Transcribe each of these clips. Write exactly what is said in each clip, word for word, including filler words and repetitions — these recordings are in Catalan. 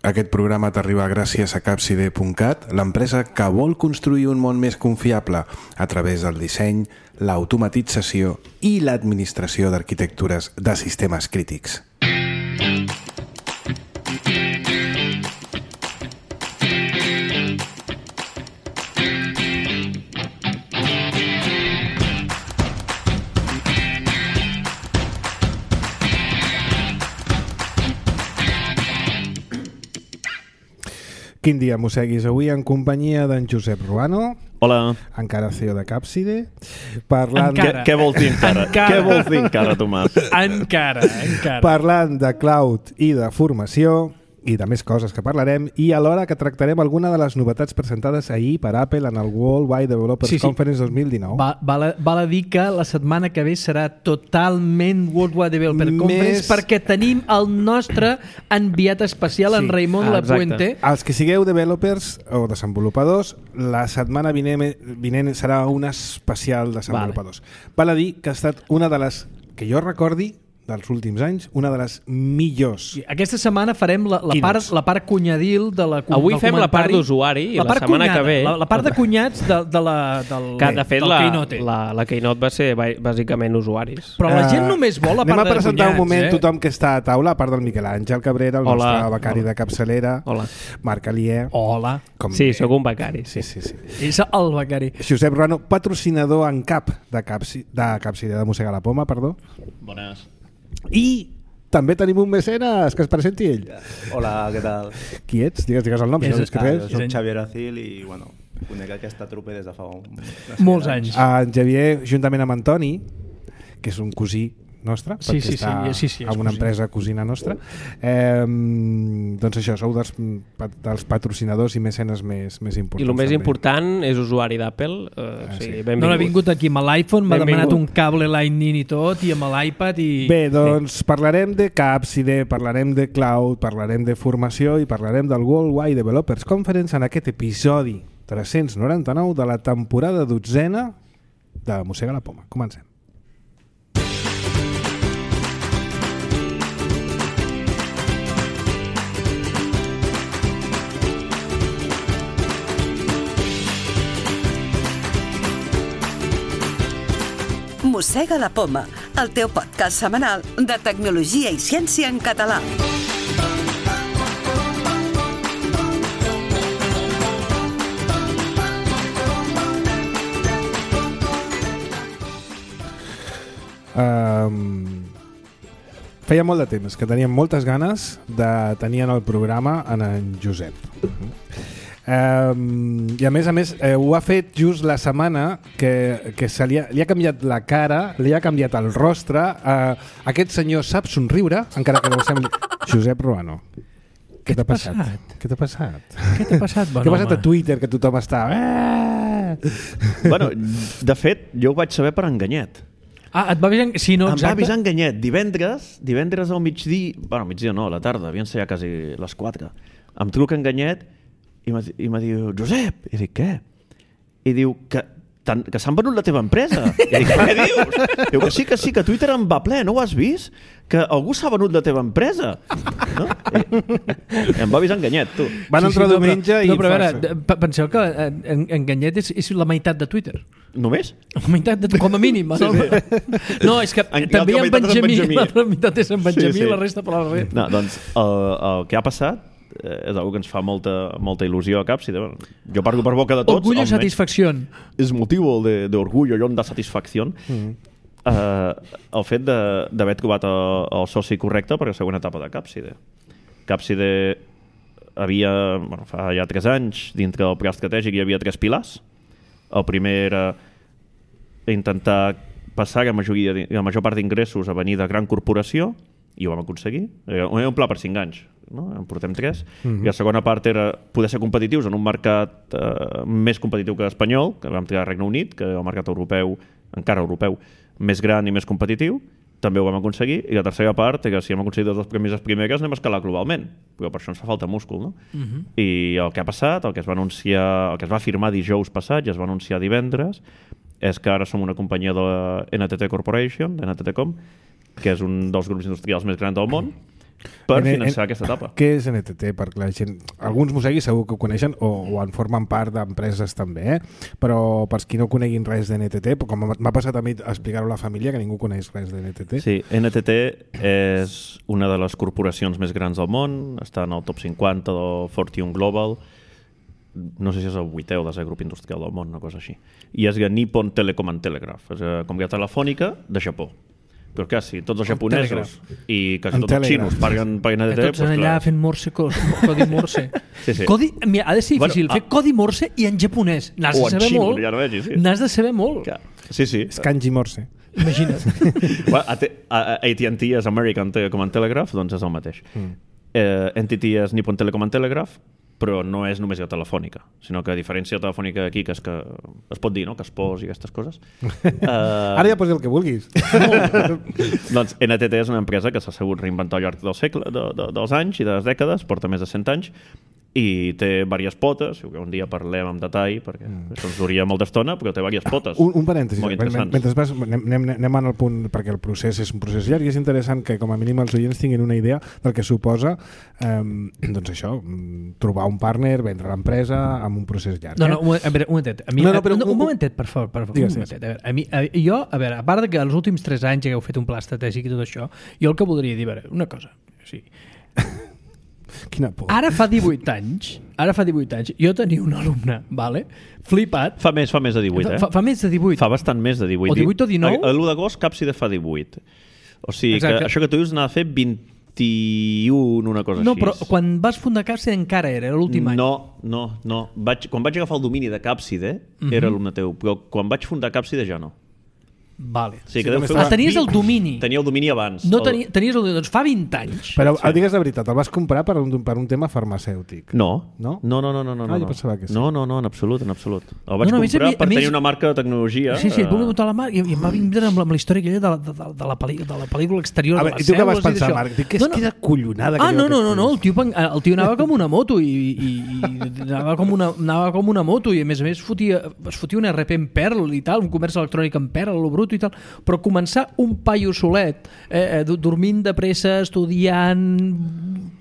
Aquest programa t'arriba gràcies a capside punt cat, l'empresa que vol construir un món més confiable a través del disseny, l'automatització i l'administració d'arquitectures de sistemes crítics. Quin dia, mosseguis? Avui en companyia d'en Josep Ruano. Hola. Encara C E O de Capside. Parlant encara. De... Què vols dir encara? encara? Què vols dir encara, Tomàs? Encara, encara. Parlant de cloud i de formació i de més coses que parlarem, i alhora que tractarem alguna de les novetats presentades ahir per Apple en el World Wide Developers sí, sí. Conference dos mil dinou. Va, val, a, val a dir que la setmana que ve serà totalment World Wide Developers Conference més... perquè tenim el nostre enviat especial, sí. en Raimon ah, Lapuente. Els que sigueu developers o desenvolupadors, la setmana vinent, vinent serà un especial desenvolupadors. Vale. Val a dir que ha estat una de les, que jo recordi, dels últims anys, una de les millors. Aquesta setmana farem la, la, part, la part cunyadil de la, Avui fem la part d'usuari i la, la setmana cunyada, que ve... La, la part de cunyats de, de la, del, que, de fet, del la, Keynote. La, la Keynote va ser bàsicament usuaris. Però la gent només vol la part de cunyats. Anem a presentar un moment eh? tothom que està a taula, a part del Miquel Àngel Cabrera, el Hola. nostre becari Hola. de capçalera, Hola. Marc Alier. Hola. Com sí, sóc un becari. Sí, sí, sí. És el becari. Josep Ruano, patrocinador en cap de Capsi, de Capside, de Mossegar la Poma, perdó. Bones. I també tenim un mecenes, que es presenti ell. Hola, què tal? Qui ets? Digues, digues el nom. És, si no ah, jo soc Xavier Acil i, bueno, conec aquesta trupe des de fa un... molts anys. En Xavier, juntament amb Antoni, que és un cosí nostre, sí, perquè sí, està sí, sí, sí, en una cosí. empresa cosina nostra. Eh, doncs això, sou dels, dels patrocinadors i mecenes més, més importants. I el més també. important és usuari d'Apple. Eh, ah, sí. Sí, no l'ha vingut aquí amb l'iPhone, m'ha demanat un cable Lightning i tot, i amb l'iPad i... Bé, doncs sí. Parlarem de Capside, parlarem de cloud, parlarem de formació i parlarem del World Wide Developers Conference en aquest episodi tres-cents noranta-nou de la temporada dotzena de Mossega la Poma. Comencem. Mossega la Poma, el teu podcast setmanal de tecnologia i ciència en català. Um, feia molt de temps que teníem moltes ganes de tenir en el programa en en Josep. Um, i a més a més eh, ho ha fet just la setmana que, que se li, ha, li ha canviat la cara, li ha canviat el rostre. Uh, aquest senyor sap somriure, encara que no ho sembli. Josep Ruano, què t'ha passat? passat? Què t'ha passat? Què t'ha passat, bon Què ha passat home? a Twitter, que tothom està... Bueno, de fet, jo ho vaig saber per Enganyet. Ah, et va avisar... Sí, no, em exacte. va avisar Enganyet divendres, divendres al migdia, bueno, migdia no, a la tarda, havien ser ja quasi les quatre. Em truca Enganyet i me diu, Josep, i dic, què? I diu, que, tan, que s'han venut la teva empresa. I dic, què dius? Diu que sí, que sí, que Twitter en va ple, no ho has vist? Que algú s'ha venut la teva empresa. No? I, i em va avisar Enganyet, tu. Van entrar sí, sí, diumenge no, però, i... No, però a veure, penseu que en, Enganyet és, és la meitat de Twitter. Només? La meitat, de, com a mínim. Sí, no? Sí. No, és que en, també hi ha en Benjamí, la meitat és en Benjamí sí, sí. i la resta per la resta. No, doncs el, el que ha passat és una que ens fa molta, molta il·lusió a Capside. Jo parlo per boca de tots. Orgullo i satisfacció. És motiu de, de orgullo i de satisfacció. Mm. Uh, el fet d'haver trobat el, el soci correcte per a la següent etapa de Capside. Capside havia, bueno, fa ja tres anys, dintre del pla estratègic hi havia tres pilars. El primer era intentar passar la, majoria, la major part d'ingressos a venir de gran corporació, i ho vam aconseguir. Era un pla per cinc anys, no? En portem tres. Mm-hmm. I la segona part era poder ser competitius en un mercat eh, més competitiu que l'espanyol, que vam triar al Regne Unit, que el mercat europeu, encara europeu, més gran i més competitiu. També ho vam aconseguir. I la tercera part era que si hem aconseguit les dues premisses primeres anem a escalar globalment. Però per això ens fa falta múscul, no? Mm-hmm. I el que ha passat, el que es va anunciar, el que es va firmar dijous passat i es va anunciar divendres, és que ara som una companyia de la N T T Corporation, de N T T Com, que és un dels grups industrials més grans del món, per N- finançar N- aquesta etapa. Què és N T T? Perquè la gent, alguns mosseguis segur que ho coneixen o, o en formen part d'empreses també, eh? Però per qui no coneguin res d'N T T, com m'ha passat a mi explicar-ho a la família, que ningú coneix res d'N T T. Sí, N T T és una de les corporacions més grans del món, està en el top cinquanta del Fortune Global, no sé si és el vuitè o desè grup industrial del món, una cosa així. I és Nippon Telecom and Telegraph, és una companyia telefònica de Japó. Però clar, si tots els japonesos i quasi tots els xinos parlen per N T T... Tots allà fent morse, codi morse. Sí, sí. Codi, mira, ha de ser difícil Bueno, fer codi morse i en japonès. N'has o de en saber xino, molt. ja no vegis, sí. N'has de saber molt. Clar. Sí, sí. És kanji morse. Imagina't. Bueno, A T and T és American Telecom and Telegraph, doncs és el mateix. Mm. Eh, N T T és Nippon Telecom and Telegraph, però no és només la telefònica, sinó que a diferència de la telefònica aquí, que és que es pot dir, no?, que es pos i aquestes coses. uh, Ara ja posi el que vulguis. doncs N T T és una empresa que s'ha sabut reinventar al llarg del segle, de, de, dels anys i de les dècades, porta més de cent anys, i té diverses potes, si un dia parlem amb detall, perquè mm. això ens duria molta estona, però té diverses potes. Un, un parèntesi, molt interessants. mentre vas, anem, anem, anem al punt, perquè el procés és un procés llarg i és interessant que com a mínim els oients tinguin una idea del que suposa eh, doncs això, trobar un partner, vendre l'empresa amb un procés llarg. No, eh? no, un, a veure, un momentet. A mi, No, no, però un, un- un momentet, per favor. Per favor Digues, un momentet. A veure, a mi, a, jo, a veure, a part de que els últims tres anys que heu fet un pla estratègic i tot això, jo el que voldria dir, a veure, una cosa. O sigui, Quina por. ara fa divuit anys, ara fa divuit anys, jo tenia un alumne, vale? Flipat, Fa més, fa més de divuit, eh? fa, fa més de divuit. Fa bastant més de divuit. O divuit o dinou? A l'u d'agost Capside fa divuit. O sigui Exacte. que això que tu dius n'ha de fer vint-i-un, una cosa No, així. però quan vas fundar Capside encara era, era l'últim any. No, no, no. Vaig, quan vaig agafar el domini de Capside, Mhm. era alumne teu, però quan vaig fundar Capside ja no. Vale. O sigui, Sí, que deu també fer estava- Ah, tenies el domini. Tenia el domini abans. No El- tenia, tenies el domini. Doncs fa vint anys. Però sí. Digues la veritat, el vas comprar per un, per un tema farmacèutic. No. No? No, no, no, no, no. Ah, jo no. pensava que sí. No, no, no, en absolut, en absolut. El vaig No, no, a més, comprar a mi- per a més- tenir una marca de tecnologia. Sí, sí, et eh, vull muntar la marca i, i em va vindre amb la, amb la història aquella de, la- de, de, de, la, pel·li, de la pel·lícula exterior A de veure, les i tu què vas cèl·lules i pensar, d'això. Marc? Dic que és No, no. que és acollonada. Ah, que no, jo no, no, aquest no, el país. tio, pen- el tio anava com una moto i, i, i anava, com una, anava com una moto i a més a més fotia, es fotia un R P en Perl i tal, un comerç electrònic en Perl, lo bruto i tal, però començar un paio solet, eh, eh, dormint de pressa, estudiant,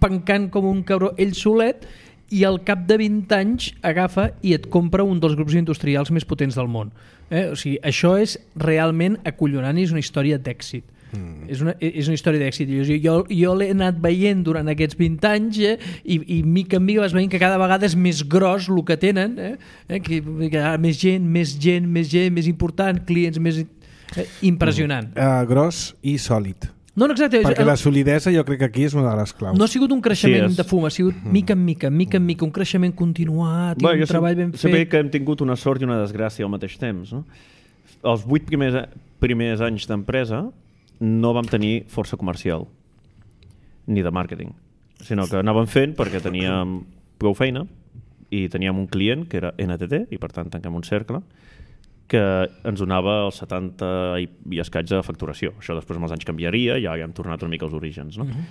pencant com un cabró, ell solet, i al cap de vint anys agafa i et compra un dels grups industrials més potents del món. Eh? O sigui, això és realment acollonant i és una història d'èxit. Mm. És, una, és una història d'èxit. Jo, jo, jo l'he anat veient durant aquests vint anys eh? I, i mica en mica vas veient que cada vegada és més gros el que tenen, eh? Eh? Que, que ah, més gent, més gent, més gent, més important, clients més... Eh? Impressionant. Mm. Uh, gros i sòlid. No, no, exacte. Perquè la solidesa jo crec que aquí és una de les claus. No ha sigut un creixement Sí, és- de fum, ha sigut mica en mica, mica en mica, un creixement continuat i Bueno, un jo treball ben sempre, sempre fet. dic que hem tingut una sort i una desgràcia al mateix temps. No? Els vuit primers, primers anys d'empresa no vam tenir força comercial ni de màrqueting, sinó que anàvem fent perquè teníem prou feina i teníem un client que era N T T i per tant tanquem un cercle que ens donava el setanta i, i escaig de facturació. Això després amb els anys canviaria, ja hem tornat una mica als orígens. No? Uh-huh.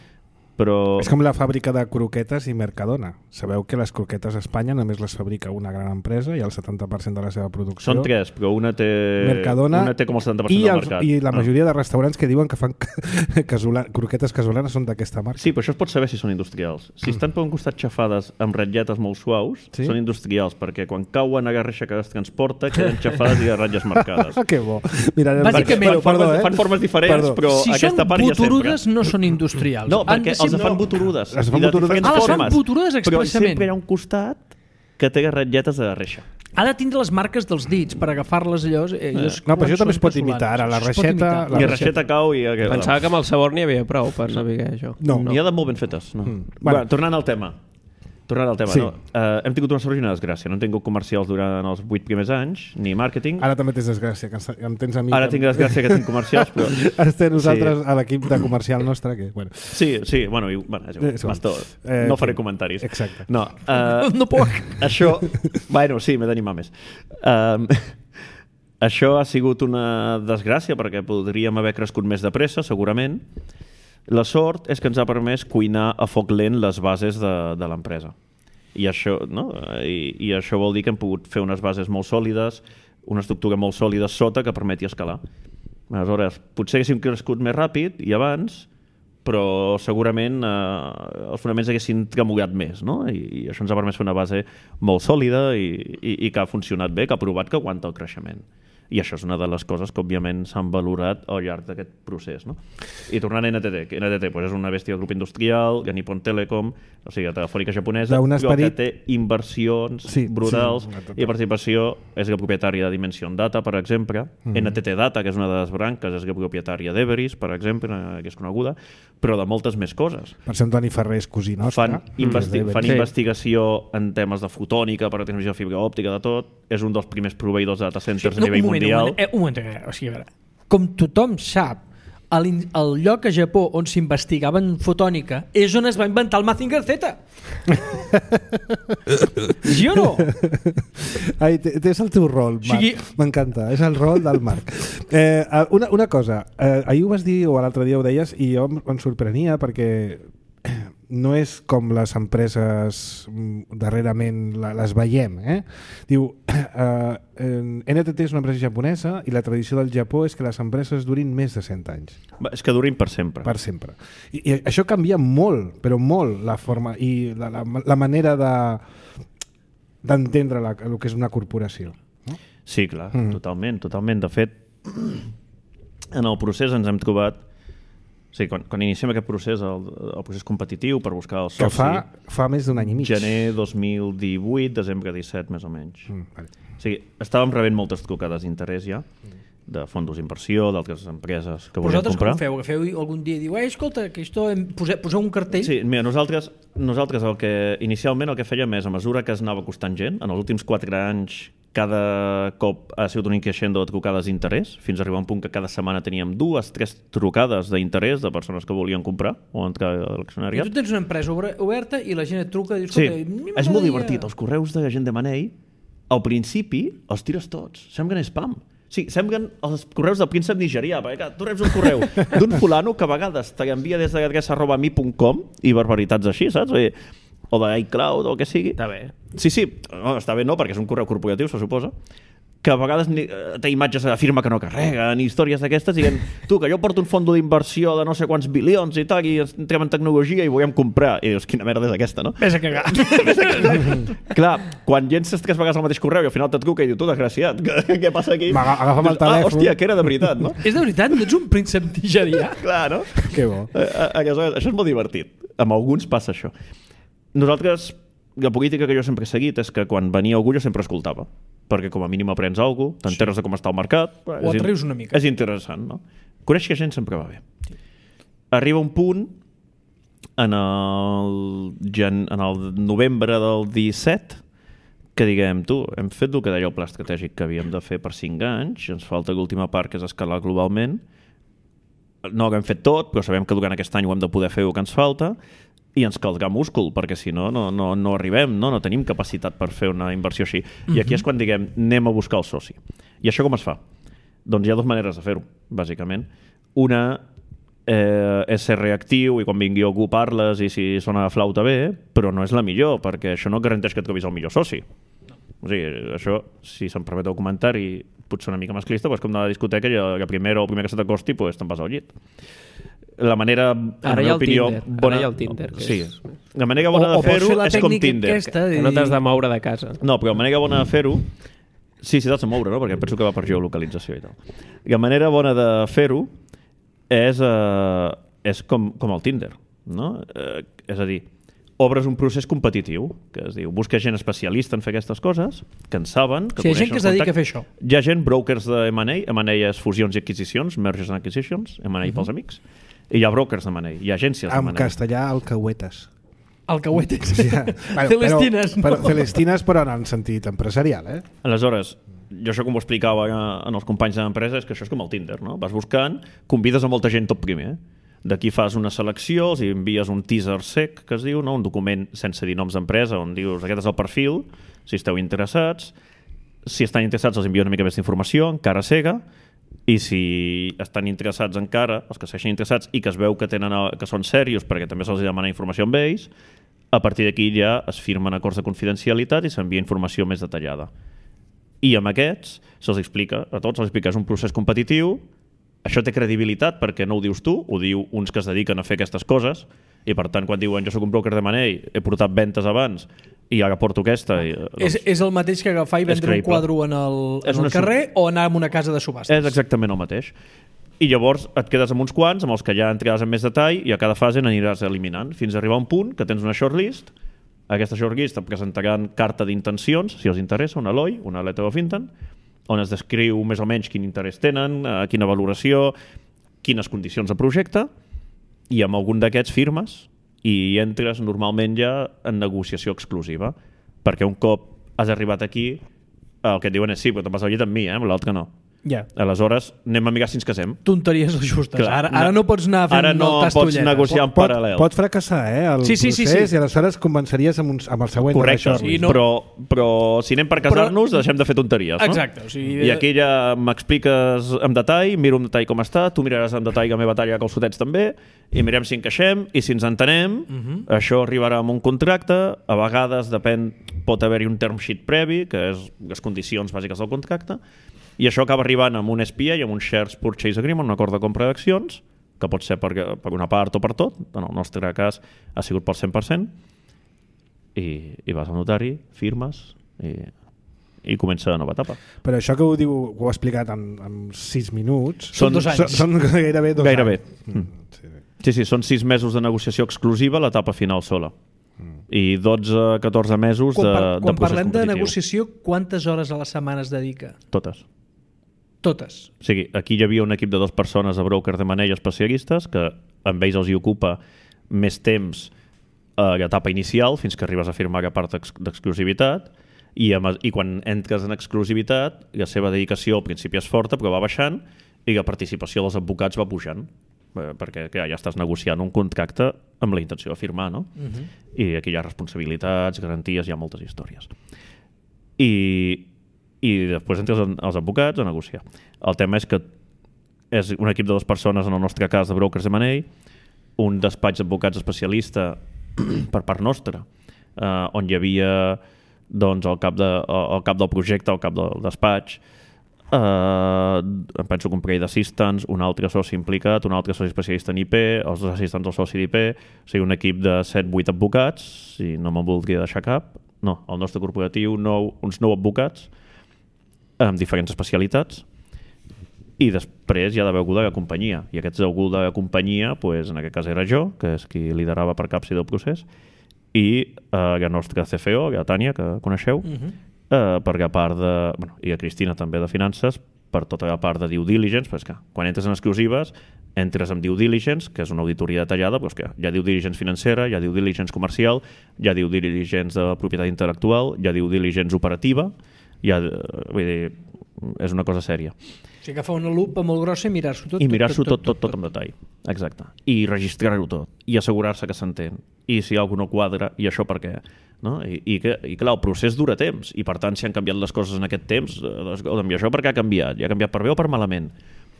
Però... És com la fàbrica de croquetes i Mercadona. Sabeu que les croquetes a Espanya només les fabrica una gran empresa i el setanta per cent de la seva producció... Són tres, però una té, Mercadona una té com el setanta per cent i, del els, mercat. i la Ah. majoria de restaurants que diuen que fan casola, croquetes casolanes són d'aquesta marca. Sí, però això es pot saber si són industrials. Si estan per un costat xafades amb ratlletes molt suaus, Sí? són industrials, perquè quan cauen a garreixa que es transporta, queden xafades i ratlles marcades. Ah, que bo. Mira, Bàsicament- perdó, fan, perdó, formes, eh? fan formes diferents, Perdó. però Si aquesta són part ja boturudes sempre. no són industrials. No, Han perquè de ser- els fan boturudes. Els fan i de boturudes. diferents Ah, les fan formes. boturudes Però expressament. sempre hi ha un costat que té ratlletes de reixa. Ha de tindre les marques dels dits per agafar-les allò. Eh, allò No, però això també es pot són imitar. Ara, la casolanes. Es pot reixeta- imitar. La I reixeta. reixeta cau i... Pensava que amb el sabor n'hi havia prou per saber això. No. N'hi ha de molt ben fetes. No. Mm. Bueno. Bueno, tornant al tema. Tornant al tema, Sí. no? Uh, hem tingut una sort i una desgràcia. No hem tingut comercials durant els vuit primers anys, ni màrqueting. Ara també tens desgràcia, que ens- em tens a mi. Ara tinc desgràcia que tinc comercials, però... Ara té nosaltres sí. a l'equip de comercial nostre, que... Bueno. Sí, sí, bueno, i, bueno és igual, És igual. Mastor, Eh, no faré sí. comentaris. Exacte. No, uh, No puc. Això, bueno, sí, m'he d'animar més. Um, això ha sigut una desgràcia perquè podríem haver crescut més de pressa, segurament. La sort és que ens ha permès cuinar a foc lent les bases de, de l'empresa. I això, no? I, I això vol dir que hem pogut fer unes bases molt sòlides, una estructura molt sòlida sota que permeti escalar. Aleshores, potser haguéssim crescut més ràpid i abans, però segurament eh, els fonaments haguessin tremollat més, no? I, i això ens ha permès fer una base molt sòlida i, i, i que ha funcionat bé, que ha provat que aguanta el creixement. I això és una de les coses que, òbviament, s'han valorat al llarg d'aquest procés. No? I tornant a N T T, que N T T pues, és una bèstia del grup industrial, de Nippon Telecom, o sigui, la telefònica japonesa, esperit... que té inversions sí, brutals sí, i participació és la propietària de Dimension Data, per exemple, mm-hmm. N T T Data, que és una de les branques, és la propietària d'Everis, per exemple, que és coneguda, però de moltes més coses. Per exemple, Antoni Ferrer és cosí nostre. Fan, investi mm, fan sí. investigació en temes de fotònica, per a transmissió de fibra òptica, de tot. És un dels primers proveïdors de data centers sí, no, a nivell mundial. Un moment, eh, un moment, eh, o sigui, a veure, com tothom sap, el, el lloc a Japó on s'investigava en fotònica és on es va inventar el Mazinger Z. Sí o no? Ai, és el teu rol, Marc. Sí. M'encanta, és el rol del Marc. Eh, una, una cosa, eh, ahir ho vas dir o l'altre dia ho deies i jo em sorprenia perquè no és com les empreses darrerament les veiem. Eh? Diu, eh, N T T és una empresa japonesa i la tradició del Japó és que les empreses durin més de cent anys. És que durin per sempre. Per sempre. I, i això canvia molt, però molt, la forma i la, la, la manera de d'entendre la, el que és una corporació. No? Sí, clar, mm. totalment, totalment. De fet, en el procés ens hem trobat Sí, quan, quan iniciem aquest procés, el, el procés competitiu per buscar el soci... Que fa, fa més d'un any i mig. Gener dos mil divuit, desembre disset, més o menys. Mm, vale. O sigui, estàvem rebent moltes trucades d'interès ja, de fons d'inversió, d'altres empreses que volien comprar. Vosaltres com feu? Agafeu algun dia i diu, eh, escolta, que esto, poseu, poseu un cartell? Sí, mira, nosaltres, nosaltres el que, inicialment el que fèiem és, a mesura que es anava costant gent, en els últims quatre anys cada cop ha sigut un increixent de trucades d'interès, fins a arribar a un punt que cada setmana teníem dues, tres trucades d'interès de persones que volien comprar o entrar a l'accionariat. I tu tens una empresa oberta i la gent et truca i dius... Sí, és molt divertit. Els correus de gent de Manei, al principi els tires tots. Semblen spam. Sí, semblen els correus del príncep nigerià, perquè tu reps un correu d'un fulano que a vegades te l'envia des de l'adreça arroba mi punt com i barbaritats així, saps? O, o d'iCloud o el que sigui. Està bé. Sí, sí, no, està bé no, perquè és un correu corporatiu, se suposa, que a vegades té imatges de firma que no carreguen, històries d'aquestes, dient, tu, que jo porto un fons d'inversió de no sé quants bilions i tal, i entrem en tecnologia i volem comprar. I dius, quina merda és aquesta, no? Ves a cagar. Ves a cagar. Clar, quan llences tres vegades el mateix correu i al final te truca i diu, tu, desgraciat, què, què passa aquí? Agafa'm el telèfon. Ah, hòstia, que era de veritat, no? És de veritat? No ets un príncep nigerià? Clar, no? Que bo. Això és molt divertit. Amb alguns passa això. Nosaltres, la política que jo sempre he seguit és que quan venia algú jo sempre escoltava, perquè com a mínim aprens alguna cosa, t'enteres de com està el mercat. O et rius una mica. És interessant, no? Conèixer gent sempre va bé. Sí. Arriba un punt en el, gen, en el novembre del disset que diguem, tu, hem fet el que deia el pla estratègic que havíem de fer per cinc anys, ens falta l'última part que és escalar globalment, no ho hem fet tot, però sabem que durant aquest any ho hem de poder fer el que ens falta, i ens caldrà múscul, perquè si no, no, no, no arribem, no? No tenim capacitat per fer una inversió així. Uh-huh. I aquí és quan diguem, anem a buscar el soci. I això com es fa? Doncs hi ha dues maneres de fer-ho, bàsicament. Una eh, és ser reactiu i quan vingui algú parles i si sona la flauta bé, però no és la millor, perquè això no garanteix que et trobis el millor soci. O sigui, això, si se'm permet el comentari, potser una mica masclista, però és com anar a la discoteca i la primera o el primer que se t'acosti, pues, te'n vas al llit. La manera, ara hi ha el opinió, Tinder, bona... ara hi ha el Tinder. Que sí. és... La manera bona o, de fer-ho és com Tinder. Aquesta, que, que no t'has de moure de casa. No, però la manera bona de fer-ho... Sí, sí, t'has de moure, no? Perquè penso que va per geolocalització i tal. La manera bona de fer-ho és, uh, és com, com el Tinder, no? Uh, és a dir, obres un procés competitiu, que es diu, busca gent especialista en fer aquestes coses, que en saben... Que sí, hi ha gent que es dedica a fer això. Hi ha gent, brokers de M and A, M and A és fusions i adquisicions, mergers and acquisitions, M and A uh-huh. pels amics, i hi ha brokers de M and A, hi ha agències de M and A. En castellà, alcahuetes. Alcahuetes. Sí, ja. Bueno, Celestines. Però, però, Celestines, però en sentit empresarial, eh? Aleshores, jo això com ho explicava en els companys de l'empresa és que això és com el Tinder, no? Vas buscant, convides a molta gent tot primer, d'aquí fas una selecció, els envies un teaser sec, que es diu, no? Un document sense dir noms d'empresa, on dius aquest és el perfil, si esteu interessats, si estan interessats els envio una mica més d'informació, encara cega, i si estan interessats encara, els que segueixen interessats i que es veu que, tenen, que són serios perquè també se'ls demana informació amb ells, a partir d'aquí ja es firmen acords de confidencialitat i s'envia informació més detallada. I amb aquests se'ls explica, a tots se'ls explica, és un procés competitiu això té credibilitat perquè no ho dius tu, ho diu uns que es dediquen a fer aquestes coses, i per tant quan diuen jo soc un broker de money, he portat ventes abans i ara porto aquesta... I, doncs, és, és el mateix que agafar i vendre un quadre en el, en el carrer o anar a una casa de subhastes? És exactament el mateix. I llavors et quedes amb uns quants, amb els que ja entraràs en més detall, i a cada fase n'aniràs eliminant, fins a arribar a un punt que tens una shortlist. Aquesta shortlist et presentaran carta d'intencions, si els interessa, una L O I, una letter of intent, on es descriu més o menys quin interès tenen, eh, quina valoració, quines condicions de projecte, i amb algun d'aquests firmes i entres normalment ja en negociació exclusiva, perquè un cop has arribat aquí, el que et diuen és sí, però te'n vas al llit amb mi, eh? L'altre no. Ja. Aleshores, anem a mirar si ens casem. Tonteries justes. Clar, ara, ara no pots anar fent ara no moltes pots tolletes. negociar en Pot, paral·lel. pot fracassar, eh, el Sí, sí, sí, procés, sí. i aleshores convenceries amb, un, amb el següent. Correcte, sí, no? però, però si anem per casar-nos, Però- deixem de fer tonteries, no? Exacte. O sigui, I aquí ja m'expliques en detall, miro en detall com està, tu miraràs en detall la meva talla calçotets també, i mirem si encaixem, i si ens entenem, uh -huh. això arribarà amb un contracte, a vegades depèn, pot haver-hi un term sheet previ, que és les condicions bàsiques del contracte, i això acaba arribant amb un S P A i amb un Shares Purchase Agreement, un acord de compra d'accions, que pot ser per, per una part o per tot, en el nostre cas ha sigut pel cent per cent, i, i vas al notari, firmes, i, i comença la nova etapa. Però això que ho diu, ho ha explicat en, en sis minuts... Són dos anys. Són, són gairebé dos Gairebé. anys. Mm. Sí, sí. Sí, sí, són sis mesos de negociació exclusiva, l'etapa final sola. I dotze a catorze mesos quan, de, par de quan procés parlem de competitiu. negociació, quantes hores a la setmana es dedica? Totes. Totes. O sigui, aquí hi havia un equip de dues persones de brokers de money especialistes que amb ells els hi ocupa més temps a l'etapa inicial fins que arribes a firmar la part d'exclusivitat i, amb, i quan entres en exclusivitat la seva dedicació al principi és forta però va baixant i la participació dels advocats va pujant eh, perquè clar, ja estàs negociant un contracte amb la intenció de firmar, no? Uh-huh. I aquí hi ha responsabilitats, garanties, hi ha moltes històries. I i després entres els advocats a negociar. El tema és que és un equip de dues persones, en el nostre cas, de brokers de money, un despatx d'advocats especialista per part nostra, eh, on hi havia doncs, el, cap de, el cap del projecte, el cap del despatx, eh, em penso que un parell d'assistants, un altre soci implicat, un altre soci especialista en I P, els dos assistants del soci d'I P, o sigui, un equip de set vuit advocats, si no me'n voldria deixar cap. No, el nostre corporatiu, nou, uns nou advocats, amb diferents especialitats, i després hi ha d'haver algú de la companyia, i aquest algú de la companyia, pues, en aquest cas era jo, que és qui liderava per capsi del procés, i eh, la nostra C F O, la Tània, que coneixeu, uh-huh. eh, per la part de... Bueno, i la Cristina també de finances, per tota la part de due diligence, però és que quan entres en exclusives, entres en due diligence, que és una auditoria detallada, però és que hi ha due diligence financera, hi ha due diligence comercial, hi ha due diligence de propietat intel·lectual, hi ha due diligence operativa, ja, vull dir, és una cosa sèria. O sigui, agafar una lupa molt grossa i mirar-s'ho tot. I mirar-s'ho tot, tot, tot, tot en detall. Exacte. I registrar-ho tot. I assegurar-se que s'entén. I si algú no quadra, i això per què? No? I, i, que, I clar, el procés dura temps. I per tant, si han canviat les coses en aquest temps, doncs, i això per què ha canviat? I ha canviat per bé o per malament?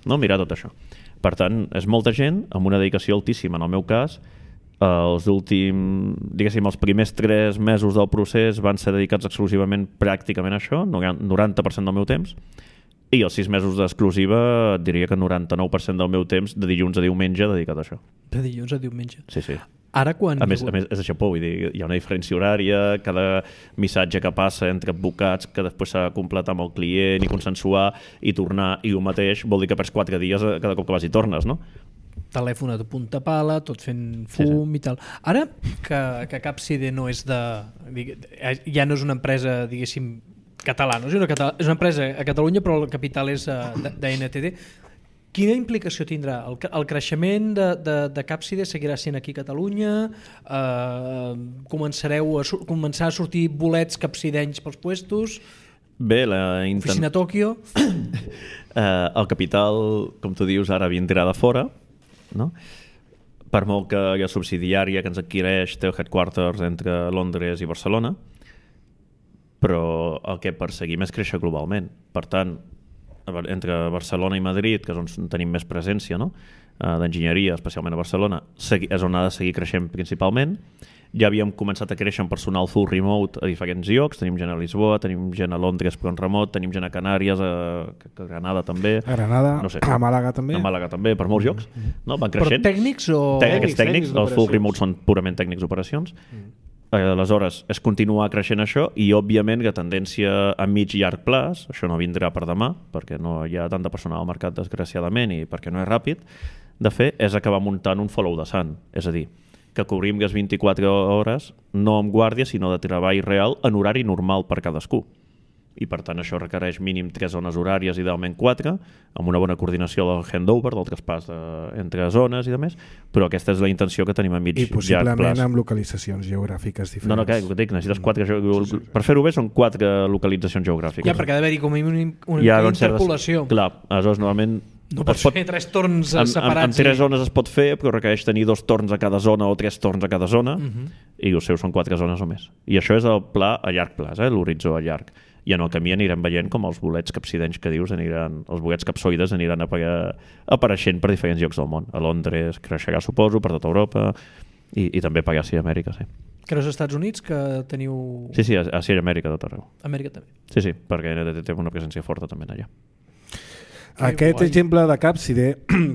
No? Mirar tot això. Per tant, és molta gent amb una dedicació altíssima. En el meu cas, els últims, diguéssim, els primers tres mesos del procés van ser dedicats exclusivament pràcticament a això, noranta per cent del meu temps, i els sis mesos d'exclusiva diria que noranta-nou per cent del meu temps de dilluns a diumenge dedicat a això. De dilluns a diumenge. Sí, sí. Ara quan... A més, a més és això, vull dir, hi ha una diferència horària, cada missatge que passa entre advocats que després s'ha de completar amb el client i consensuar i tornar i el mateix, vol dir que perds quatre dies cada cop que vas i tornes, no? Telèfon de punta pala, tot fent fum, sí, sí. I tal. Ara que, que Capside no és de... ja no és una empresa, diguéssim, catalana, és una, català, és una empresa a Catalunya, però el capital és d'N T D. Quina implicació tindrà? El, el creixement de, de, de Capside seguirà sent aquí a Catalunya? Eh, començareu a, començar a sortir bolets capsidenys pels puestos? Bé, la intent... Oficina a Tòquio? eh, el capital, com tu dius, ara vindrà de fora, no? Per molt que la subsidiària que ens adquireix té el headquarters entre Londres i Barcelona, però el que perseguim és créixer globalment. Per tant, entre Barcelona i Madrid, que és on tenim més presència, no? d'enginyeria, especialment a Barcelona, és on ha de seguir creixent principalment, ja havíem començat a créixer en personal full remote a diferents llocs, tenim gent a Lisboa, tenim gent a Londres però en remot, tenim gent a Canàries, a, a Granada també. A Granada, no sé, a Màlaga també. A Màlaga també, per molts llocs. No? Van Però creixent. tècnics o... Tècnics, tècnics, tècnics els full d'operacions. remote són purament tècnics d'operacions. Mm. Aleshores, és continuar creixent això i, òbviament, que tendència a mig i llarg plaç, això no vindrà per demà, perquè no hi ha tanta personal al mercat, desgraciadament, i perquè no és ràpid, de fer, és acabar muntant un follow de sant. És a dir, que cobrim les vint-i-quatre hores no amb guàrdia, sinó de treball real en horari normal per cadascú. I, per tant, això requereix mínim tres zones horàries, idealment quatre, amb una bona coordinació del handover, del traspàs de, entre zones i demés, però aquesta és la intenció que tenim a mig I llarg possiblement plaç. amb localitzacions geogràfiques diferents. No, no, que dic, necessites quatre... Sí, sí. Per fer-ho bé són quatre localitzacions geogràfiques. Ja, perquè ha d'haver-hi com a mínim una, Hi ha, una doncs, certes- interpolació. Clar, aleshores, normalment... No pots es pot- fer tres torns en, en, separats. en tres i- zones es pot fer, però requereix tenir dos torns a cada zona o tres torns a cada zona, Uh -huh. i els seus són quatre zones o més. I això és el pla a llarg plaç, eh? L'horitzó a llarg. I en el camí anirem veient com els bolets capsidenys que dius, aniran, els bolets capsoides aniran apare apareixent per diferents llocs del món. A Londres creixerà, suposo, per tota Europa, i, i també per Àsia i Amèrica, sí. Creus als Estats Units que teniu... Sí, sí, a Àsia i Amèrica, tot arreu. Amèrica també. Sí, sí, perquè té una presència forta també allà. Aquest guai. exemple de Capside,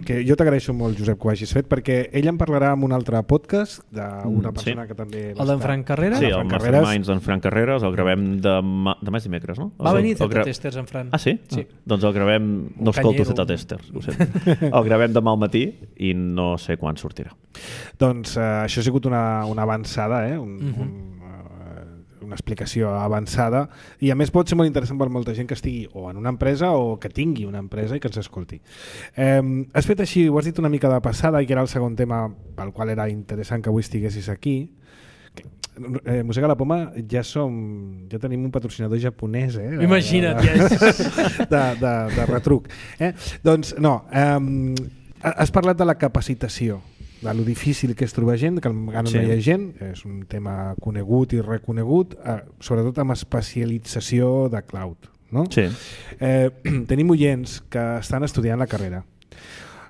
que jo t'agraeixo molt, Josep, que ho hagis fet, perquè ell en parlarà en un altre podcast d'una Mm, persona sí. que també... El d'en Frank Carreras? Sí, el el Frank Carreras. Masterminds d'en Frank Carreras el gravem demà, demà és dimecres, no? Va El- venir el Zeta gra- Testers en Fran. Ah, sí? Sí. Ah, doncs el gravem... No escolto canyero. Zeta Testers, ho sento. El gravem demà al matí i no sé quan sortirà. Doncs uh, això ha sigut una, una avançada, eh? un, Mhm. uh -huh. un, uh, una explicació avançada, i a més pot ser molt interessant per molta gent que estigui o en una empresa o que tingui una empresa i que ens escolti. Eh, has fet així, ho has dit una mica de passada, i que era el segon tema pel qual era interessant que avui estiguessis aquí. Eh, Mossega la Poma, ja som ja tenim un patrocinador japonès, eh? De, Imagina't, de, ja. de, de, de retruc. Eh? Doncs no, eh, has parlat de la capacitació, de lo difícil que és trobar gent, que encara Sí. no hi ha gent, és un tema conegut i reconegut, eh, sobretot amb especialització de cloud. No? Sí. Eh, tenim oients que estan estudiant la carrera,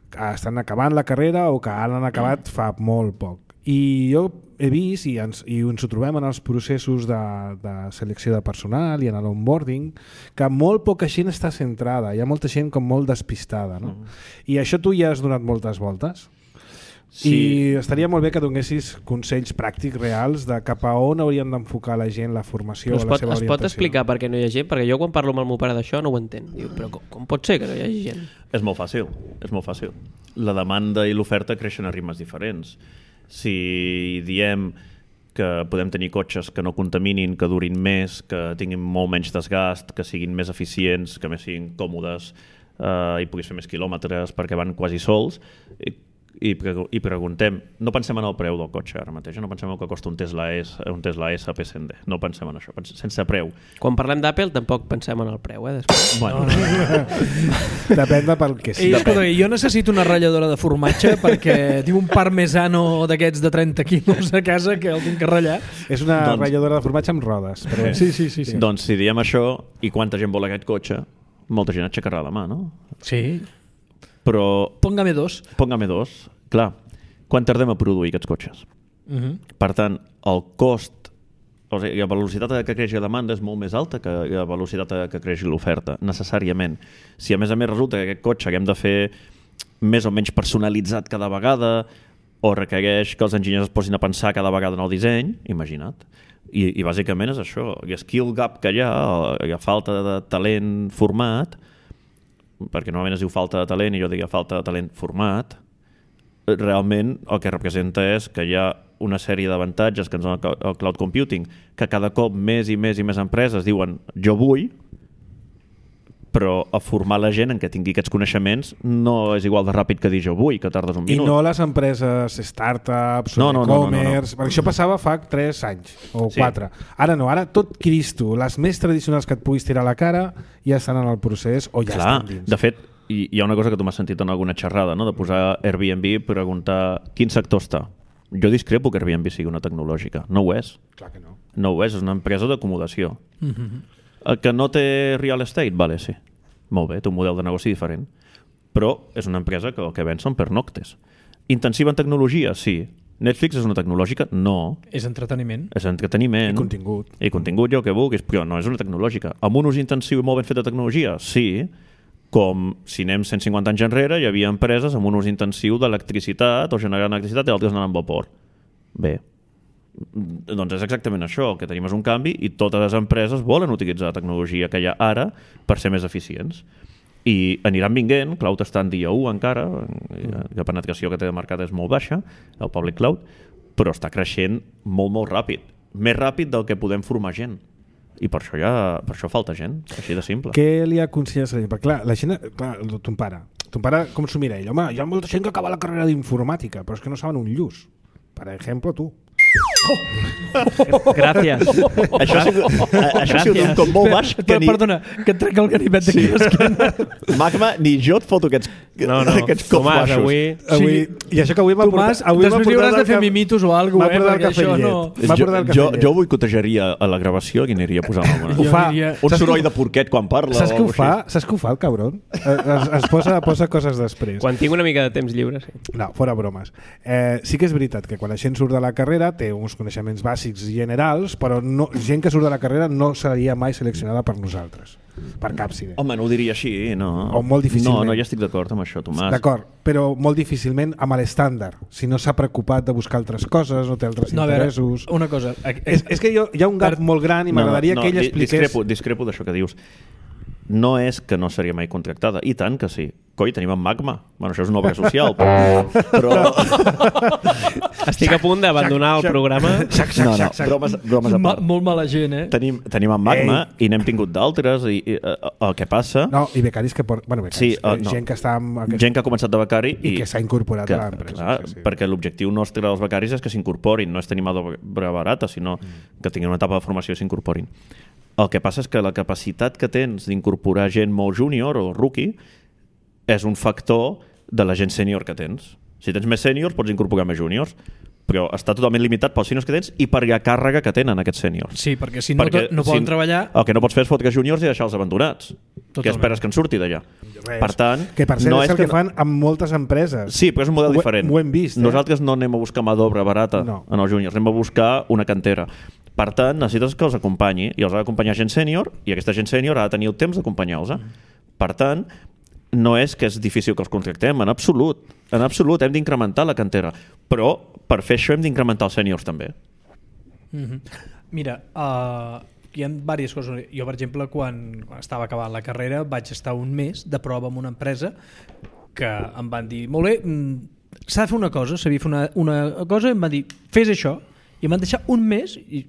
que estan acabant la carrera o que han acabat fa molt poc. I jo he vist, i ens, i ens ho trobem en els processos de, de selecció de personal i en l'onboarding, que molt poca gent està centrada, hi ha molta gent com molt despistada. No? Mm. I això tu ja has donat moltes voltes. Sí. I estaria molt bé que donessis consells pràctics reals de cap a on haurien d'enfocar la gent la formació Però o es la pot, seva es orientació. pot explicar per què no hi ha gent? Perquè jo quan parlo amb el meu pare d'això no ho entenc. Diu, però com, com pot ser que no hi hagi gent? És molt fàcil, és molt fàcil. La demanda i l'oferta creixen a ritmes diferents. Si diem que podem tenir cotxes que no contaminin, que durin més, que tinguin molt menys desgast, que siguin més eficients, que més siguin còmodes eh, i puguis fer més quilòmetres perquè van quasi sols, i, i, i preguntem, no pensem en el preu del cotxe ara mateix, no pensem en el que costa un Tesla S, un Tesla S P cent D, no pensem en això, pensem, sense preu. Quan parlem d'Apple tampoc pensem en el preu, eh? Després. Bueno, No, no. Depèn de pel que I, sigui. escolta, jo necessito una ratlladora de formatge perquè tinc un parmesano d'aquests de trenta quilos a casa que el tinc que ratllar. És una Doncs- ratlladora de formatge amb rodes. Però... Sí, sí, sí. sí. Doncs si diem això i quanta gent vol aquest cotxe, molta gent aixecarà la mà, no? sí. Però Póngame dos. Póngame dos, clar, quan tardem a produir aquests cotxes? Uh -huh. Per tant, el cost, o sigui, la velocitat a que creixi la demanda és molt més alta que la velocitat a que creixi l'oferta, necessàriament. Si a més a més resulta que aquest cotxe haguem de fer més o menys personalitzat cada vegada, o requereix que els enginyers es posin a pensar cada vegada en el disseny, imagina't. I, i bàsicament és això, el skill gap que hi ha, la falta de talent format, perquè normalment es diu falta de talent i jo diria falta de talent format, realment el que representa és que hi ha una sèrie d'avantatges que ens dona el cloud computing, que cada cop més i més i més empreses diuen jo vull, però a formar la gent en què tingui aquests coneixements no és igual de ràpid que dir jo vull, que tardes un I minut. no les empreses startups No, o no, no, no, no, e-commerce, perquè això passava fa tres anys o Sí. quatre. Ara no, ara tot Cristo, les més tradicionals que et puguis tirar a la cara ja estan en el procés o ja Clar, estan dins. de fet, hi, hi ha una cosa que tu m'has sentit en alguna xerrada, no? De posar Airbnb i preguntar quin sector està. Jo discrepo que Airbnb sigui una tecnològica. No ho és. Clar que no. No ho és, és una empresa d'acomodació. Uh -huh. El que no té real estate, vale, sí. Molt bé, té un model de negoci diferent. Però és una empresa que el que ven són pernoctes. Intensiva en tecnologia, sí. Netflix és una tecnològica? No. És entreteniment. És entreteniment. I contingut. I contingut, jo que vulguis, però no és una tecnològica. Amb un ús intensiu i molt ben fet de tecnologia? Sí. Com si anem cent cinquanta anys enrere, hi havia empreses amb un ús intensiu d'electricitat o generant electricitat i altres anant amb vapor. Bé, doncs és exactament això, el que tenim és un canvi i totes les empreses volen utilitzar la tecnologia que hi ha ara per ser més eficients. I aniran vinguent, cloud està en dia u encara, la penetració que té de mercat és molt baixa, el public cloud, però està creixent molt, molt ràpid. Més ràpid del que podem formar gent. I per això, ja, per això falta gent, així de simple. Què li aconselles a la gent? Perquè clar, la gent, clar, ton pare, ton pare com s'ho mira ell? Home, hi ha molta gent que acaba la carrera d'informàtica, però és que no saben un lluç. Per exemple, tu. Gràcies. Això ha sigut, això ha sigut un cop molt baix que ni... Perdona, que et trec el ganivet d'aquí sí. l'esquena. Magma, ni jo et foto aquests, no, no. aquests cops Tomàs, baixos. avui... Avui, I això que avui m'ha portat... Tomàs, després li hauràs de fer mimitos o alguna cosa, eh? Perquè això no... Jo, jo, jo boicotejaria a la gravació i aniria a posar l'home. Ho fa. Un soroll de porquet quan parla. Saps què ho fa? Saps què ho fa, el cabron? Es, es, posa, posa coses després. Quan tinc una mica de temps lliure, sí. No, fora bromes. Eh, sí que és veritat que quan la gent surt de la carrera té uns coneixements bàsics generals, però no, gent que surt de la carrera no seria mai seleccionada per nosaltres, per Capside. Home, no ho diria així, no. O molt difícilment. No, no, ja estic d'acord amb això, Tomàs. D'acord, però molt difícilment amb l'estàndard. Si no s'ha preocupat de buscar altres coses, no té altres no, interessos... Veure, una cosa... És, és que jo, hi ha un gap molt gran i m'agradaria no, no, que ell expliqués... Discrepo, discrepo d'això que dius. No és que no seria mai contractada, i tant que sí. Coi, tenim en Magma. Bueno, això és una obra social, però... però... Estic a punt d'abandonar el programa. Sac, sac, no, no, sac, sac. bromes, bromes a part. Ma, molt mala gent, eh? Tenim, tenim en Magma Ei. I n'hem tingut d'altres i, i uh, el que passa... No, i becaris que... Por... Bueno, becaris, sí, uh, no. gent que està... Amb aquest... Gent que ha començat de becari i, i que s'ha incorporat que, a l'empresa. Clar, sí, sí. Perquè l'objectiu nostre dels becaris és que s'incorporin, no és tenir mà d'obra barata, sinó mm. que tinguin una etapa de formació i s'incorporin. El que passa és que la capacitat que tens d'incorporar gent molt júnior o rookie és un factor de la gent sènior que tens. Si tens més sèniors, pots incorporar més júniors, però està totalment limitat pels sèniors que tens i per la càrrega que tenen aquests sèniors. Sí, perquè si no, perquè, no poden si, treballar... El que no pots fer és fotre júniors i deixar-los abandonats. Totalment. Què esperes que en surti d'allà? Per tant, que per cert no és el que, que fan amb moltes empreses. Sí, però és un model ho, diferent. Ho hem vist. Eh? Nosaltres no anem a buscar mà d'obra barata no. en els júniors, anem a buscar una cantera. Per tant, necessites que els acompanyi i els ha d'acompanyar gent sènior i aquesta gent sènior ha de tenir el temps d'acompanyar-los. Mm. Per tant, no és que és difícil que els contractem, en absolut. En absolut, hem d'incrementar la cantera. Però per fer això hem d'incrementar els sèniors també. Mm-hmm. Mira, uh, hi ha diverses coses. Jo, per exemple, quan, quan estava acabant la carrera vaig estar un mes de prova amb una empresa que em van dir, molt bé, s'ha de fer una cosa, s'havia de fer una, una cosa, em van dir, fes això, i em van deixar un mes i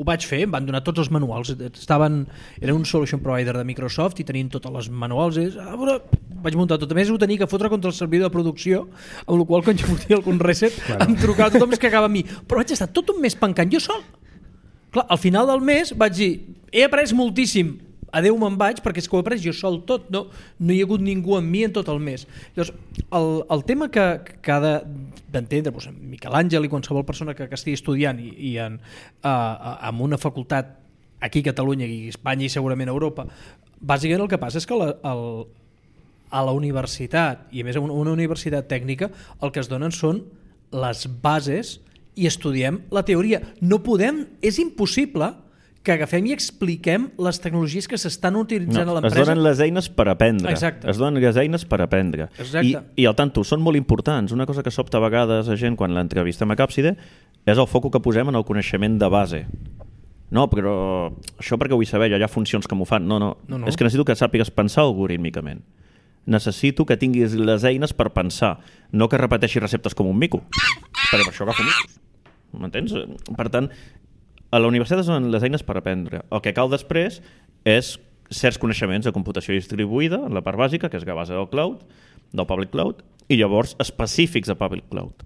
ho vaig fer, em van donar tots els manuals. Estaven, era un solution provider de Microsoft i tenien tots els manuals. I, ah, bueno, vaig muntar tot. A més, ho tenia que fotre contra el servidor de producció, amb la qual cosa, quan jo fotia algun reset, claro. Em trucava tothom que acaba a mi. Però vaig estar tot un mes pencant jo sol. Clar, al final del mes vaig dir, he après moltíssim, adeu, me'n vaig, perquè és que ho he après jo sol tot, no, no hi ha hagut ningú amb mi en tot el mes. Llavors, el, el tema que, que ha d'entendre doncs, Miquel Àngel i qualsevol persona que, que estigui estudiant i, i en, uh, en una facultat aquí a Catalunya i a Espanya i segurament a Europa, bàsicament el que passa és que la, el, a la universitat, i a més una, una universitat tècnica, el que es donen són les bases i estudiem la teoria. No podem, és impossible que agafem i expliquem les tecnologies que s'estan utilitzant no, a l'empresa. Es donen les eines per aprendre. Exacte. Es donen les eines per aprendre. I, I al tanto, són molt importants. Una cosa que sobta a vegades a gent quan l'entrevistem a Capside és el foc que posem en el coneixement de base. No, però això perquè vull saber, hi ha funcions que m'ho fan. No, no, no, no. És que necessito que sàpigues pensar algorítmicament. Necessito que tinguis les eines per pensar, no que repeteixis receptes com un mico. Perquè per això agafo micos. M'entens? Per tant, a la universitat són les eines per aprendre. El que cal després és certs coneixements de computació distribuïda, en la part bàsica, que és la base del cloud, del public cloud, i llavors específics de public cloud.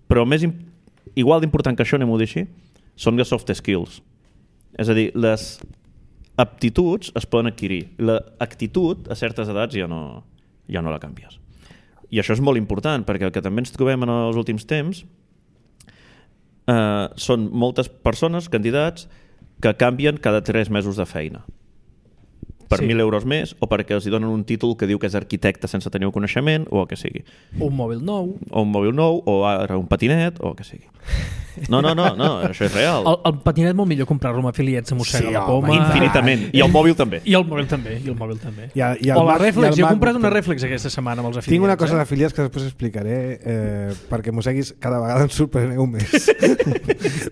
Però més igual d'important que això, anem-ho a dir així, són les soft skills. És a dir, les aptituds es poden adquirir. L'actitud, a certes edats, ja no, ja no la canvies. I això és molt important, perquè el que també ens trobem en els últims temps Uh, són moltes persones, candidats, que canvien cada tres mesos de feina. per Sí. mil euros més o perquè els hi donen un títol que diu que és arquitecte sense tenir un coneixement o el que sigui. Un mòbil nou. O un mòbil nou, o ara un patinet, o el que sigui. No, no, no, no això és real. El, el patinet molt millor comprar-lo amb afiliats a Mossega Sí, la home, Poma. Infinitament. I el mòbil també. I el mòbil també, i el mòbil també. I el- i el o la Mac- i Reflex, el jo he Mac- comprat una Reflex aquesta setmana amb els afiliats. Tinc una cosa eh? d'afiliats que després explicaré eh, perquè mosseguis cada vegada ens sorpreneu més.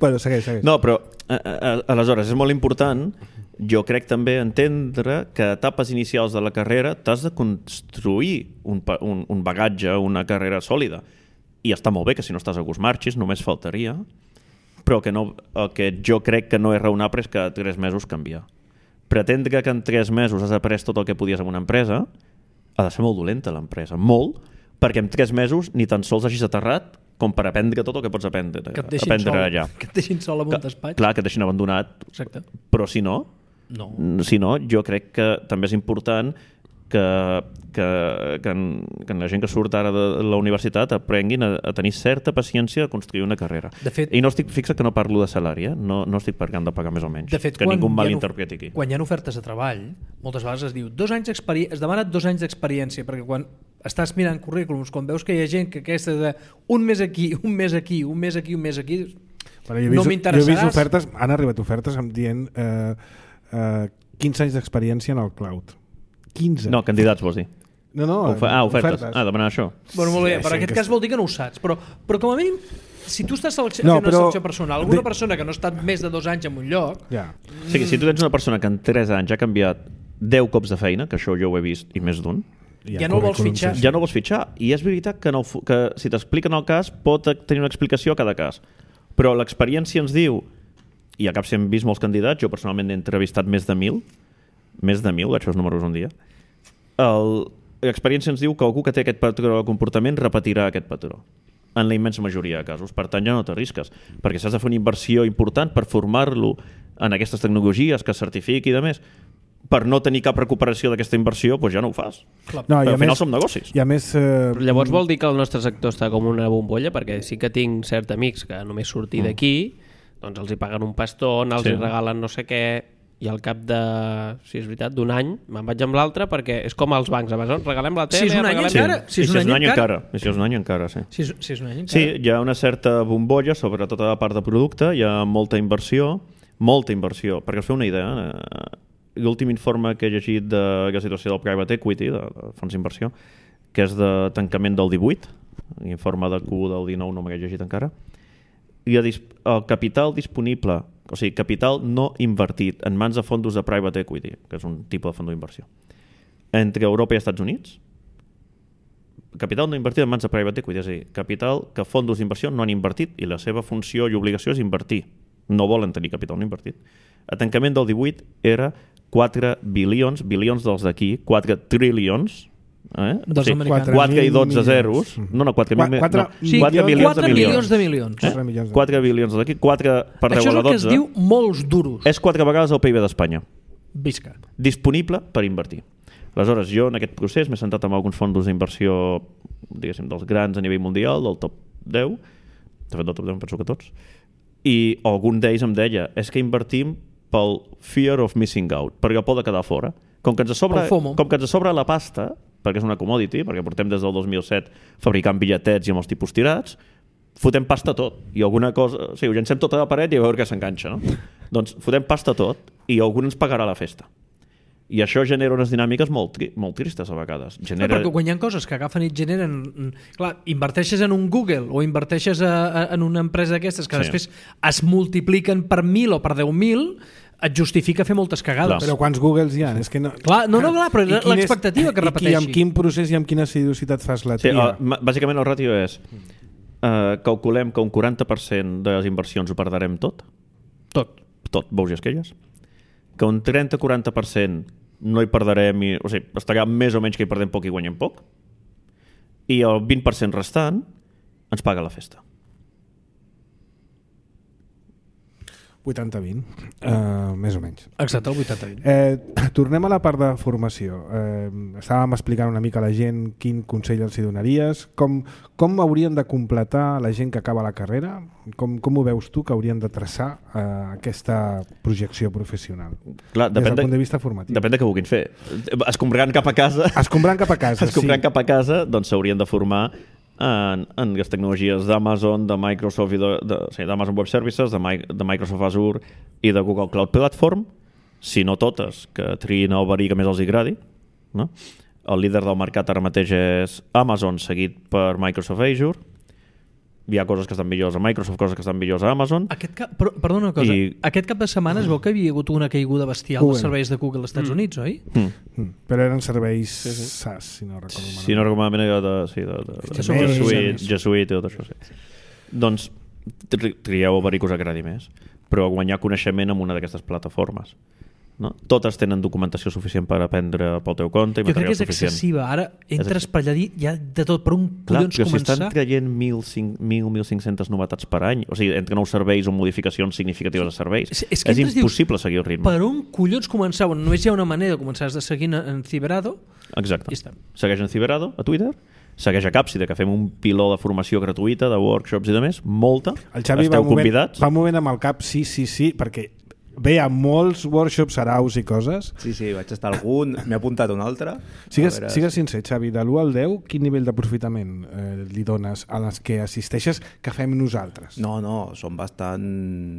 bueno, segueix, segueix. No, però a, a, aleshores és molt important, jo crec també entendre que a etapes inicials de la carrera t'has de construir un, pa- un, un bagatge, una carrera sòlida. I està molt bé que si no estàs a gust marxis, només faltaria, però que no, el que jo crec que no és raonable és que a tres mesos canviar. Pretendre que en tres mesos has après tot el que podies en una empresa ha de ser molt dolenta l'empresa, molt, perquè en tres mesos ni tan sols hagis aterrat com per aprendre tot el que pots aprendre, Que et deixin aprendre sol, allà. que et deixin sol amb un despatx. Clar, que et deixin abandonat, Exacte. però si no, No. si no, jo crec que també és important que, que, que, en, que en la gent que surt ara de la universitat aprenguin a, a tenir certa paciència a construir una carrera. De fet- I no estic fixa que no parlo de salari, eh? no, no estic parlant de pagar més o menys. De fet, que quan ningú hi ha malinterpreti aquí. Quan hi ha ofertes de treball, moltes vegades es diu dos anys d'experiència, es demana dos anys d'experiència, perquè quan estàs mirant currículums, quan veus que hi ha gent que aquesta de un mes aquí, un mes aquí, un mes aquí, un mes aquí, Bueno, jo he no vist, jo he m'interessaràs. vist ofertes, han arribat ofertes em dient eh, eh, quinze anys d'experiència en el cloud. quinze. No, candidats vols dir. no, no Ofe ah, ofertes. ofertes. Ah, demanar això. Bueno, molt bé, Sí, per sí, aquest que cas sí. vol dir que no ho saps, però, però com a mínim, si tu estàs selecci- No, fent una però- selecció personal, alguna de- persona que no ha estat més de dos anys en un lloc, Ja. O sigui, si tu tens una persona que en tres anys ha canviat deu cops de feina, que això jo ho he vist i més d'un, Ja no el vols currículums, fitxar. sí. ja no vols fitxar. I és veritat que, no, fu- que si t'expliquen el cas pot tenir una explicació a cada cas. Però l'experiència ens diu, i a cap si hem vist molts candidats, jo personalment he entrevistat més de mil, més de mil, vaig fer els números un dia, el, l'experiència ens diu que algú que té aquest patró de comportament repetirà aquest patró en la immensa majoria de casos. Per tant, ja no t'arrisques, perquè s'has de fer una inversió important per formar-lo en aquestes tecnologies, que es certifiqui i de més. Per no tenir cap recuperació d'aquesta inversió, doncs ja no ho fas. clar, No, i Però a al final més, som negocis. i a més eh, Però llavors vol dir que el nostre sector està com una bombolla, perquè sí que tinc certs amics que només sortir d'aquí, doncs els hi paguen un pastón, els Sí. hi regalen no sé què, i al cap de, si és veritat, d'un any me'n vaig amb l'altre, perquè és com els bancs, Amazon, regalem la tele, Si és un any regalem... Sí. encara, si I és si un és un any any encara. encara. I si és un any encara, sí. si és, si és un any encara. Sí, hi ha una certa bombolla sobre tota la part de producte, hi ha molta inversió, molta inversió. Perquè us feu una idea, eh, l'últim informe que he llegit de la situació del private equity, de, de fons d'inversió, que és de tancament del divuit, l'informe de Q del dinou no m'he llegit encara, i el, dis el capital disponible, o sigui, capital no invertit en mans de fondos de private equity, que és un tipus de fons d'inversió, entre Europa i Estats Units, capital no invertit en mans de private equity, és a dir, capital que fondos d'inversió no han invertit i la seva funció i obligació és invertir. No volen tenir capital no invertit. A tancament del divuit era quatre bilions, bilions dels d'aquí, quatre trilions, eh? Dels americans. quatre i dotze milions. zeros, no, no, quatre, Qua- mil, quatre no, Sí, quatre milions milions quatre de milions. milions de milions. Eh? Quatre milions de- quatre bilions d'aquí, quatre per Això deu és a el la que es dotze. diu molts duros. És quatre vegades el P I B d'Espanya. Visca. Disponible per invertir. Aleshores, jo en aquest procés m'he sentat amb alguns fondos d'inversió, diguéssim, dels grans a nivell mundial, del top deu, de fet del top deu em penso que tots, i algun d'ells em deia, és que invertim pel fear of missing out, perquè el por de quedar fora. Com que ens sobra, El FOMO. com que ens sobra la pasta, perquè és una commodity, perquè portem des del dos mil set fabricant bitlletets i amb els tipus tirats, fotem pasta tot, i alguna cosa, o sigui, ho llancem tota la paret i a veure què s'enganxa, no? Doncs fotem pasta tot i algú ens pagarà la festa. I això genera unes dinàmiques molt, tri molt tristes a vegades. Genera... Genera... Perquè quan hi ha coses que agafen i et generen... Clar, inverteixes en un Google o inverteixes a, a, en una empresa d'aquestes que Sí. sí. després es multipliquen per mil o per deu mil, et justifica fer moltes cagades. Però quants Googles hi ha? És que no... Clar, no, no, clar, però I quin és- l'expectativa que i qui- repeteixi. amb quin procés i amb quina seriositat fas la Sí, tria? uh, bàsicament el ràtio és uh, calculem que un quaranta per cent de les inversions ho perdrem tot, Tot. tot, bous i esquelles, que un trenta a quaranta per cent no hi perdrem, i, o sigui, estarà més o menys que hi perdem poc i guanyem poc, i el vint per cent restant ens paga la festa. vuitanta vint, uh, més o menys. Exacte, el vuitanta vint. Eh, tornem a la part de formació. Eh, estàvem explicant una mica a la gent quin consell els hi donaries, com, com haurien de completar la gent que acaba la carrera, com, com ho veus tu que haurien de traçar eh, aquesta projecció professional. Clar, des depèn del de, punt de vista formatiu. depèn de què vulguin fer. Escombrant cap a casa... Escombrant cap a casa, Escombrant sí. cap a casa, doncs s'haurien de formar en, en les tecnologies d'Amazon, de Microsoft, i de, de, sí, d'Amazon Web Services, de, My, de Microsoft Azure i de Google Cloud Platform, si no totes, que triïn el verí que més els agradi. No? El líder del mercat ara mateix és Amazon, seguit per Microsoft Azure. Hi ha coses que estan millors a Microsoft, coses que estan millors a Amazon. Aquest cap, però, perdona una cosa, I... aquest cap de setmana es veu que havia hagut una caiguda bestial Google. dels serveis de Google als Estats mm. Units, oi? Mm. Mm. Però eren serveis sí, sí. SaaS, si no recordo malament. Si no recordo malament, era de, sí, de, de, de, de Són G més, Suite, més. G Suite i tot això. Sí. Doncs tri trieu el verí que us agradi més, però guanyar coneixement en una d'aquestes plataformes. No? Totes tenen documentació suficient per aprendre pel teu compte i Jo crec que material és suficient. excessiva. Ara entres per allà i hi ha de tot, per un Clar, collons però si començar... estan traient mil, mil cinc-cents novetats per any, o sigui, entre nous serveis o modificacions significatives de serveis, És, és, que és entres, impossible dius, seguir el ritme. Per un collons començar? Bueno, només hi ha una manera de començar, has de seguir en Ciberado. Exacte. I està. Segueix en Ciberado, a Twitter, segueix a Capside, que fem un piló de formació gratuïta, de workshops i de més, molta. El Xavi Esteu va movent, convidats. va movent amb el cap, sí, sí, sí, perquè ve a molts workshops, saraus i coses. Sí, sí, vaig estar algun, m'he apuntat un altre. Sigues, A veure, sigues sincer, Xavi, de l'u al deu, quin nivell d'aprofitament eh, li dones a les que assisteixes que fem nosaltres? No, no, són bastant,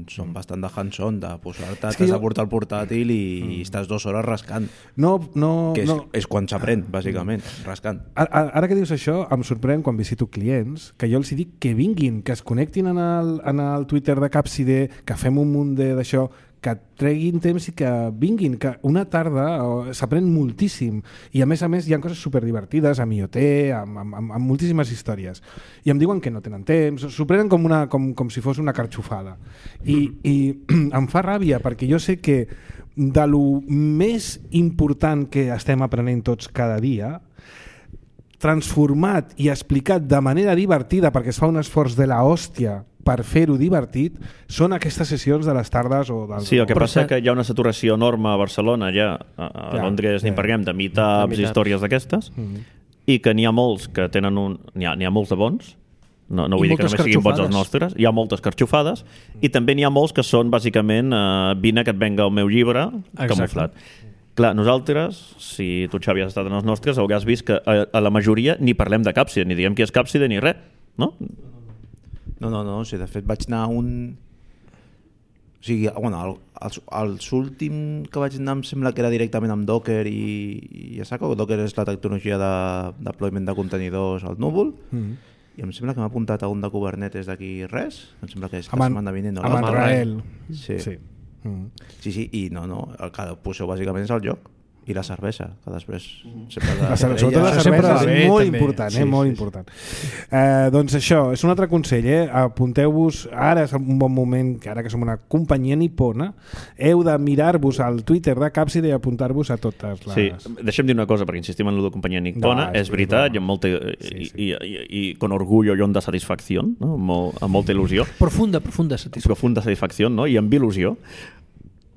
són bastant de hands-on, de posar-te, És que t'has jo- de portar el portàtil i, mm. i estàs dues hores rascant. No, no, Que és, no. és quan s'aprèn, bàsicament, rascant. Ara, ara que dius això, em sorprèn quan visito clients que jo els dic que vinguin, que es connectin en el, en el Twitter de Capside, que fem un munt de- d'això, que treguin temps i que vinguin, que una tarda eh, s'aprèn moltíssim i a més a més hi ha coses superdivertides amb I O T, amb, amb, amb, amb moltíssimes històries i em diuen que no tenen temps, s'ho prenen com, una, com, com si fos una carxofada i, i em fa ràbia perquè jo sé que de lo més important que estem aprenent tots cada dia, transformat i explicat de manera divertida perquè es fa un esforç de la hòstia per fer-ho divertit, són aquestes sessions de les tardes o dels... Sí, el que Però passa se- que hi ha una saturació enorme a Barcelona, ja, a, a Ja, Londres ja. n'hi parlem, de meetups De i meetups. històries d'aquestes, Mm. i que n'hi ha molts que tenen un... N'hi ha, n'hi ha molts de bons, no, no I vull dir que moltes només siguin bons els carxofades. nostres, hi ha moltes carxofades, i també n'hi ha molts que són, bàsicament, uh, vine que et venga el meu llibre, Exacte. camuflat. Clar, nosaltres, si tu, Xavi, has estat en els nostres, hauràs vist que a, a la majoria ni parlem de Capside, ni diguem qui és Capside, ni res, no? No, no, no, o sigui, de fet vaig anar a un... O sigui, bueno, el, els, els últim que vaig anar em sembla que era directament amb Docker i, i a saco. Docker és la tecnologia de deployment de contenidors al núvol. Mm. I em sembla que m'ha apuntat a un de Kubernetes d'aquí res. Em sembla que és la Amb, setmana vinent. No? amb en L'altre. Rael. Sí. Sí. Mm. Sí, sí, i no, no, el que poseu bàsicament és el joc i la cervesa, que després sempre La cervesa, sobretot la Això sempre cervesa va bé, és molt també. important, eh? Sí, molt sí, important. Eh, doncs això, és un altre consell, eh? Apunteu-vos, ara és un bon moment, que ara que som una companyia nipona, heu de mirar-vos al Twitter de Capside i apuntar-vos a totes les... Sí, deixa'm dir una cosa, perquè insistim en la companyia nipona, No, és és veritat, broma. i amb molta, Sí, i, sí. I, i, i con orgullo i onda satisfacció, no? amb, molt, amb molta il·lusió, Profunda, profunda satisfacció. profunda satisfacció, no? I amb il·lusió.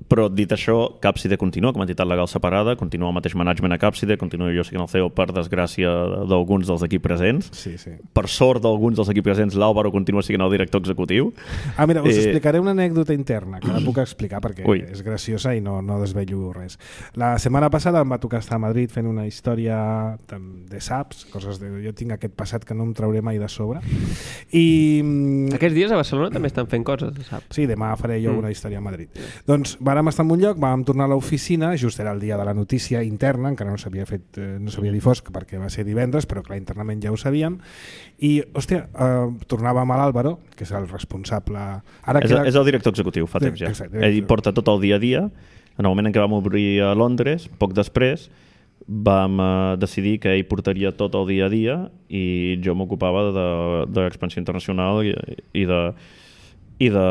Però dit això, Capside continua com a entitat legal separada, continua el mateix management a Capside, continua jo sent el C E O per desgràcia d'alguns dels aquí presents. Sí, sí. Per sort d'alguns dels aquí presents, l'Àlvaro continua sent el director executiu. Ah, mira, us Eh, explicaré una anècdota interna, que la puc explicar perquè Ui. és graciosa i no, no desvello res. La setmana passada em va tocar estar a Madrid fent una història de, de saps, coses de... Jo tinc aquest passat que no em trauré mai de sobre. I... mm, Aquests dies a Barcelona també estan fent coses, saps? Sí, demà faré jo Mm. una història a Madrid. Doncs vàrem estar en un lloc, vam tornar a l'oficina, just era el dia de la notícia interna, encara no s'havia fet, eh, no s'havia difós perquè va ser divendres, però clar, internament ja ho sabíem, i, hòstia, eh, tornàvem a l'Àlvaro, que és el responsable... Ara És, queda... és el director executiu, fa Sí, temps ja. exacte. Ell porta tot el dia a dia. En el moment en què vam obrir a Londres, poc després, vam eh, decidir que ell portaria tot el dia a dia i jo m'ocupava de, de l'expansió internacional i, i de i de,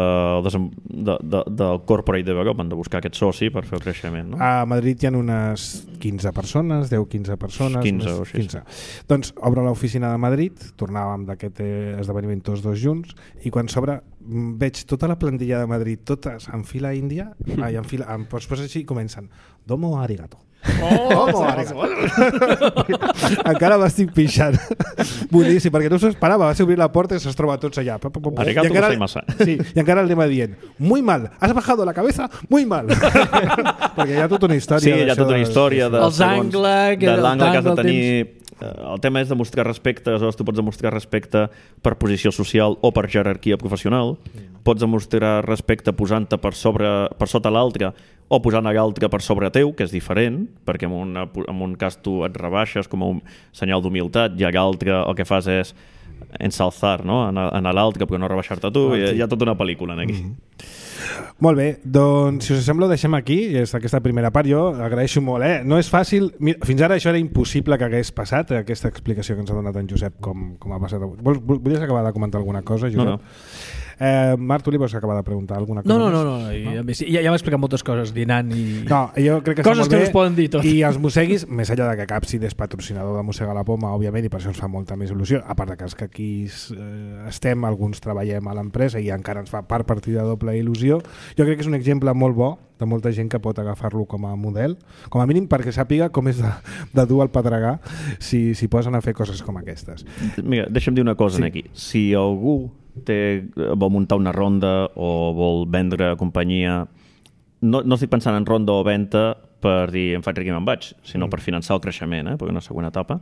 de, de, del corporate development, de buscar aquest soci per fer el creixement. No? A Madrid hi ha unes quinze persones, deu quinze persones. quinze més, o així. quinze. Doncs obre l'oficina de Madrid, tornàvem d'aquest eh, esdeveniment tots dos junts, i quan s'obre veig tota la plantilla de Madrid, totes en fila índia, ai, en fila, en, pues, pues així comencen. Domo arigato. Oh, Domo arigato. Encara m'estic pixant. Boníssim, perquè no s'ho esperava. Vas obrir la porta i se'ls troba tots allà. Arigato I encara, gozaimasu. sí, i encara el tema dient, muy mal, has bajado la cabeza, muy mal. Perquè hi ha tota una història. Sí, hi ha tota una història de, Els angle, que de l'angle que has de el tenir. El tema és demostrar respecte, aleshores tu pots demostrar respecte per posició social o per jerarquia professional, pots demostrar respecte posant-te per, sobre, per sota l'altre o posant l'altre per sobre teu, que és diferent, perquè en, una, en un cas tu et rebaixes com a un senyal d'humilitat i l'altre el que fas és ensalzar, no? en, en l'altre però no rebaixar-te tu, oh, hi ha tota una pel·lícula en aquí. Mm-hmm. Molt bé, doncs si us sembla ho deixem aquí, és aquesta primera part. Jo agraeixo molt, eh? No és fàcil, mira, fins ara això era impossible que hagués passat, aquesta explicació que ens ha donat en Josep com, com ha passat avui. Vol, volies acabar de comentar alguna cosa, Josep? No, no. Eh, Marc, tu li vols acabar de preguntar alguna cosa No, no, més? no, no, i, no? Ja, ja m'ha explicat moltes coses dinant i... No, jo crec que coses està molt que bé, no es poden dir tot. i els Mosseguis, més enllà de que Capsid és patrocinador de Mossega la Poma, òbviament, i per això ens fa molta més il·lusió, a part de que els que aquí eh, estem, alguns treballem a l'empresa i encara ens fa part partida doble il·lusió, jo crec que és un exemple molt bo de molta gent que pot agafar-lo com a model, com a mínim perquè sàpiga com és de, de dur al pedregar si, si posen a fer coses com aquestes. Mira, deixa'm dir una cosa Sí. aquí. Si algú té, vol muntar una ronda o vol vendre companyia, no, no estic pensant en ronda o venda per dir em faig ric i me'n vaig, sinó mm. per finançar el creixement, eh, per una següent etapa.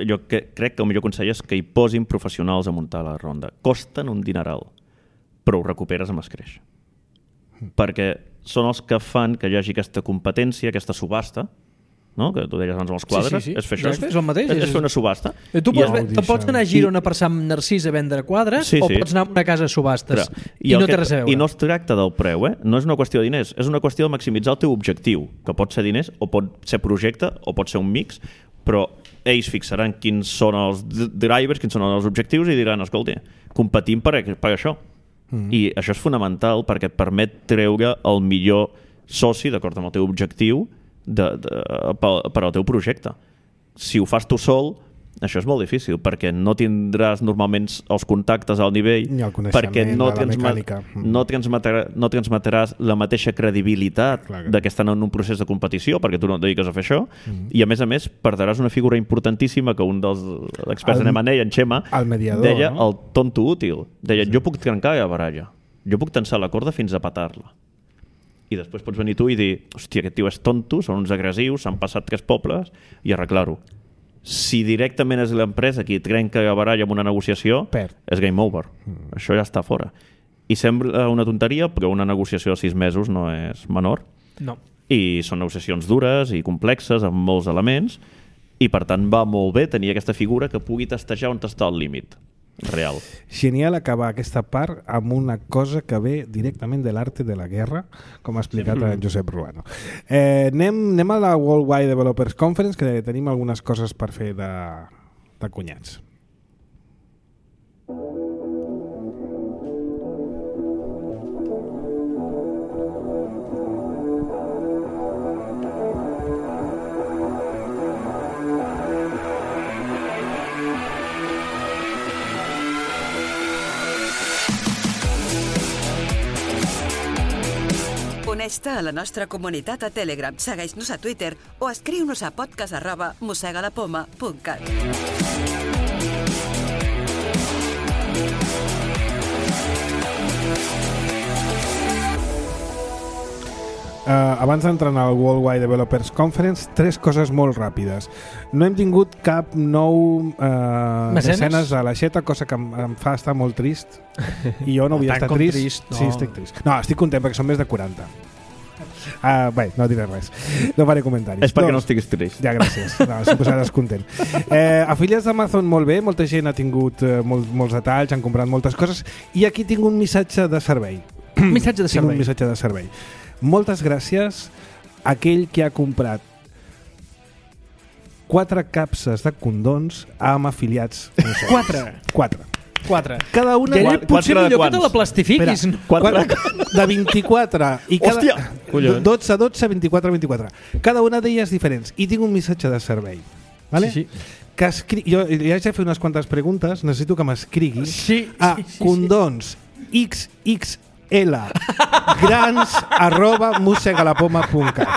Jo que, crec que el millor consell és que hi posin professionals a muntar la ronda. Costen un dineral, però ho recuperes amb escreix. Mm. Perquè són els que fan que hi hagi aquesta competència, aquesta subhasta, no? Que tu deies abans amb els quadres, Sí, sí, sí. és fer això. És, és el mateix. És, és fer una subhasta. Tu I pots, el- te pots anar a Girona per Sant Narcís a vendre quadres Sí, o sí. pots anar a una casa a subhastes Clar. i, el no que- té res a veure. I no es tracta del preu, eh? No és una qüestió de diners, és una qüestió de maximitzar el teu objectiu, que pot ser diners o pot ser projecte o pot ser un mix, però ells fixaran quins són els d- drivers, quins són els objectius i diran, escolta, competim per, per això. Mm. I això és fonamental perquè et permet treure el millor soci d'acord amb el teu objectiu de, de, per, per al teu projecte. Si ho fas tu sol, això és molt difícil, perquè no tindràs normalment els contactes al nivell, Ni el coneixement perquè no, de la transma mecànica. Mm. no, transmetrà, no transmetràs la mateixa credibilitat Clar que- de que estan en un procés de competició, perquè tu no et dediques a fer això, Mm. i a més a més perdràs una figura importantíssima que un dels experts El- en M and A, en Xema, el mediador, deia no? el tonto útil. Deia, sí. jo puc trencar la baralla, jo puc tensar la corda fins a patar-la. I després pots venir tu i dir, hòstia, aquest tio és tonto, són uns agressius, s'han passat tres pobles, i arreglar-ho. Si directament és l'empresa qui trenca la baralla amb una negociació, Perd. és game over. Mm. Això ja està fora. I sembla una tonteria, però una negociació de sis mesos no és menor. No. I són negociacions dures i complexes, amb molts elements, i per tant va molt bé tenir aquesta figura que pugui testejar on està el límit real. Genial acabar aquesta part amb una cosa que ve directament de l'arte de la guerra, com ha explicat en Josep Ruano. Eh, anem, anem a la Worldwide Developers Conference, que tenim algunes coses per fer de, de cunyats. Uneix-te a la nostra comunitat a Telegram, segueix-nos a Twitter o escriu-nos a podcast arroba mossegalapoma punt cat. Uh, abans d'entrar en el Worldwide Developers Conference, tres coses molt ràpides. No hem tingut cap nou uh, Mecenes? mecenes a l'aixeta, cosa que em, em fa estar molt trist. I jo no vull Tant estar com trist. trist, no. Sí, estic trist. No, estic content perquè són més de quaranta. Uh, bé, no diré res. No faré comentaris. És perquè Dos. no estiguis trist. Ja, gràcies. No, si posaràs content. Eh, afiliats d'Amazon, molt bé. Molta gent ha tingut eh, molt, molts detalls, han comprat moltes coses. I aquí tinc un missatge de servei. Missatge de Tinc un servei. missatge de servei. Moltes gràcies a aquell que ha comprat quatre capses de condons amb afiliats. Quatre? Quatre. Quatre. Cada una... Ja, Quatre potser de millor quants? que te la plastifiquis. Espera, No? Quatre. de vint-i-quatre i cada... Hòstia! Collons. dotze, dotze, vint-i-quatre, vint-i-quatre. Cada una d'elles diferents. I tinc un missatge de servei. Vale? Sí, sí. Que escri... Jo ja he fet unes quantes preguntes, necessito que m'escriguis Sí, a sí, sí, sí. condons X X L grans arroba mussegalapoma punt cat.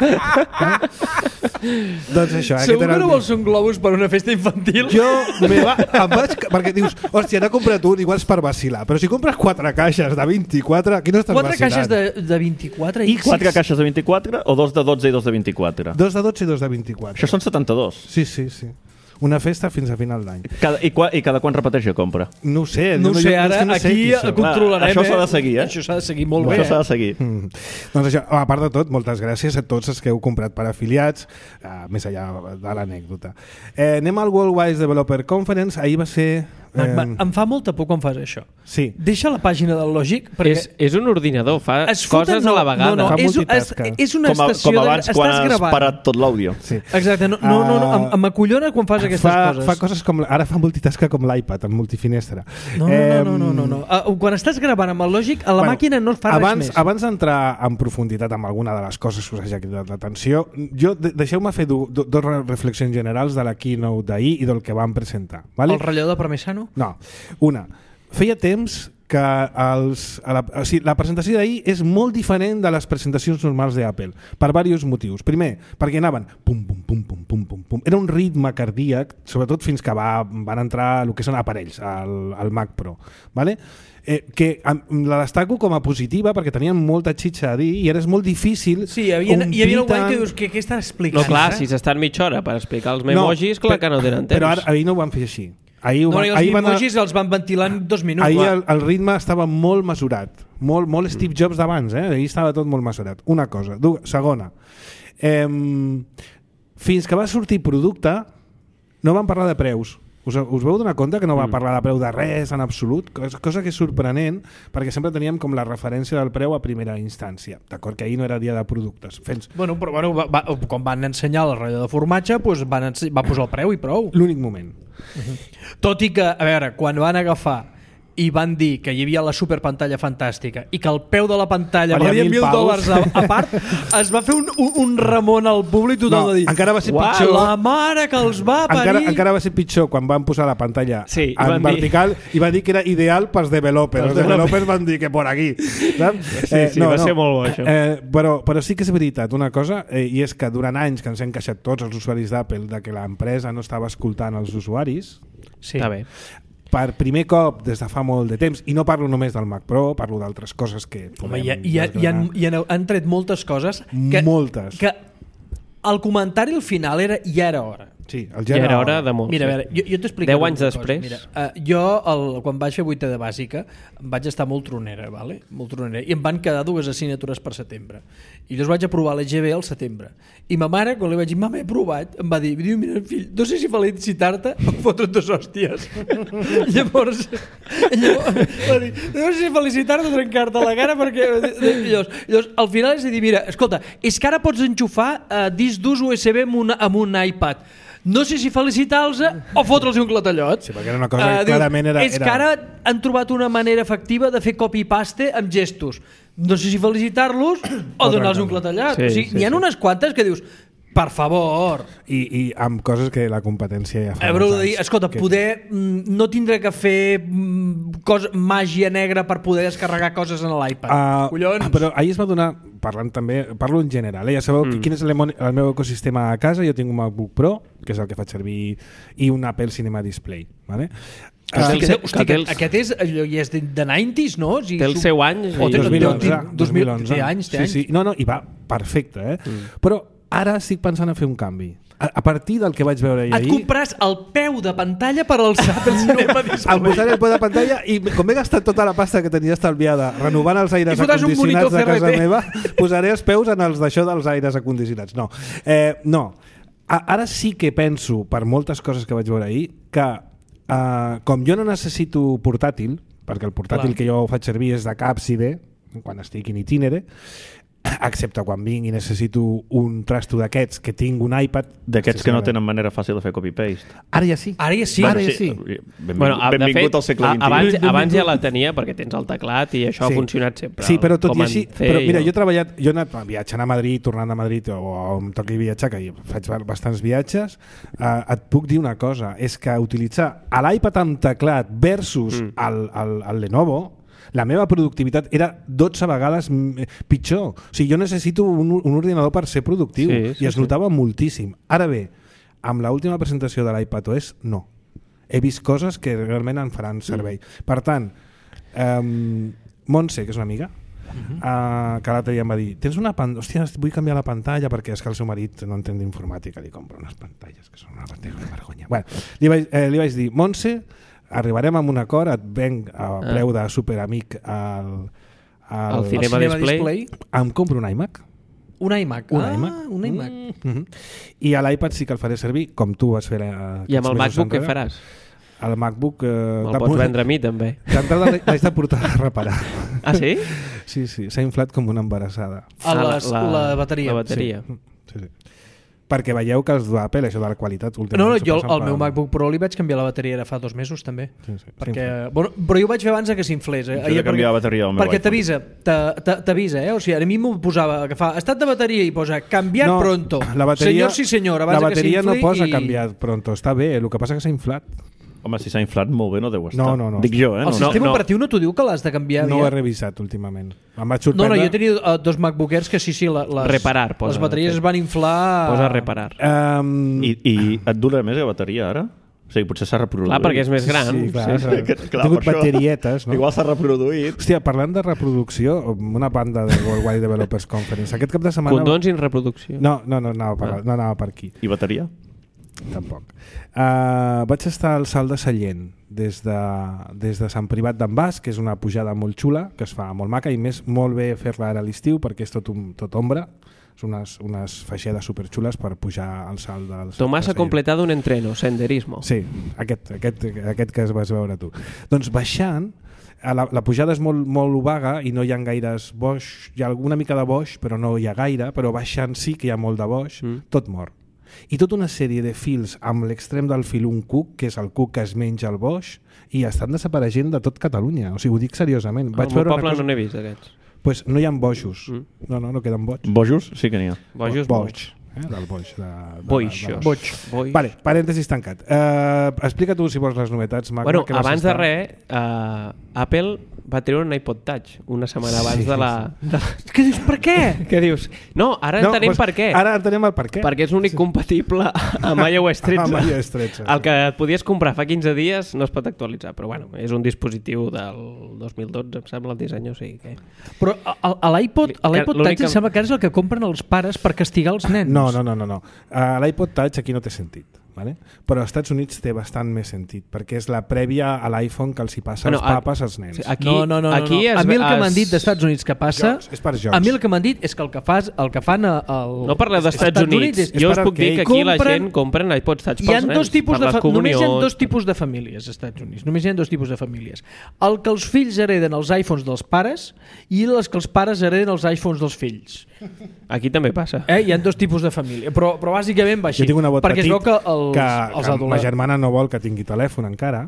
Doncs això, aquest Segur era que el no vols un globus per una festa infantil? jo me va, em vaig, perquè dius, hòstia, n'ha comprat un, igual és per vacilar, però si compres quatre caixes de vint-i-quatre, aquí no estàs Quatre vacilant. caixes de, de vint-i-quatre i... Quatre caixes de vint-i-quatre o dos de dotze i dos de vint-i-quatre? Dos de dotze i dos de vint-i-quatre. Això són setanta-dos. Sí, sí, sí. Una festa fins a final d'any. Cada, i, qua, I cada quan repeteix la compra? No ho sé. No ho sé, jo- és ara que no sé aquí qui sóc. controlarem... Això s'ha de eh? seguir, eh? Això s'ha de seguir molt Això bé. s'ha Eh? de seguir. Mm. Doncs això, a part de tot, moltes gràcies a tots els que heu comprat per afiliats, uh, més allà de l'anècdota. Eh, anem al Worldwide Developer Conference, ahir va ser... Eh... Eh, Em fa molta por quan fas això. sí, Deixa la pàgina del Logic perquè... És, és un ordinador, fa es foten- coses a la vegada. No, no, Fa és, és, multitasca. és una Com, a, estació... com abans de... quan Estàs has gravant. parat tot l'àudio. sí. Exacte, no, no, no, no em, em acollona quan fas aquestes fa, coses. fa coses com... Ara fa multitasca com l'iPad, amb multifinestra. No, no, no, no, no, no. Uh, quan estàs gravant amb el Logic, a la Bueno, màquina no es fa abans, res més. Abans d'entrar en profunditat amb alguna de les coses que us hagi cridat l'atenció, jo de, deixeu-me fer dues do, dos reflexions generals de la keynote d'ahir i del que vam presentar. Vale? El relleu de Parmesano? No, una. Feia temps que els, a la, o sigui, la presentació d'ahir és molt diferent de les presentacions normals d'Apple, per diversos motius. Primer, perquè anaven pum, pum, pum, pum, pum, pum, pum. Era un ritme cardíac, sobretot fins que va, van entrar el que són aparells, al, al Mac Pro. Vale? Eh, que am- la destaco com a positiva perquè tenien molta xitxa a dir i ara és molt difícil Sí, hi havia, hi havia algú tant- que dius que què està explicant? No, clar, eh? si s'estan mitja hora per explicar els memojis, clar per- que no tenen temps. Però ara, ahir no ho van fer així. Ahir, ho No, van, i els ahir van, emojis els van ventilar en dos minuts. ahir clar. el, el ritme estava molt mesurat, molt, molt Steve Jobs d'abans, eh? Ahir estava tot molt mesurat. Una cosa. Du, segona, eh, fins que va sortir producte no van parlar de preus. Us, us veu donar compte que no va parlar de preu de res en absolut? Cosa, cosa que és sorprenent perquè sempre teníem com la referència del preu a primera instància. D'acord que ahir no era dia de productes. Fens Bueno, però bueno, va, va, quan van ensenyar el relleu de formatge, doncs van, ense- va posar el preu i prou. l'únic moment. Tot i que, a veure, quan van agafar i van dir que hi havia la superpantalla fantàstica i que el peu de la pantalla Valia valia mil mil paus. dòlars a, a part, es va fer un, un, un remón al públic total No, de dir encara va ser "Uau, pitjor. la mare que els va parir. Encara, encara va ser pitjor quan van posar la pantalla Sí, i en van dir- vertical i va dir que era ideal pels developers. Els developers van dir que por aquí. Saps? Sí, sí, va ser molt bo, això. Eh, però, però sí que és veritat una cosa, eh, i és que durant anys que ens hem queixat tots els usuaris d'Apple de que l'empresa no estava escoltant els usuaris, Sí. Està bé. per primer cop des de fa molt de temps, i no parlo només del Mac Pro, parlo d'altres coses que Home, podem i, i, i, han, desgranar. i han, han tret moltes coses que, Moltes. que el comentari al final era ja era hora. Sí, el Ja era hora de molt. Mira, a veure, jo, jo t'explico Deu una anys cosa. després. Mira, uh, jo, el, quan vaig fer vuitè de bàsica, vaig estar molt tronera, vale? molt tronera, i em van quedar dues assignatures per setembre. I llavors vaig aprovar l'E G B al setembre. I ma mare, quan li vaig dir, mama, he provat, em va dir, diu, mira, fill, no sé si felicitar-te o fotre't dos hòsties. llavors, llavors, va dir, no sé si felicitar-te o trencar-te la cara, perquè... Llavors, llavors, al final és a dir, mira, escolta, és que ara pots enxufar uh, disc d'ús U S B amb, una, amb un iPad. No sé si felicitar-los o fotre'ls un clatallot. Sí, perquè era una cosa que clarament era- És que era- ara han trobat una manera efectiva de fer copy-paste amb gestos. No sé si felicitar-los o donar-los un clatallot. Sí, o sigui, sí, n'hi ha sí. unes quantes que dius, per favor, I, i amb coses que la competència ja fa Haureu molts de dir, anys escolta, que- poder mm, no tindré que fer mm, cosa, màgia negra per poder descarregar coses en l'iPad. Uh, Collons! Però ahir es va donar, parlant també, parlo en general, eh? Ja sabeu mm. quin és el, el meu ecosistema a casa. Jo tinc un MacBook Pro, que és el que faig servir, i un Apple Cinema Display, vale? Que Hosti, té el que, seu- hosti, que té que, els- aquest és, allò, i és de, de nineties, no? O sigui, Té el su- seu any. O i- té dos mil onze, dos mil- dos mil onze. té anys, té sí, anys. sí. No, no, i va perfecte, eh? Mm. Però ara estic pensant a fer un canvi. A, a partir del que vaig veure Et ahir... compràs el peu de pantalla per alçar el cinema display. Al posar el peu de pantalla i com he gastat tota la pasta que tenia estalviada renovant els aires I fotràs un acondicionats de monitor casa C R T. meva, posaré els peus en els d'això dels aires acondicionats. No, eh, no. A, ara sí que penso, per moltes coses que vaig veure ahir, que eh, com jo no necessito portàtil, perquè el portàtil Clar. que jo faig servir és de càpside, quan estic in itinere, excepte quan vinc i necessito un trasto d'aquests que tinc un iPad. D'aquests que no tenen manera fàcil de fer copy-paste. Ara ja sí. Ara ja sí. Ara ja sí. Benvingut, Bueno, a- de benvingut fet, al segle a- vint i u. abans, abans ja la tenia perquè tens el teclat i això Sí. ha funcionat sempre. Sí, però tot com i en així... C Però mira, i- jo he treballat... Jo he anat viatjant a Madrid, tornant a Madrid, o, o em toqui viatjar, que faig bastants viatges, eh, et puc dir una cosa, és que utilitzar l'iPad amb teclat versus Mm. el, el, el Lenovo, la meva productivitat era dotze vegades mm, pitjor. O sigui, jo necessito un, un ordinador per ser productiu, Sí, sí, i es sí. notava moltíssim. Ara bé, amb l'última presentació de l'iPadOS, no. He vist coses que realment em faran servei. Mm. Per tant, um, Montse, que és una amiga, Mhm. uh, que l'altre dia em va dir, tens una pantalla, hòstia, vull canviar la pantalla perquè és que el seu marit no entén d'informàtica, li compra unes pantalles que són una vergonya. Bueno, li, vaig, eh, li vaig dir, Montse, arribarem a un acord, et venc a preu de superamic al, al, Al Cinema Cinema Display. em compro un iMac. Un iMac. Un ah, iMac. un iMac. Mm -hmm. I a l'iPad sí que el faré servir, com tu vas fer eh, I amb el aquests mesos MacBook què enrere. faràs? El MacBook... Eh, Me'l pots vendre a mi, també. D'entrada l'haig de portar a reparar. Ah, sí? Sí, sí, s'ha inflat com una embarassada. A les, la, la bateria. La bateria. Sí, sí, sí. Perquè veieu que els d'Apple, això de la qualitat... No, no, últimament jo s'ho passen al meu per- MacBook Pro li vaig canviar la bateria ara fa dos mesos també. Sí, sí, Perquè, bueno, però jo ho vaig fer abans de que s'inflés. Eh? Jo he de canviar la bateria al meu Perquè iPhone. t'avisa, t'a- t'a- t'avisa, eh? O sigui, a mi m'ho posava, que fa estat de bateria i posa canviar No, pronto. la bateria, Senyor, sí senyor, abans la de que bateria no s'infli posa i... canviat pronto, està bé, el que passa que s'ha inflat. Home, si s'ha inflat molt bé no deu estar. No, no, no. Dic jo, eh? El No. sistema no. operatiu no t'ho diu que l'has de canviar No ho he aviat? revisat últimament. Em vaig No, sorprendre... no, jo he tingut uh, dos MacBook Airs que sí, sí, la- les, Reparar, posa, les bateries de es van inflar... Posa a reparar. Um, I, I et dura més la bateria ara? O sigui, potser s'ha reproduït. Clar, perquè és més gran. Sí, clar, sí, sí. sí. Que- He clar, tingut per això. baterietes, no? Igual s'ha reproduït. Hòstia, parlant de reproducció, una banda de Worldwide Developers Conference. Aquest cap de setmana... Condons i reproducció. No, no, no anava per, no anava per aquí. I bateria? Tampoc. Uh, vaig estar al Salt de Sallent des de, des de Sant Privat d'en Bas, que és una pujada molt xula, que es fa molt maca i més molt bé fer-la ara a l'estiu perquè és tot, un, tot ombra. Són unes, unes feixedes superxules per pujar al salt del Tomàs de ha Sallent. completado un entreno, senderismo. Sí, aquest, aquest, aquest que es vas veure tu. Doncs baixant, a la, la pujada és molt, molt vaga i no hi ha gaires boix, hi ha alguna mica de boix però no hi ha gaire, però baixant sí que hi ha molt de boix, Mm. tot mort. I tota una sèrie de fils amb l'extrem del fil un cuc, que és el cuc que es menja el boix, i estan desapareixent de tot Catalunya. O sigui, ho dic seriosament. Al meu veure poble una cosa... no n'he vist, aquests. pues no hi ha bojos. Mm. No, no, no queden boig. Bojos? Sí que n'hi ha. Bojos, boig. boig. Eh? Del boix. De, de, Boixos. de, de Boig. Boix. Vale, parèntesis tancat. Uh, explica tu, si vols, les novetats. Magma, Bueno, que vas abans de estar- res, uh, Apple va treure un iPod Touch una setmana abans Sí, de la... De... Què dius, per què? Què dius? No, ara No, entenem doncs, per què. Ara entenem el per què. Perquè és l'únic compatible amb iOS tretze. Amb iOS tretze, El sí. que et podies comprar fa quinze dies no es pot actualitzar, però bueno, és un dispositiu del dos mil dotze, em sembla, el disseny, o sigui que... Però a, a l'iPod a l'iPod L'únic Touch que- em sembla que ara és el que compren els pares per castigar els nens. No, no, no, no. no. Uh, L'iPod Touch aquí no té sentit. Vale? Però als Estats Units té bastant més sentit, perquè és la prèvia a l'iPhone que els hi passa Bueno, als a- papes als nens. sí, aquí- No, no, no, no, aquí no. es A mi el que es- m'han dit dels Estats Units que passa... Jocs, és per jocs. A mi el que m'han dit és que el que, fas, el que fan a- al... No parleu dels Estats Units. és, Jo us per puc dir que arcade. aquí la Compren- gent compren iPods Touch hi pels ha nens. dos tipus per de les fa... només hi ha comunions. dos tipus de famílies als Estats Units. Només hi ha dos tipus de famílies. El que els fills hereden els iPhones dels pares i les que els pares hereden els iPhones dels fills. Aquí també passa. Eh? Hi ha dos tipus de família, però, però bàsicament va així. Jo tinc un nebot perquè petit es veu que els, que, els que ma adolescents... germana no vol que tingui telèfon encara,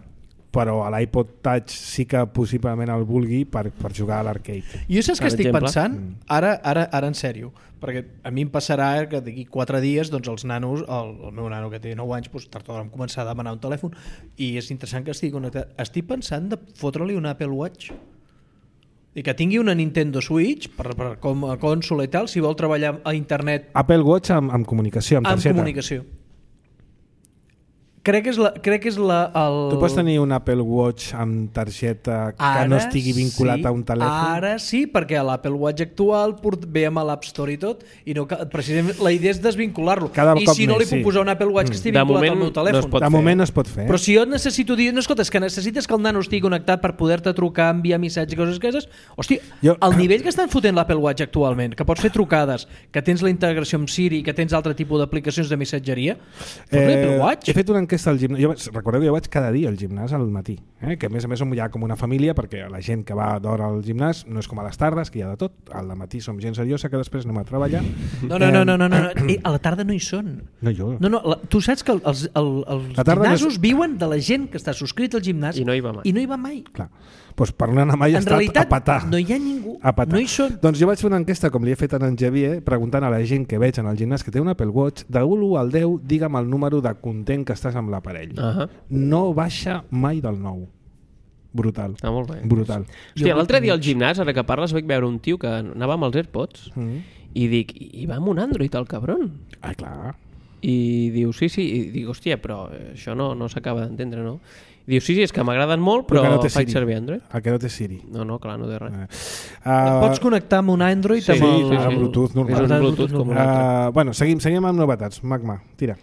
però a l'iPod Touch sí que possiblement el vulgui per, per jugar a l'arcade. Jo saps Per què estic exemple? pensant? Ara, ara, ara en sèrio, perquè a mi em passarà que d'aquí quatre dies doncs els nanos, el, el meu nano que té nou anys, doncs, tard o d'hora em començar a demanar un telèfon i és interessant que estigui connectat. Estic pensant de fotre-li un Apple Watch i que tingui una Nintendo Switch per, per, com a consola i tal, si vol treballar a internet Apple Watch amb, amb comunicació, amb amb targeta. comunicació. Crec que és la... Crec que és la el... Tu pots tenir un Apple Watch amb targeta que Ara no estigui vinculat sí, a un telèfon? Ara sí, perquè l'Apple Watch actual port, ve amb l'App Store i tot, i no, cal- precisament la idea és desvincular-lo. Cada I cop si no més, li puc sí. posar un Apple Watch que estigui De vinculat moment al meu no telèfon. es pot De fer. moment no es pot fer. Però si jo et necessito dir, no, escolta, és que necessites que el nano estigui connectat per poder-te trucar, enviar missatges i coses aquestes, hòstia, Jo- el nivell que estan fotent l'Apple Watch actualment, que pots fer trucades, que tens la integració amb Siri, que tens altre tipus d'aplicacions de missatgeria, fot l'Apple Watch. he fet un enquesta al gimnàs. Jo vaig, recordeu que jo vaig cada dia al gimnàs al matí, eh? Que a més a més som ja com una família, perquè la gent que va d'hora al gimnàs no és com a les tardes, que hi ha de tot. Al matí som gent seriosa que després anem a treballar. No, no, no, no, no, no. Eh, a la tarda no hi són. No, jo. No, no, la, tu saps que els, el, els La tarda gimnasos no és- viuen de la gent que està subscrit al gimnàs I no hi va mai. I no hi va mai. Clar. Doncs per no anar mai he En estat realitat a patar. no hi ha ningú, A patar. no hi són. Doncs jo vaig fer una enquesta, com li he fet a en Xavier, preguntant a la gent que veig en el gimnàs que té un Apple Watch, de l'u al deu, digue'm el número de content que estàs amb l'aparell. Ahà. No baixa mai del nou. Brutal. Ah, molt bé. Brutal. Hòstia, l'altre dia al gimnàs, ara que parles, vaig veure un tio que anava amb els AirPods Mm. i dic, i va amb un Android, el cabron. Ah, clar. I diu, sí, sí, i dic, hòstia, però això no, no s'acaba d'entendre, no? I diu, sí, sí, és que m'agraden molt, però, que no té faig Siri. servir Android. El que no té Siri. No, no, clar, no té res. Eh. Et pots connectar amb un Android Sí, amb el... sí, a sí. Bluetooth normal. És un Ah, Bluetooth com un altre. Uh, bueno, seguim, seguim amb novetats. Magma, tira.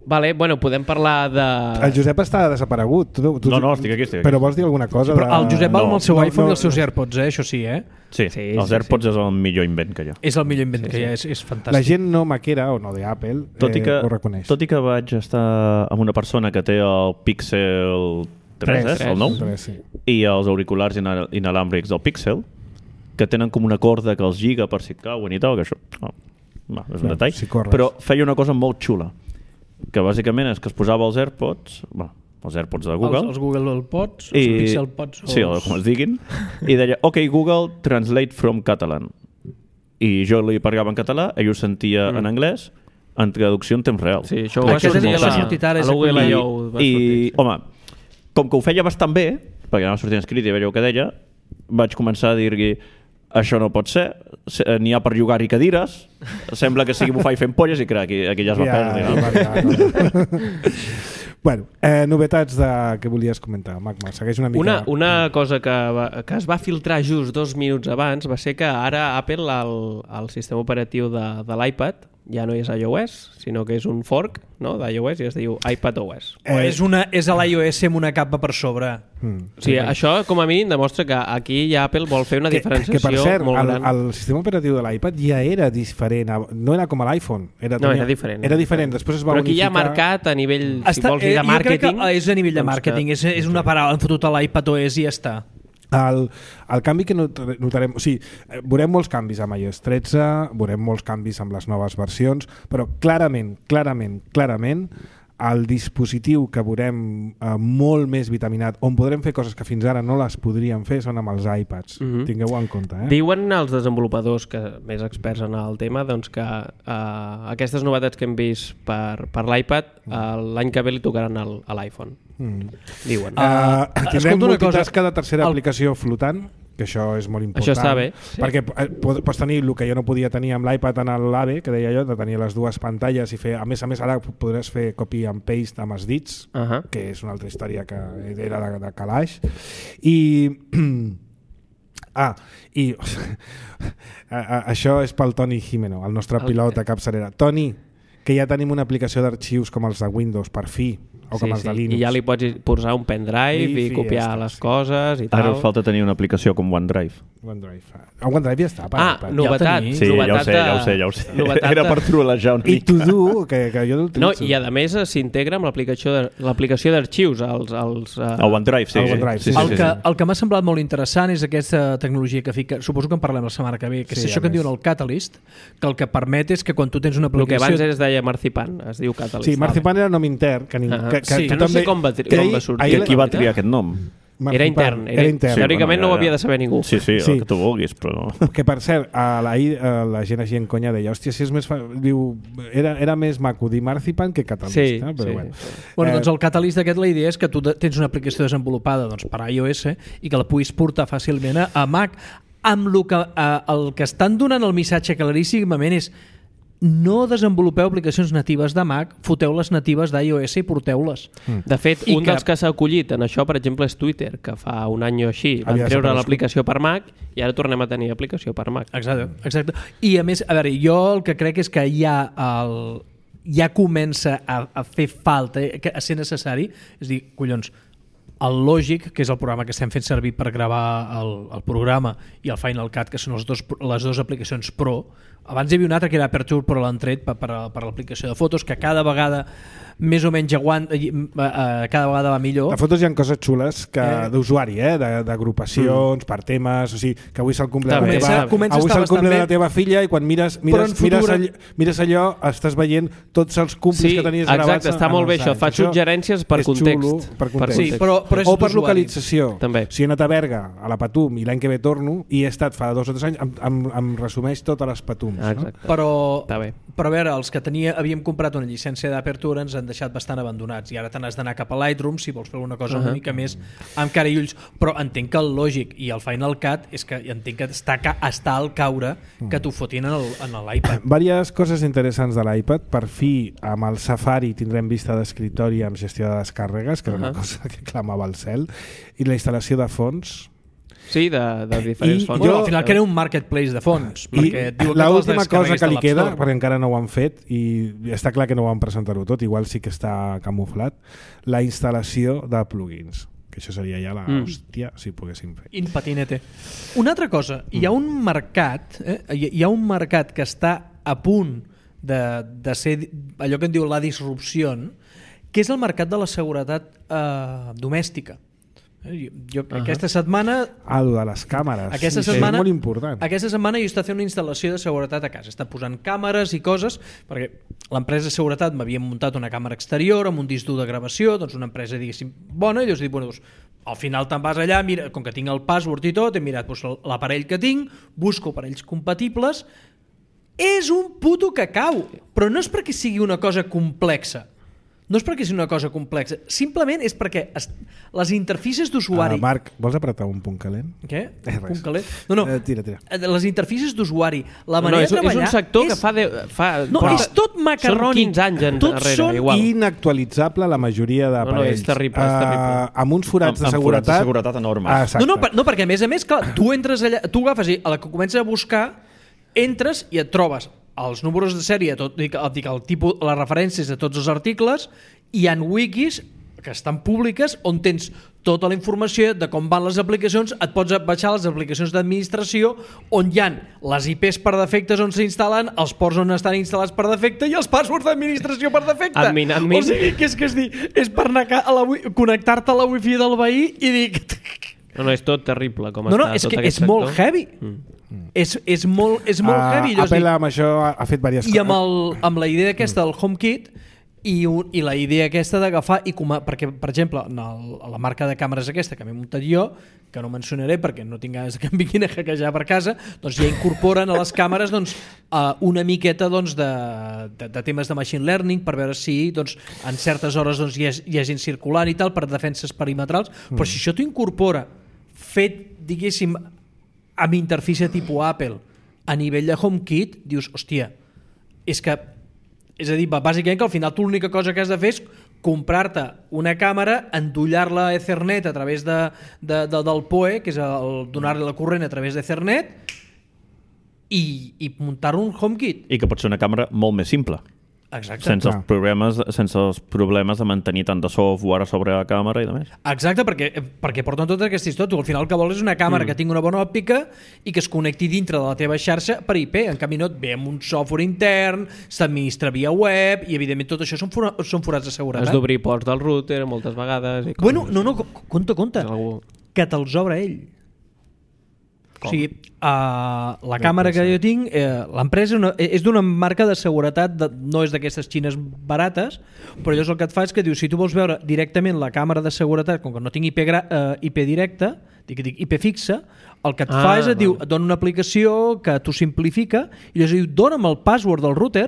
Vale, bueno, podem parlar de... El Josep està desaparegut. Tu, tu, No, no, estic aquí, estic aquí. Però vols dir alguna cosa? Però el de- Josep va No, amb el seu no, iPhone no. i els seus AirPods, eh? Això sí, eh? Sí, Sí, els sí, AirPods és el millor invent que hi ha. És el millor invent Sí, que sí. hi ha, és, és La fantàstic. gent no maquera, o no d'Apple, Tot i, que, eh, ho reconeix. tot i que vaig estar amb una persona que té el Pixel tres, Tres, eh, el nou, Tres, sí. i els auriculars inal inalàmbrics del Pixel, que tenen com una corda que els lliga per si et cauen i tal, que això oh, va, és un Clar, detall, si corres. però feia una cosa molt xula, que bàsicament és que es posava els AirPods, bueno, els AirPods de Google, Els, els Google Pods, els i, Pixel Pods... sí, o com es diguin, i deia, ok, Google, translate from Catalan. I jo li parlava en català, ell ho sentia mm. en anglès, en traducció en temps real. Sí, això ho Ah, va aquest sortir és a el que la, ha sortit ara, a és la Google aquell- I O. va I, sortir. home, com que ho feia bastant bé, perquè anava sortint escrit i veia el que deia, vaig començar a dir-li, això no pot ser, se- n'hi ha per llogar-hi cadires, sembla que sigui bufar i fent polles, i crec, aquí, aquí ja es va Ja, perdre. ja, No? va, ja, no. Bueno, eh, novetats de... que volies comentar, Magma. Segueix una mica... Una, una cosa que, va, que es va filtrar just dos minuts abans va ser que ara Apple, el, el sistema operatiu de, de l'iPad, ja no és iOS, sinó que és un fork, no?, d'iOS, i es diu iPadOS. O és, una, és a l'iOS amb una capa per sobre. Mm. O sigui, això com a mínim demostra que aquí ja Apple vol fer una Que, diferenciació que per cert, molt el, gran. el sistema operatiu de l'iPad ja era diferent, no era com a l'iPhone. Era, No, era diferent. Era diferent, després es va Però aquí ja ha unificar... marcat a nivell, si vols dir, eh, de màrqueting... Jo crec que és a nivell de doncs màrqueting, que- és, és una paraula, han fotut a l'iPadOS i ja està. El, el canvi que not- notarem... O sigui, eh, veurem molts canvis amb iOS tretze, veurem molts canvis amb les noves versions, però clarament, clarament, clarament, el dispositiu que veurem eh, molt més vitaminat, on podrem fer coses que fins ara no les podríem fer, són amb els iPads. Mhm. Tingueu-ho en compte. Eh? Diuen els desenvolupadors que més experts en el tema doncs que uh, aquestes novetats que hem vist per, per l'iPad uh, l'any que ve li tocaran al, a l'iPhone. Mm. Diuen. Uh, escolta tindrem una cosa, multitasca de tercera el- aplicació flotant, que això és molt important. Això està bé, sí. Perquè eh, pod- pots tenir el que jo no podia tenir amb l'iPad en l'AVE, que deia jo, de tenir les dues pantalles i fer... A més a més, ara podràs fer copy and paste amb els dits, Uh -huh. que és una altra història que era de, de calaix. I... Ah, i a, a, això és pel Toni Jimeno, el nostre El pilot què? de capçalera. Toni, que ja tenim una aplicació d'arxius com els de Windows, per fi, o com Sí, els de sí. Linux. I ja li pots posar un pendrive I i, fi, copiar ja està, les sí. coses i tal. Ara us falta tenir una aplicació com OneDrive. OneDrive. El OneDrive ja està. Per Ah, iPad. novetat. tenim. Sí, ja ho novetat sé, de- ja ho sé, ja ho sé. novetat Era de- per trolejar una I mica. To Do, que, que jo no No, l'utilitzo. i a més eh, s'integra amb l'aplicació de- l'aplicació d'arxius, els, els, uh, El OneDrive, sí. El sí. OneDrive, sí, sí, sí, El sí, que, sí. el que m'ha semblat molt interessant és aquesta tecnologia que fica, suposo que en parlem la setmana que ve, que Sí, és això a que en més. diuen el Catalyst, que el que permet és que quan tu tens una el que aplicació... abans es deia Marzipan, es diu Catalyst. Sí, Marzipan era nom intern, que, ningú, Ah, que, que, sí. tu Que no sé també- com va tri- que com ahir- va sortir. ahir I la- qui va triar aquest nom? Marzipan, Era intern. Era, Era intern. Sí, Teòricament bueno, no ho ja, havia ja. de saber ningú. Sí, sí, Sí. el que tu vulguis, però... Que per cert, a l'ahir eh, la gent així en conya deia, hòstia, si és més fa... diu, era, era més maco dir Marzipan que Catalyst. Sí, eh? Però sí. bueno. Bueno, Eh, doncs el Catalyst aquest, la idea és que tu de- tens una aplicació desenvolupada doncs, per iOS i que la puguis portar fàcilment a, a Mac, amb lo que, a, el que estan donant el missatge claríssimament és no desenvolupeu aplicacions natives de Mac, foteu les natives d'iOS i porteu-les. De fet, I un que- dels que s'ha acollit en això, per exemple, és Twitter, que fa un any o així van Havia treure desaparegut. l'aplicació per Mac i ara tornem a tenir aplicació per Mac. Exacte, exacte. I a més, a veure, jo el que crec és que ja el, ja comença a, a fer falta, eh, que- a ser necessari, és a dir, collons, el Logic, que és el programa que estem fent servir per gravar el, el programa, i el Final Cut, que són els dos, les dues aplicacions Pro, abans hi havia un altre que era Aperture, però l'han tret per, per, per l'aplicació de fotos, que cada vegada més o menys aguanta, eh, eh, cada vegada va millor. De fotos hi ha coses xules que Eh. d'usuari, eh? de- d'agrupacions, mm. per temes, o sigui, que avui és el cumple, de la, Comença- teva, comença a avui és estar el cumple bastant de la bé. teva filla i quan mires, Però mires, en futur- mires, allò, mires allò, estàs veient tots els cumplis Sí, que tenies exacte, gravats. està en molt bé els això, anys. fa suggerències per és context. Xulo, per context. Sí, però, però és o per d'usuari. localització. També. Si he anat a Berga, a la Patum, i l'any que ve torno, i he estat fa dos o tres anys, em, em, em resumeix totes les Patums. Ah, no? exacte. Però, Està bé. però a veure, els que tenia, havíem comprat una llicència d'Aperture ens han deixat bastant abandonats i ara te n'has d'anar cap a Lightroom si vols fer una cosa uh -huh. una mica més amb cara i ulls, però entenc que el lògic i el Final Cut és que entenc que està, ca està al caure que t'ho fotin en l'iPad. Vàries coses interessants de l'iPad. Per fi, amb el Safari tindrem vista d'escriptori amb gestió de descàrregues, que era una Uh-huh. cosa que clamava al cel, i la instal·lació de fons. Sí, de, de diferents I fonts. Bueno, jo- al final crea un marketplace de fons, I perquè et diu que l'última les cosa descarreguis que de li l'App queda, Store. perquè encara no ho han fet i està clar que no ho van presentar-ho tot, igual sí que està camuflat, la instal·lació de plugins, que això seria ja la Mm. hòstia si poguéssim fer. In patinete. Una altra cosa, hi ha un mercat, eh? hi hi ha un mercat que està a punt de, de ser allò que en diu la disrupció, que és el mercat de la seguretat eh, domèstica. Eh, Jo, Ahà. aquesta setmana Ah, lo de les càmeres. Aquesta sí, setmana, és molt important. aquesta setmana jo està fent una instal·lació de seguretat a casa. Està posant càmeres i coses, perquè l'empresa de seguretat m'havia muntat una càmera exterior amb un disc dur de gravació, doncs una empresa, diguéssim, bona, i llavors dic, bueno, doncs, al final te'n vas allà, mira, com que tinc el password i tot, he mirat doncs, l'aparell que tinc, busco aparells compatibles, és un puto cacau, però no és perquè sigui una cosa complexa. No és perquè sigui una cosa complexa, simplement és perquè es, les interfícies d'usuari... Ah, Marc, vols apretar un punt calent? Què? Eh, res. Punt calent? No, no. Eh, tira, tira. Les interfícies d'usuari, la No, manera és, de treballar... és un sector és... que fa... De, fa No, però és tot macarrònic. Són quinze anys en, Tots darrere, són igual. Inactualitzable la majoria d'aparells. No, no, és terrible, és terrible. Uh, amb uns forats Amb- de amb seguretat... forats de seguretat enormes. Ah, exacte. No, no, per, no, perquè a més a més, clar, tu entres allà, tu agafes i a la que comences a buscar, entres i et trobes els números de sèrie, tot, dic, dic, el tipus, les referències de tots els articles, i hi ha wikis que estan públiques on tens tota la informació de com van les aplicacions, et pots baixar les aplicacions d'administració on hi ha les I Ps per defectes on s'instal·len, els ports on estan instal·lats per defecte i els passwords d'administració per defecte. Admin, admin. O sigui, que és que és, dir, és per anar a la, wi- connectar-te a la wifi del veí i dir... No, no, és tot terrible com No, no, està és tot que aquest és molt sector. heavy. Mm. És, és molt, és molt Uh, heavy. Allò és Apple dir, amb això ha, ha fet diverses I amb, coses. el, amb la idea aquesta del HomeKit i, un, i la idea aquesta d'agafar i com a, perquè, per exemple, en el, la marca de càmeres aquesta que m'he muntat jo, que no mencionaré perquè no tinc ganes que em vinguin a hackejar per casa, doncs ja incorporen a les càmeres doncs, uh, una miqueta doncs, de, de, de temes de machine learning per veure si doncs, en certes hores doncs, hi, ha, hi ha gent circulant i tal per defenses perimetrals, mm. però si això t'ho incorpora fet, diguéssim, amb interfície tipus Apple a nivell de HomeKit, dius, hòstia, és que és a dir, bàsicament que al final tu l'única cosa que has de fer és comprar-te una càmera, endollar-la a Ethernet a través de, de, de, del P O E, que és el donar-li la corrent a través d'Ethernet, i, i muntar-ho un HomeKit. I que pot ser una càmera molt més simple. Exacte. Sense els, Clar. problemes, sense els problemes de mantenir tant de software sobre la càmera i de més. Exacte, perquè, perquè porten tota aquesta història. Tu al final el que vols és una càmera mm. que tingui una bona òptica i que es connecti dintre de la teva xarxa per I P. En canvi no et ve amb un software intern, s'administra via web i evidentment tot això són, fora, són forats de seguretat. Has d'obrir ports del router moltes vegades. I Bueno, coses no, no, així. compte, compte, Algú... que te'ls obre ell. Com? O sigui, uh, la càmera que jo tinc, eh, l'empresa una, és d'una marca de seguretat, de, no és d'aquestes xines barates, però llavors el que et fa és que diu, si tu vols veure directament la càmera de seguretat, com que no tinc I P, gra, eh, I P directe, dic, dic I P fixa, el que et Ah, fa és, et diu, val. et dona una aplicació que t'ho simplifica, i llavors diu, dona'm el password del router,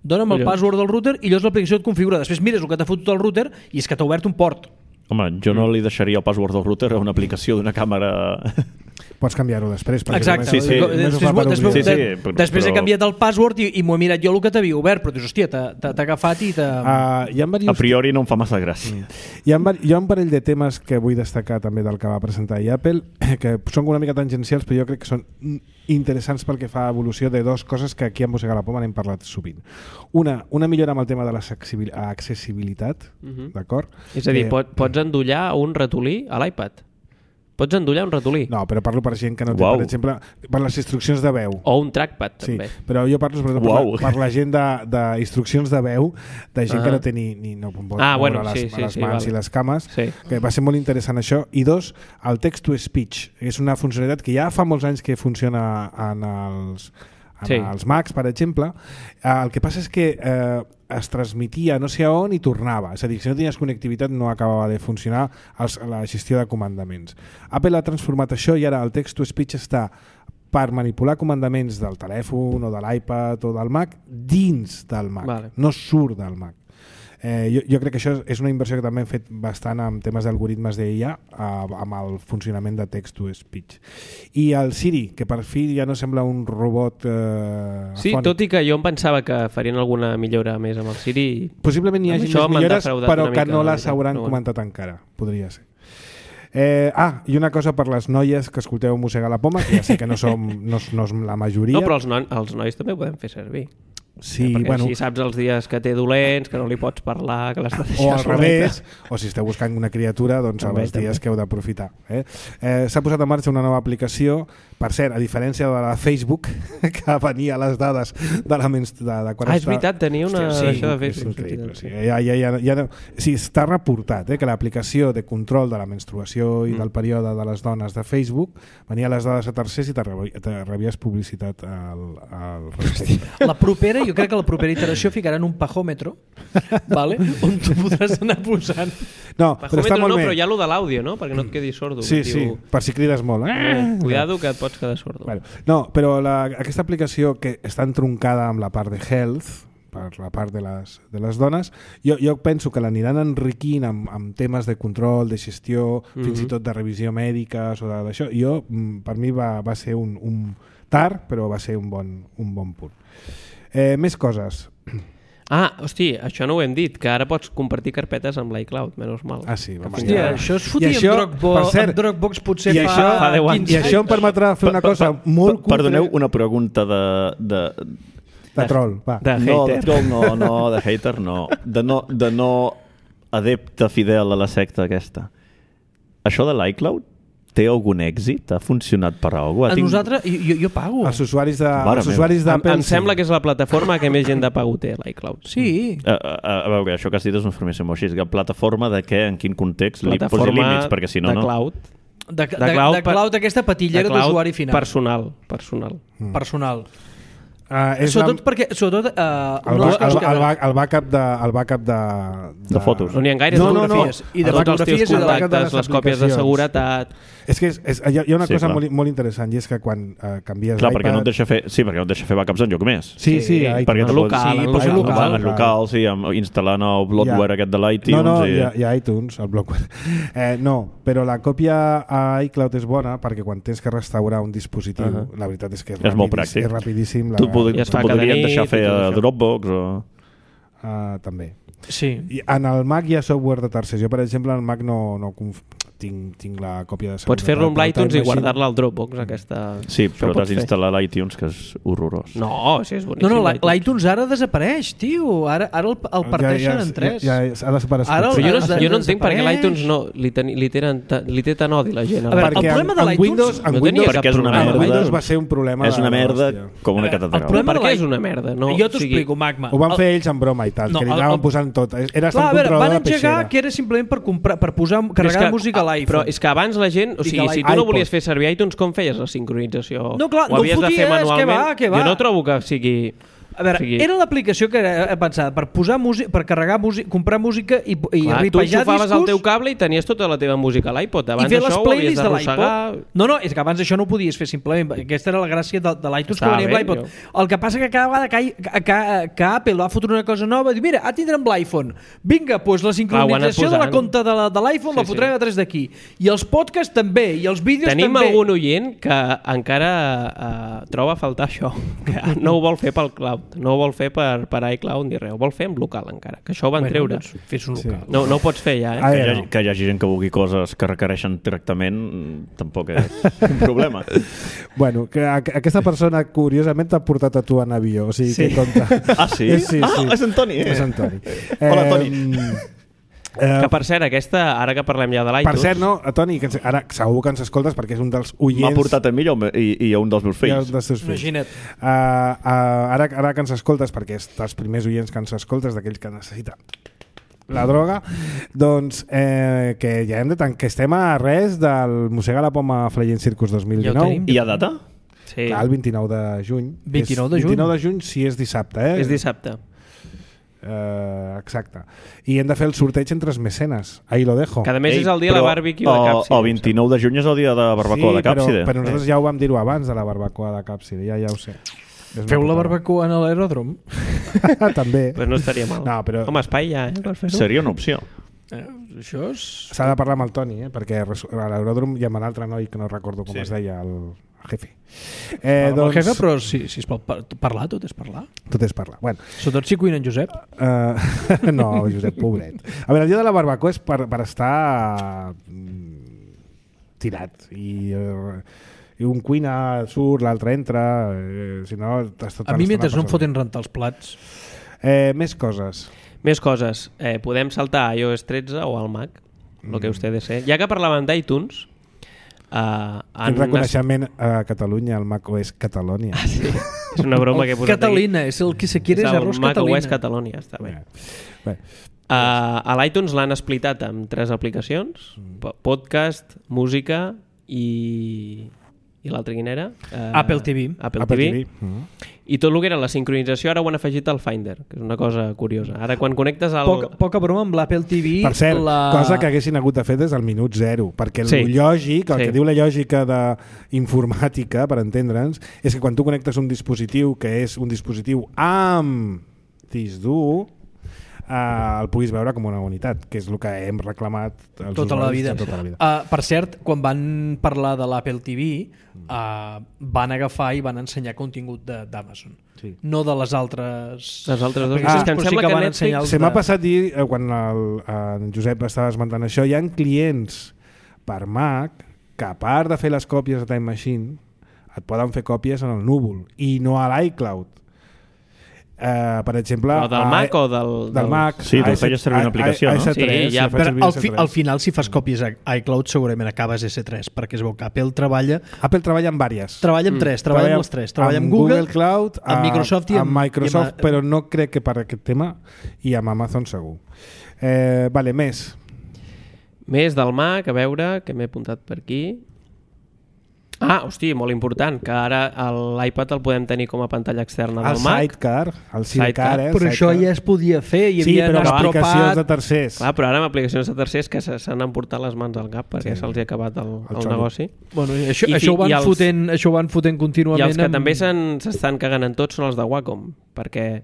dona'm el Collons. password del router, i llavors l'aplicació et configura. Després mires el que t'ha fotut el router i és que t'ha obert un port. Home, jo no li deixaria el password del router a una aplicació d'una càmera... Pots canviar-ho després. perquè Exacte. només- Sí, sí. només ho Després, fa per després, obrir. Sí, sí, de- però- després he però- canviat el password i, i m'ho he mirat jo el que t'havia obert, però dius, hòstia, t'ha t'ha- t'ha agafat i t'ha... Uh, hi ha A diversos priori no em fa massa gràcia. Hi ha, hi ha un parell de temes que vull destacar també del que va presentar i Apple, que són una mica tangencials, però jo crec que són interessants pel que fa a evolució de dues coses que aquí a Mossega la Poma n'hem parlat sovint. Una, una millora amb el tema de l'accessibilitat, Mhm. d'acord? És a dir, Que- pot, pots endollar un ratolí a l'iPad. Pots endollar un ratolí. No, però parlo per gent que no té, Uau. per exemple, per les instruccions de veu. O un trackpad, Sí, també. però jo parlo sobretot per, Uau. la, per la gent d'instruccions de, de veu, de gent Ah. que no té ni, ni no pot Ah, moure bueno, les, sí, sí, les sí, mans vale. i les cames, Sí. que va ser molt interessant això. I dos, el text-to-speech, és una funcionalitat que ja fa molts anys que funciona en els, en Sí. els Macs, per exemple. Eh, el que passa és que eh, es transmetia no sé a on i tornava. És a dir, si no tenies connectivitat no acabava de funcionar els, la gestió de comandaments. Apple ha transformat això i ara el text-to-speech està per manipular comandaments del telèfon o de l'iPad o del Mac dins del Mac, Vale. no surt del Mac. Eh, jo, jo crec que això és una inversió que també hem fet bastant en temes d'algoritmes d'I A, eh, amb el funcionament de text-to-speech. I el Siri, que per fi ja no sembla un robot eh, Sí, afònic. tot i que jo em pensava que farien alguna millora més amb el Siri. Possiblement hi Amb hagi això més m'han millores, defraudat però una que mica, no la les veritat, hauran però bueno. comentat encara. Podria ser. Eh, ah, i una cosa per les noies que escolteu Mossegar la Poma, que ja sé que no som no, no és la majoria. No, però els, no, els nois també ho podem fer servir. sí, Perquè bueno, així saps els dies que té dolents, que no li pots parlar, que l'has de o deixar al soleta. revés, o si esteu buscant una criatura, doncs També, els dies també. que heu d'aprofitar. Eh? Eh, S'ha posat en marxa una nova aplicació, per cert, a diferència de la Facebook, que venia les dades de la menstru... de, de quan Ah, és està... veritat, tenia una Hòstia, d'això de és Facebook. increïble, sí. Ja, ja, ja, ja, no- sí, està reportat eh, que l'aplicació de control de la menstruació i Mm. del període de les dones de Facebook venia les dades a tercers i te rebi- te rebies publicitat al, al respecte. La propera, jo crec que la propera iteració ficaran un pajòmetre, vale? On tu podràs anar posant. No, però està Pajòmetre molt no, bé. però hi ha lo de l'àudio, no? Perquè no et quedis sordo. Sí, que sí, diu, per si crides molt. Eh, Eh? cuidado que et pots quedar sordo. Bueno, no, però la, aquesta aplicació que està entroncada amb la part de health, per la part de les, de les dones, jo, jo penso que l'aniran enriquint amb, amb temes de control, de gestió, mm -hmm. fins i tot de revisió mèdica o d'això. Jo, mm, per mi va, va ser un, un tard, però va ser un bon, un bon punt. Eh, més coses. Ah, hosti, això no ho hem dit, que ara pots compartir carpetes amb l'iCloud, menys mal. Ah, sí, va, Hòstia, ja. això es I fotia això, amb Dropbox, per cert, amb Dropbox potser i fa, això- fa deu anys. I quinze això em permetrà fer una cosa molt cutre Perdoneu, una pregunta de... de... de troll. Va. De No, de hater. troll no, no, de hater no. De no, de no adepte fidel a la secta aquesta. Això de l'iCloud té algun èxit? Ha funcionat per alguna A cosa? nosaltres, jo, jo pago. Els usuaris de- Mare els meva. usuaris Em, d'Apple... em sembla que és la plataforma que més gent de pago té, l'iCloud. Sí. A, a, a veure, això que has dit és una informació molt així. Que plataforma de què, en quin context? Li posi Plataforma límits, perquè si no, de no... cloud. De, de, de, cloud de per- cloud, aquesta patillera de cloud d'usuari final. Personal, personal. Personal. Uh, és Sobretot la- perquè... Sobretot, uh, el, una de ba les coses el, que- el, ba el backup de, el backup de, De fotos. No n'hi ha gaires No, no, de no. fotografies. I de Tots els teus fotografies i de backup de contactes, les les còpies de aplicacions. seguretat... És que és, és, hi, ha, hi ha una Sí, cosa clar. molt, molt interessant i és que quan uh, canvies Clar, perquè no et l'iPad... deixa fer... Sí, perquè no et deixa fer backups enlloc més. Sí, sí, Sí, iTunes. perquè en no local, pots... en sí, local. en local, En local, sí, amb, instal·lant el bloatware Ja. aquest de l'iTunes. No, no, i... hi ha, hi ha iTunes, el bloatware. Eh, no, però la còpia a iCloud és bona perquè quan tens que restaurar un dispositiu, uh Uh-huh. -huh. la veritat és que és, És molt rapidís- pràctic. és rapidíssim. La, Tu pod I es fa tu cada podries nit deixar i fer tot a això. Dropbox o... uh, també. Sí. I en el Mac hi ha software de tercers. Jo, per exemple, en el Mac no, no conf... tinc, tinc la còpia de seguretat. Pots fer-lo amb del l'iTunes Time i Machine. guardar-la al Dropbox, aquesta... Sí, Això però ho t'has pots fer. d'instal·lar l'iTunes, que és horrorós. No, sí, és No, boníssim. no, l'i- l'iTunes ara desapareix, tio. Ara, ara el, el parteixen en tres. Ja, ja, ja ha desaparegut. Ara el- Però jo no, Ara jo no entenc per què desapareix. l'iTunes no, li, ten, li, tenen, ta- li té tan odi la gent. A veure, Perquè el problema en, de en l'iTunes Windows, en no tenia Windows, cap Perquè és una problema. en merda. Windows va ser un problema. És de- una merda d'hòstia. com una El catedral. problema Per de què l'i- és una merda? No, jo t'ho o sigui, explico, Magma. Ho van El- fer ells en broma i tal, No, que li el- anaven el- posant tot. Era Clar, estar a un veure, controlador van de engegar peixera. que era simplement per, comprar, per posar, Però és carregar que- música a Però l'iPhone. és que abans la gent... O I sigui, que si tu l'iPod. no volies fer servir iTunes, com feies la sincronització? No, clar, Ho no havies de fer foties, que manualment? va, que va. Jo no trobo que sigui... A veure, o sigui, era l'aplicació que era pensada per posar música, per carregar música, comprar música i, i clar, tu ripejar enxufaves discos el teu cable i tenies tota la teva música a l'iPod. i Abans fer les això ho havies playlists de d'arrossegar... l'iPod. No, no, és que abans això no ho podies fer simplement. Aquesta era la gràcia de, de l'iTunes que Està venia amb bé, l'iPod. jo. El que passa que cada vegada que, que, que, que Apple va fotre una cosa nova, diu, mira, ara tindrem l'iPhone. Vinga, doncs la sincronització de la posant. compta de la- de l'iPhone Sí, la fotrem sí. a tres d'aquí. I els podcasts també, i els vídeos Tenim també. algun oient que encara uh, troba a faltar això, que no ho vol fer pel cloud, no ho vol fer per, per iCloud ni res, ho vol fer en local encara, que això ho van Bueno, treure. doncs, fes un Sí. local. No, no ho pots fer ja, eh? Ah, Que hi, ja hagi, no. que hi hagi gent que vulgui coses que requereixen tractament tampoc és un problema. Bueno, que a- aquesta persona curiosament t'ha portat a tu en avió, o sigui, Sí. que compta. Ah, sí? Eh, sí, ah, sí. és en Toni. És en Toni. Hola, Toni. Eh, Eh, Que per cert, aquesta, ara que parlem ja de l'iTunes... per cert, no, Toni, que ens, ara segur que ens escoltes perquè és un dels oients... M'ha portat a mi i, i, i a un dels meus i fills. un dels teus fills. Imagina't. Uh, uh, ara, ara que ens escoltes, perquè és dels primers oients que ens escoltes, d'aquells que necessiten la droga, doncs eh, que ja hem de tant, que estem a res del Mossega la Poma Flying Circus dos mil Ja ho dinou. tenim. I a data? Sí, Clar, el vint-i-nou de juny. vint-i-nou de És, juny? vint-i-nou de juny si és dissabte, eh? és dissabte. Uh, exacte. I hem de fer el sorteig entre els mecenes. Ahí lo dejo. Que a més Ei, és el dia de la però barbecue de el- Càpside. El vint-i-nou de juny és el dia de la barbacoa de Càpside. Però, però nosaltres ja ho vam dir-ho abans de la barbacoa de Càpside, ja ja ho sé. És una Feu la putada. barbacoa en l'aeròdrom? També. Pues no estaria mal. No, però- Home, espai ja, eh, per fer-ho. Seria una opció. Eh, això és... S'ha de parlar amb el Toni, eh? Perquè res- a l'aeròdrom hi ha un altre noi que no recordo com Sí. es deia, el jefe. Eh, Eh, doncs... El jefe, però si, si es pot par parlar, tot és parlar. Tot és parlar. Bueno, Sobretot si cuina en Josep. uh, no, Josep, pobret. A veure, el dia de la barbacoa és per, per estar mm, tirat i... Uh, i un cuina surt, l'altre entra, eh, si no... Estàs A mi, mentre no em foten rentar els plats. Eh, més coses. Més coses. Eh, podem saltar a i O S tretze o al Mac, Mm. lo que ustedes sé. Ja que parlàvem d'iTunes, eh, Quin reconeixement a Catalunya, el Mac O S Catalònia. Ah, sí. És una broma que he posat Catalina, és el que se quiere aquí. és És el arròs Mac O Catalina. S Catalònia, està bé. Bé. Uh, a l'iTunes l'han explicat amb tres aplicacions: po- podcast, música i... i l'altra quina era? Uh, Apple T V. Apple, Apple T V. T V. Mm. I tot el que era la sincronització ara ho han afegit al Finder, que és una cosa curiosa. Ara quan connectes al... Poca, poca broma amb l'Apple T V. Per cert, la... cosa que haguessin hagut de fer des del minut zero, perquè el Sí. lògic, el Sí. que diu la lògica d'informàtica, per entendre'ns, és que quan tu connectes un dispositiu que és un dispositiu amb disc dur, eh, el puguis veure com una unitat, que és el que hem reclamat els tota la usuaris vida. de tota la vida. Uh, per cert, quan van parlar de l'Apple T V, uh, van agafar i van ensenyar contingut de- d'Amazon. Sí. No de les altres... Les altres dues. aplicacions, Ah, que em però sí sembla que que van Netflix- ensenyar els Se m'ha de- passat dir, eh, quan el, en Josep estava esmentant això, hi ha clients per Mac que a part de fer les còpies de Time Machine et poden fer còpies en el núvol i no a l'iCloud. Uh, per exemple... Però del a- Mac o del- Del del- Mac. Sí, tu a feies servir una a- aplicació, a- no? a S tres, Sí, ja, si faig Però servir al, S fi, tres. al final, si fas còpies a iCloud, segurament acabes S tres, perquè es veu que Apple treballa Apple treballa amb vàries. treballa amb tres, treballa amb les tres. Treballa amb Google, Cloud, amb Microsoft i amb- amb Microsoft, i amb- però no crec que per aquest tema, i amb Amazon segur. Eh, vale, més. Més del Mac, a veure, que m'he apuntat per aquí. Ah, hosti, molt important, que ara el- l'iPad el podem tenir com a pantalla externa El del Mac. Sidecar, el Sidecar, Sidecar. eh? el Però això Sidecar. ja es podia fer, hi Sí, havia però amb aplicacions de estropat... tercers. Clar, però ara amb aplicacions de tercers que se- s'han emportat les mans al cap perquè Sí. se'ls ha acabat el, El el xolo. negoci. Bueno, això, I això, fi- ho van i els- fotent, això ho van fotent I contínuament. els que amb- també s'han- s'estan cagant en tots són els de Wacom, perquè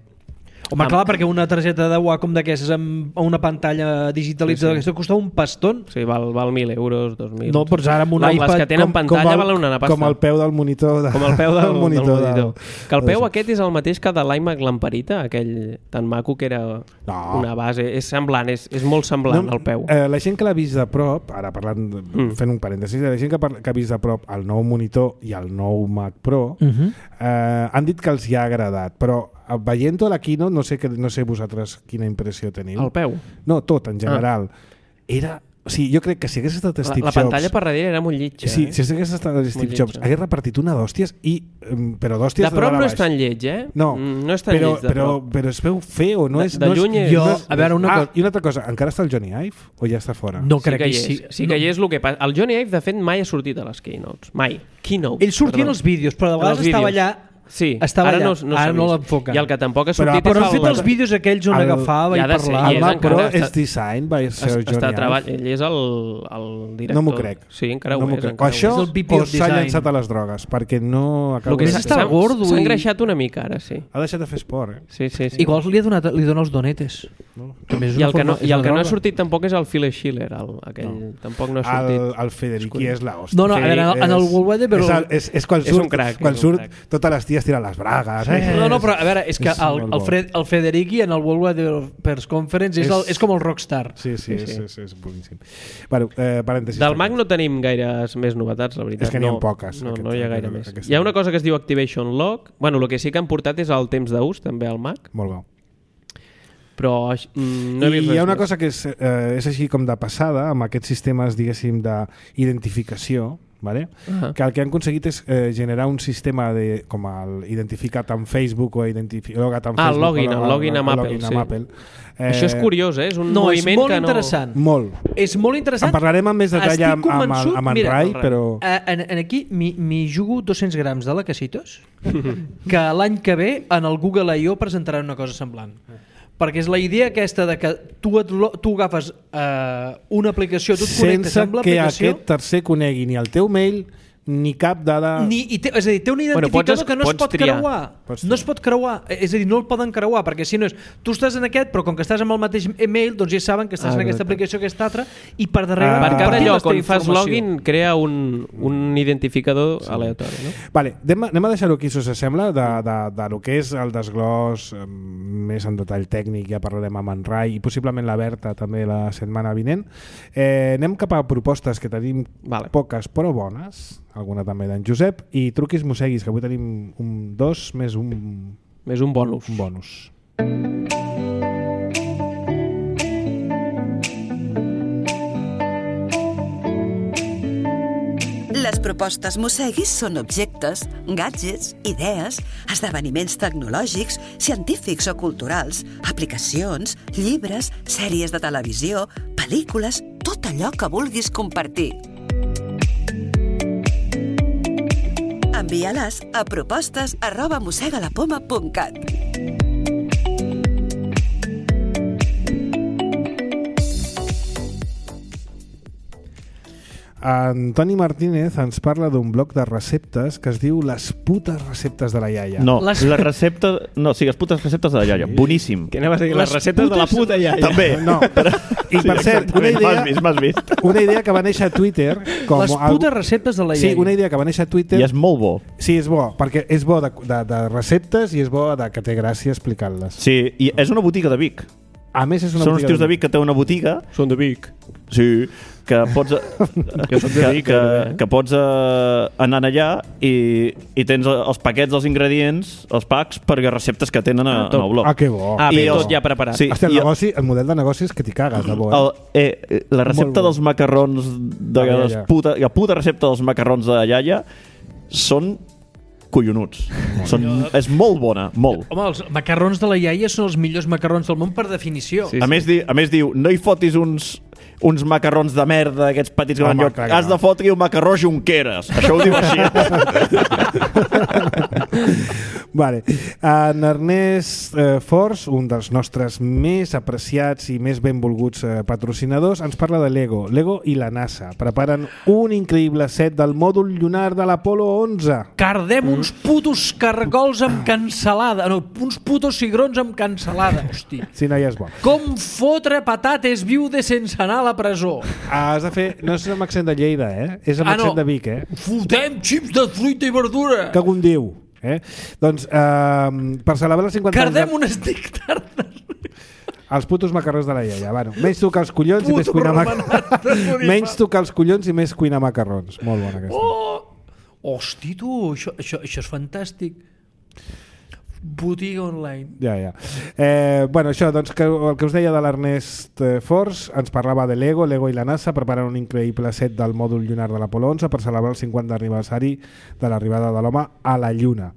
Home, clar, perquè una targeta de Wacom d'aquestes amb una pantalla digitalitzada Sí, sí. aquesta costa un pastón. sí, val, val mil euros, dos mil... No, però ara amb un No, iPad... les que tenen Com- pantalla com el- valen una pasta. Com el peu del monitor. De, Com el peu del, del monitor. del monitor. Que el peu del- aquest és el mateix que de l'iMac Lamparita, aquell tan maco que era No. una base. És semblant, és, és molt semblant el peu. Eh, la gent que l'ha vist de prop, ara parlant, de, Mm. fent un parèntesis, la gent que, par- que ha vist de prop el nou monitor i el nou Mac Pro, Uh -huh. eh, han dit que els hi ha agradat, però eh, veient-ho a la keynote, no sé, que, no sé vosaltres quina impressió teniu. El peu. No, tot, en general. Era... O sigui, jo crec que si hagués estat La, Steve la Jobs... pantalla per darrere era molt lletja. Sí, eh? si hagués estat Steve lletja. Jobs, hagués repartit una d'hòsties, i, em, però d'hòsties De de, prop dalt a no baix. és tan lleig, eh? No, Mm, no és tan però, lleig de però, prop. però es veu feo, no De- és... de no lluny és, és- no Jo, és- a veure, una ah, cosa- i una altra cosa, encara està el Johnny Ive o ja està fora? No Sí crec que que hi hi és. sí. Sí que hi és el que passa. El Johnny Ive, de fet, mai ha sortit a les keynotes. Mai. Keynote. Ell sortia en perdó. els vídeos, però de En vegades els estava vídeos. allà... Sí, estava ara allà. no, no Ara s'ha no vist. l'enfoquen. I el que tampoc ha Però- sortit Però és han fet el... els vídeos aquells on El- agafava Ja i de ser, parlava. i El és Mac Pro encara- és està- design by Sir Es- Johnny està Ive. treball... Ell és el, el director. No m'ho crec. Sí, encara no ho m'ho és. crec. O encara ho això És el V P o of s'ha Design. llançat a les drogues, perquè no acaba El que Només s'ha- està s'ha- gordo S'ha i- engreixat una mica ara, sí. Ha deixat de fer esport, eh? Sí, sí, sí. Igual li, ha donat, li dona els donetes. No? També és I una el que no, forma- és i el una que no ha droga. sortit tampoc és el Phil Schiller, el, aquell. No. Tampoc no ha sortit. El, el Federici és la hòstia. No, no, a veure, en el- en el És- Worldwide, però- És, el- és, és quan És surt, un crac, quan és un surt crac. totes les ties tiren les bragues. Eh? No, no, però a veure, és que És el, molt el, bo. Fred, el Federici en el World Wide Developers Conference és, És- el, és com el rockstar. Sí, sí, Sí, és, sí. és, és boníssim. Bueno, eh, parèntesis. Del Mac no tenim gaires més novetats, la veritat. És que n'hi ha no, poques, No, aquest- no hi ha gaire aquest- més. aquest- Hi ha una cosa que es diu Activation Lock. Bueno, el que sí que han portat és el temps d'ús, també al Mac. Molt bo. però mm, no he vist I hi ha res una més. cosa que és, eh, és així com de passada, amb aquests sistemes, diguéssim, d'identificació, vale? Uh-huh. Que el que han aconseguit és eh, generar un sistema de, com el identificat amb Facebook o identificat amb Ah, Facebook, el login, o el login amb Apple, login sí. amb Apple. Eh, Això és curiós, eh? És un No, és moviment molt que no... interessant. Molt. És molt interessant. En parlarem amb més detall Estic amb, amb, el- convençut- amb en mira, Rai, el Rai. però... Eh, en, en aquí m'hi jugo dos-cents grams de lacasitos que l'any que ve en el Google I O presentaran una cosa semblant. Perquè és la idea aquesta de que tu, et, lo- tu agafes eh, una aplicació, tu et connectes Sense amb que l'aplicació aquest tercer conegui ni el teu mail ni cap dada... ni, i té, és a dir, té un Bueno, identificador pots- que no es pots pot triar. creuar. Pots No es pot creuar. És a dir, no el poden creuar, perquè si no és... Tu estàs en aquest, però com que estàs amb el mateix email, doncs ja saben que estàs Ah, en aquesta exacte. aplicació, aquesta altra, i per darrere... Ah. Per cada compartim lloc la teva on fas informació. login crea un, un identificador sí. aleatori, no? Vale, anem, a- anem a deixar-ho aquí, si us sembla, de, de, de lo que és el desglòs eh, més en detall tècnic. Ja parlarem amb en Rai i possiblement la Berta també la setmana vinent. Eh, anem cap a propostes que tenim Vale. poques però bones, alguna també d'en Josep, i truquis mosseguis, que avui tenim un dos més un, Més un bonus. un bonus. Les propostes Mosseguis són objectes, gadgets, idees, esdeveniments tecnològics, científics o culturals, aplicacions, llibres, sèries de televisió, pel·lícules, tot allò que vulguis compartir. Envia-les a propostes arroba mossegalapoma punt cat. Antoni Martínez ens parla d'un bloc de receptes que es diu Les putes receptes de la iaia. No, Les- les... la recepta... No, sí, les putes receptes de la iaia. Boníssim. Que anaves a dir les, Les receptes de la putes- puta iaia. També. No, i per cert, una M'has idea, vist, m'has vist. una idea que va néixer a Twitter com Les algo- putes receptes de la Sí, iaia. una idea que va néixer a Twitter. I és molt bo. Sí, és bo, perquè és bo de, de, de receptes i és bo de que té gràcia explicant-les. Sí, i és una botiga de Vic. A més, és una Són uns botiga tios de Vic que té una botiga. Són de Vic. Sí, que pots, que, soc de que, Vic, que, eh? que pots uh, anar allà i, i tens els paquets dels ingredients, els packs, per receptes que tenen a, Ah, tot. en el blog. Ah, que bo. Ah, I bé, els- tot ja preparat. Sí. Hòstia, el, i- negoci, el model de negoci és que t'hi cagues de bo. Eh? El, eh, la recepta Molt bo. dels macarrons de La les iaia. puta, la puta recepta dels macarrons de la iaia són collonuts. Són, és molt bona, molt. Home, els macarrons de la iaia són els millors macarrons del món per definició. Sí. A més, di, a més diu, no hi fotis uns, uns macarrons de merda, aquests petits que van Home, lloc. clar que Has no. de fotre un macarró Junqueras. Això ho diu així. Vale. En Ernest eh, Fors, un dels nostres més apreciats i més benvolguts eh, patrocinadors, ens parla de Lego. Lego i la NASA preparen un increïble set del mòdul lunar de l'Apolo onze. Cardem uns putos cargols amb cansalada. No, uns putos cigrons amb cansalada. Hosti. Si no, ja és bo. Com fotre patates viudes sense anar a la presó. Ah, has de fer... No és amb accent de Lleida, eh? És amb Ah, no. accent de Vic, eh? Fotem xips de fruita i verdura. Que un diu. Eh? Doncs, eh, per celebrar els cinquanta Cardem anys... unes dictardes. De... Els putos macarrons de la iaia. Bueno, menys tocar els collons i més Puto cuinar romanat de macarrons. Bonifaç. Menys tocar els collons i més cuinar macarrons. Molt bona aquesta. Oh! Hosti, tu, això, això, això és fantàstic. Botiga online. Ja, ja. Eh, bueno, això, doncs, que, el que us deia de l'Ernest eh, Fors, ens parlava de Lego, Lego i la NASA preparen un increïble set del mòdul lunar de l'Apolo onze per celebrar el cinquanta aniversari de l'arribada de l'home a la Lluna.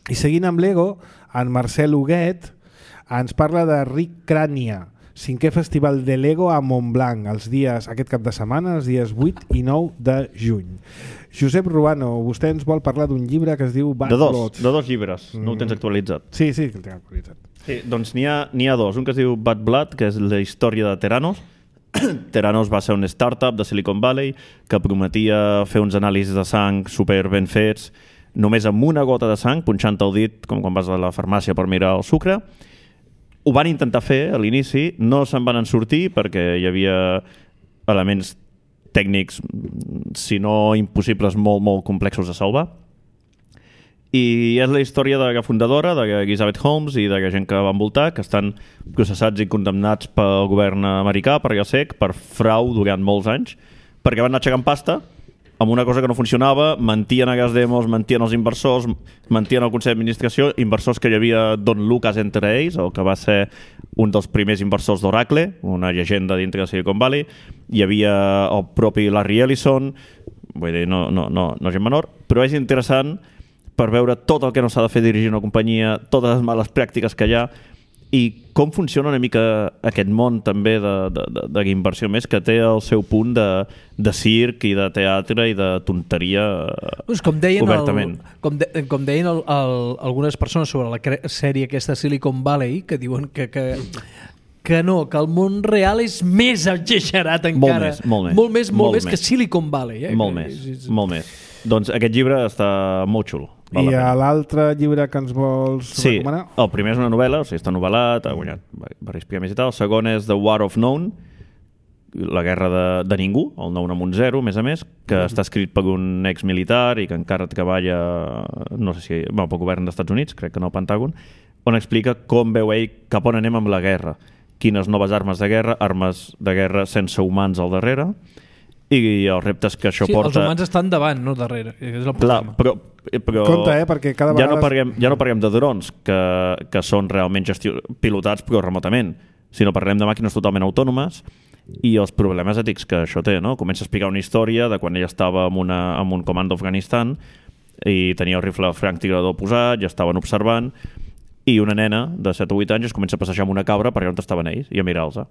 I seguint amb Lego, en Marcel Huguet ens parla de Ric Crània, cinquè festival de Lego a Montblanc, els dies, aquest cap de setmana, els dies vuit i nou de juny. Josep Ruano, vostè ens vol parlar d'un llibre que es diu Bad De dos, Blood. de dos llibres. No ho tens actualitzat. Sí, sí, que el tinc actualitzat. Sí, doncs n'hi ha, n'hi ha dos. Un que es diu Bad Blood, que és la història de Theranos. Theranos va ser un startup de Silicon Valley que prometia fer uns anàlisis de sang super ben fets, només amb una gota de sang, punxant el dit, com quan vas a la farmàcia per mirar el sucre. Ho van intentar fer a l'inici, no se'n van en sortir perquè hi havia elements tècnics, si no impossibles, molt, molt complexos de salvar. I és la història de la fundadora, de Elizabeth Holmes i de la gent que va envoltar, que estan processats i condemnats pel govern americà, per la S E C, per frau durant molts anys, perquè van anar aixecant pasta amb una cosa que no funcionava, mentien a gas demos, mentien els inversors, mentien al Consell d'Administració, inversors que hi havia Don Lucas entre ells, el que va ser un dels primers inversors d'Oracle, una llegenda dintre de Silicon Valley, hi havia el propi Larry Ellison, vull dir, no, no, no, no gent menor, però és interessant per veure tot el que no s'ha de fer dirigir una companyia, totes les males pràctiques que hi ha, i com funciona una mica aquest món també d'inversió més, que té el seu punt de, de circ i de teatre i de tonteria pues com deien obertament. El, com, de, com deien el, el, algunes persones sobre la sèrie aquesta Silicon Valley, que diuen que, que, que no, que el món real és més exagerat encara. Molt més, molt més. Molt més, molt molt més, més que Silicon Valley. Eh? Molt que, més, és, és... molt més. Doncs aquest llibre està molt xulo. Val I a l'altre llibre que ens vols sí, recomanar? El primer és una novel·la, o sigui, està novel·lat, ha guanyat diversos premis i tal. El segon és The War of None, la guerra de, de ningú, el nou amb un zero, a més a més, que mm. està escrit per un exmilitar i que encara treballa, no sé si, bueno, pel govern dels Estats Units, crec que no al Pentàgon, on explica com veu ell cap on anem amb la guerra, quines noves armes de guerra, armes de guerra sense humans al darrere, i els reptes que això sí, porta... Els humans estan davant, no darrere. És el Clar, però, però compte, eh, perquè cada vegada... Ja no parlem, ja no parlem de drons, que, que són realment gestio... pilotats però remotament, sinó parlem de màquines totalment autònomes i els problemes ètics que això té, no? Comença a explicar una història de quan ell estava en, una, en un comando d'Afganistan i tenia el rifle franctirador posat, ja estaven observant, i una nena de set o vuit anys es comença a passejar amb una cabra per allà on estaven ells i a mirar-los.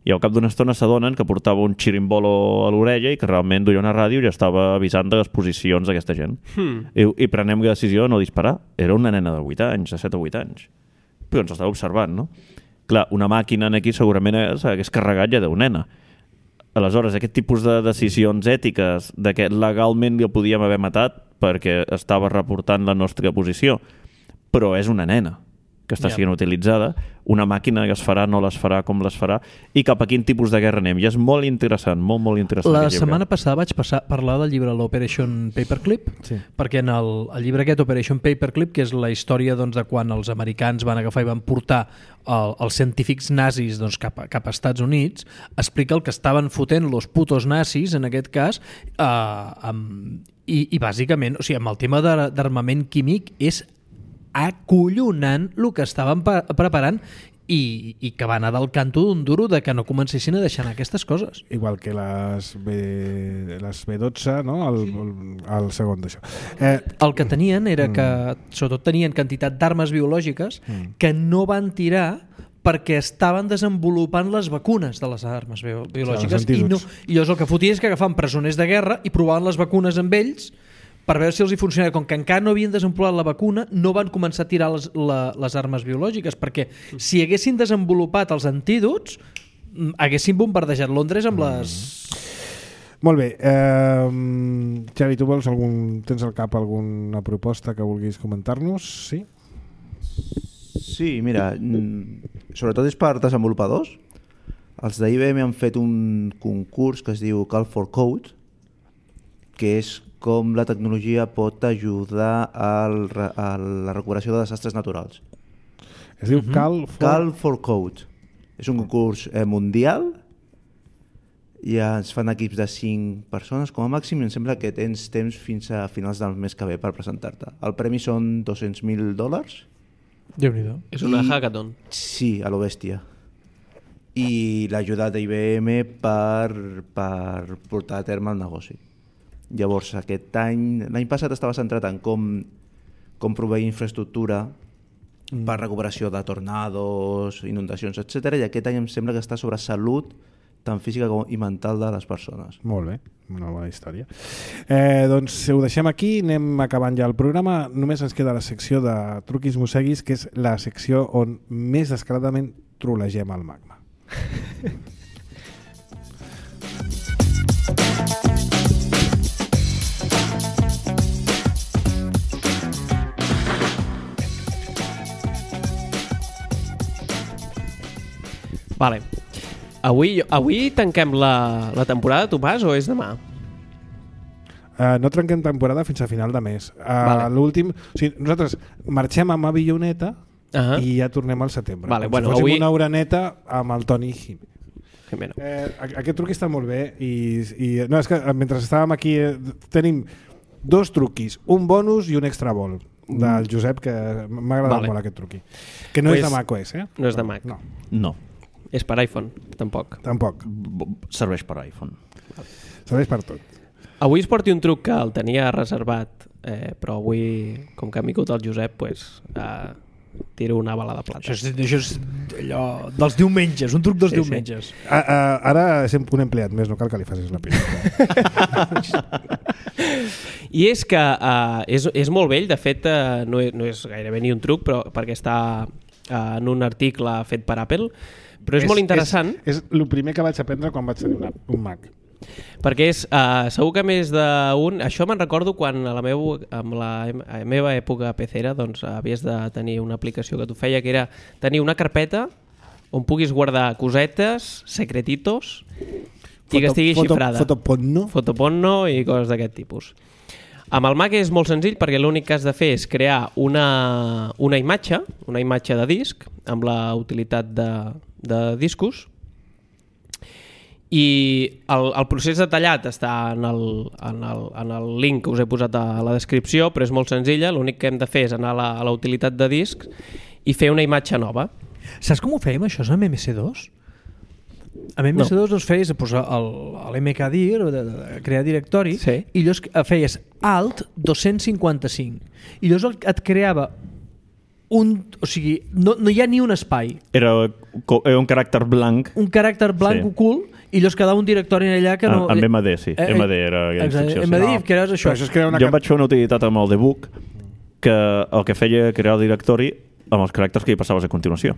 I al cap d'una estona s'adonen que portava un xirimbolo a l'orella i que realment duia una ràdio i ja estava avisant de les posicions d'aquesta gent. Hmm. I, I prenem la decisió de no disparar. Era una nena de vuit anys, de set o vuit anys. Però ens estava observant, no? Clar, una màquina aquí segurament s'hagués carregat ja deu nena. Aleshores, aquest tipus de decisions ètiques de que legalment li podíem haver matat perquè estava reportant la nostra posició, però és una nena que està sent utilitzada, una màquina que es farà, no les farà, com les farà, i cap a quin tipus de guerra anem. I és molt interessant, molt, molt interessant. La setmana passada vaig passar, parlar del llibre l'Operation Paperclip, sí. perquè en el, el llibre aquest, Operation Paperclip, que és la història doncs, de quan els americans van agafar i van portar el, els científics nazis doncs, cap, a, cap a Estats Units, explica el que estaven fotent los putos nazis, en aquest cas, eh, amb, i, i bàsicament, o sigui, amb el tema d'armament químic és acollonant el que estaven preparant i, i que va anar del canto d'un duro de que no comencessin a deixar anar aquestes coses. Igual que les B, les B dotze, no? El, el, el segon d'això. Eh, el que tenien era que, sobretot tenien quantitat d'armes biològiques mm. que no van tirar perquè estaven desenvolupant les vacunes de les armes biològiques. Clar, i, no, I llavors el que fotien és que agafaven presoners de guerra i provaven les vacunes amb ells per veure si els hi funcionava. Com que encara no havien desenvolupat la vacuna, no van començar a tirar les, la, les armes biològiques, perquè si haguessin desenvolupat els antídots, haguessin bombardejat Londres amb les... Molt bé. Eh, Xavi, tu vols algun, tens al cap alguna proposta que vulguis comentar-nos? Sí? Sí, mira, sobretot és per desenvolupadors. Els d'I B M han fet un concurs que es diu Call for Code, que és com la tecnologia pot ajudar al, a la recuperació de desastres naturals. Es diu uh-huh. Call for... Call for Code. És un concurs eh, mundial i ens fan equips de cinc persones com a màxim i em sembla que tens temps fins a finals del mes que ve per presentar-te. El premi són dos-cents mil dòlars. Déu-n'hi-do. És una I, hackathon. Sí, a lo bèstia. I l'ajuda d'I B M per, per portar a terme el negoci. Llavors, aquest any, l'any passat estava centrat en com, com proveir infraestructura mm. per recuperació de tornados, inundacions, etcètera. I aquest any em sembla que està sobre salut tant física com i mental de les persones. Molt bé, una bona història. Eh, doncs ho deixem aquí, anem acabant ja el programa. Només ens queda la secció de Truquis Mosseguis, que és la secció on més descaradament trolegem el magma. Vale. Avui, avui tanquem la, la temporada, Tomàs, o és demà? Uh, no trenquem temporada fins a final de mes. Uh, vale. L'últim, o sigui, nosaltres marxem amb Avilloneta uh-huh. i ja tornem al setembre. Vale, Com bueno, si fóssim avui... una oreneta amb el Toni Jiménez. Jimeno. Eh, aquest truqui està molt bé i, i no, és que mentre estàvem aquí eh, tenim dos truquis, un bonus i un extra vol del Josep, que m'ha agradat Vale. molt aquest truqui. Que no Pues, és de macOS, eh? no és de Mac. No, No, És per iPhone, tampoc. tampoc. B- serveix per iPhone. Serveix per tot. Avui es porti un truc que el tenia reservat, eh, però avui, com que ha vingut el Josep, pues, eh, tiro una bala de plata. Això és, això és allò dels diumenges, un truc dels Sí, sí. diumenges. A, a, ara és un empleat més, no cal que li facis la pila. I és que uh, és, és molt vell, de fet uh, no, és, no és gairebé ni un truc, però perquè està uh, en un article fet per Apple, però és, és molt interessant. És, és el primer que vaig aprendre quan vaig tenir una, un Mac. Perquè és, uh, segur que més d'un... Això me'n recordo quan a la, meu, amb la, a la meva època pecera doncs, havies de tenir una aplicació que t'ho feia, que era tenir una carpeta on puguis guardar cosetes, secretitos, i que estigui foto, xifrada. Fotoporno. Fotoporno i coses d'aquest tipus. Amb el Mac és molt senzill perquè l'únic que has de fer és crear una, una imatge, una imatge de disc, amb la utilitat de, de discos, i el, el procés detallat està en el, en, el, en el link que us he posat a la descripció, però és molt senzilla, l'únic que hem de fer és anar a la, a la utilitat de disc i fer una imatge nova. Saps com ho fèiem, això, amb M S dos? Amb M S dos no. doncs feies posar l'M K dir, de, de crear directori, Sí. i llavors feies Alt dos-cents cinquanta-cinc. I llavors et creava un... O sigui, no, no hi ha ni un espai. Era, era un caràcter blanc. Un caràcter blanc Sí. ocult, i llavors quedava un directori allà que no... Amb M D, sí. Eh, eh, M D era aquella exacte, instrucció. M D, Sí. que era això. Però això és crear una Jo car- em vaig fer una utilitat amb el debug que el que feia crear el directori amb els caràcters que hi passaves a continuació.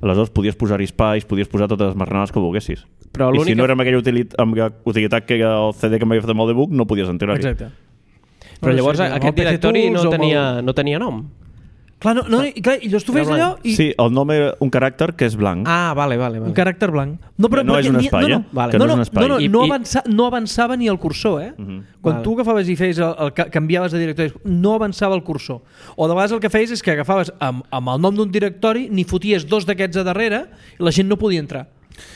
Aleshores podies posar-hi espais, podies posar totes les marranades que volguessis. Però I l'única- si no era amb aquella utilitat, amb aquella utilitat que era el C D que m'havia fet amb el debug, no podies entrar-hi. Exacte. Però No, llavors sí, amb el aquest P C directori Tools no o amb tenia, el- no tenia nom. Clar, no, no, i, clar, i llavors tu Era feies allò blanc. i... Sí, el nom era un caràcter que és blanc. Ah, vale, vale. vale. Un caràcter blanc. No, però, No però és ni- un ni- espai, no, eh? no. Vale. Que no, no és no, un espai. no, no, I- no, i- avança, no avançava ni el cursor, eh? Mhm. Quan Vale. tu agafaves i feies el, el, el, canviaves de directori, no avançava el cursor. O de vegades el que feies és que agafaves amb, amb el nom d'un directori, ni foties dos d'aquests a darrere i la gent no podia entrar.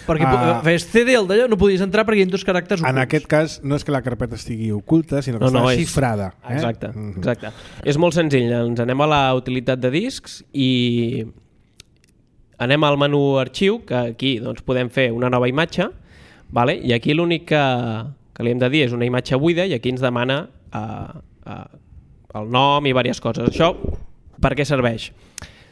Perquè Ah. uh, feies C D al d'allò, no podies entrar perquè hi ha dos caràcters ocults. En aquest cas, no és que la carpeta estigui oculta, sinó que No, no, està és- xifrada. Eh? Exacte, Mhm. exacte. És molt senzill. Ens anem a la utilitat de discs i anem al menú arxiu, que aquí doncs, podem fer una nova imatge, vale? I aquí l'únic que, que li hem de dir és una imatge buida i aquí ens demana uh, uh, el nom i diverses coses. Això per què serveix?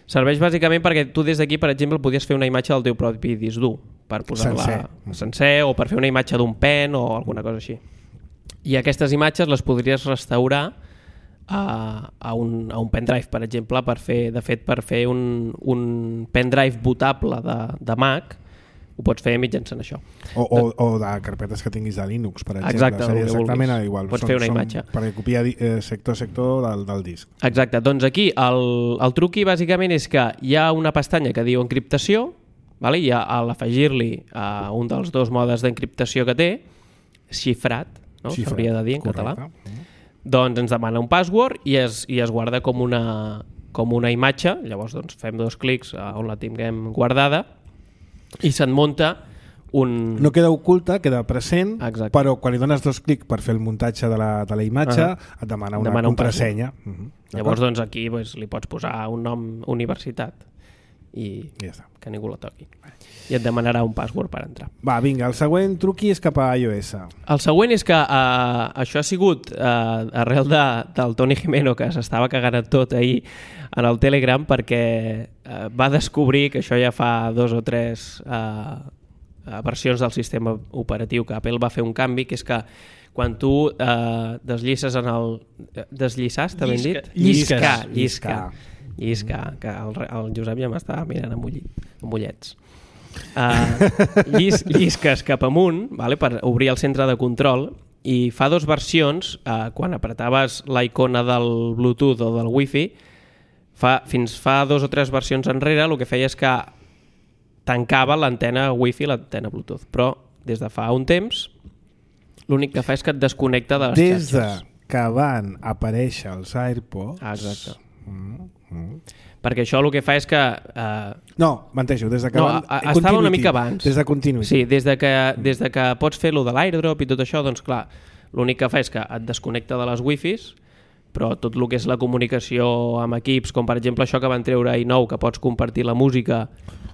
Serveix bàsicament perquè tu des d'aquí, per exemple, podies fer una imatge del teu propi disc dur per posar-la Sencer. sencer o per fer una imatge d'un pen o alguna cosa així. I aquestes imatges les podries restaurar a, a, un, a un pendrive, per exemple, per fer, de fet, per fer un, un pendrive bootable de, de Mac, ho pots fer mitjançant això. O, o, o de carpetes que tinguis de Linux, per exemple. Exacte, Seria el que exactament vulguis. igual. Pots fer una imatge. Perquè copia eh, sector a sector del, del disc. Exacte, doncs aquí el, el truqui bàsicament és que hi ha una pestanya que diu encriptació, vale? I a, a l'afegir-li a un dels dos modes d'encriptació que té, xifrat, no? Xifrat, s'hauria de dir en correcte. català, doncs ens demana un password i es, i es guarda com una, com una imatge, llavors doncs, fem dos clics a on la tinguem guardada i se'n munta un... No queda oculta, queda present, Exacte. però quan li dones dos clics per fer el muntatge de la, de la imatge, Ah. et demana una Demana un contrasenya. Mhm. Llavors D'acord? doncs, aquí doncs, li pots posar un nom universitat i Ja està. que ningú la toqui. I et demanarà un password per entrar. Va, vinga, el següent truqui és cap a iOS. El següent és que uh, això ha sigut uh, arrel de, del Toni Jimeno, que s'estava cagant en tot ahir en el Telegram, perquè uh, va descobrir que això ja fa dos o tres uh, uh, versions del sistema operatiu que Apple va fer un canvi, que és que quan tu uh, desllisses en el... Desllisar, està ben dit? Llisques. Lliscar, lliscar. Lliscar. Lliscar, que el, el Josep ja m'estava mirant amb, ulli, amb ullets. Uh, llis, llisques cap amunt, vale, per obrir el centre de control, i fa dos versions, uh, quan apretaves la icona del Bluetooth o del Wi-Fi, fa, fins fa dos o tres versions enrere el que feia és que tancava l'antena Wi-Fi i l'antena Bluetooth, però des de fa un temps l'únic que fa és que et desconnecta de les Des de xarxes. que van aparèixer els AirPods... Ah, exacte. Mm, mm. perquè això el que fa és que... Eh, no, menteixo, des de que... no, van... a, estava una mica abans. Des de Continuity. Sí, des de que, des de que pots fer lo de l'airdrop i tot això, doncs clar, l'únic que fa és que et desconnecta de les wifis, però tot el que és la comunicació amb equips, com per exemple això que van treure i nou, que pots compartir la música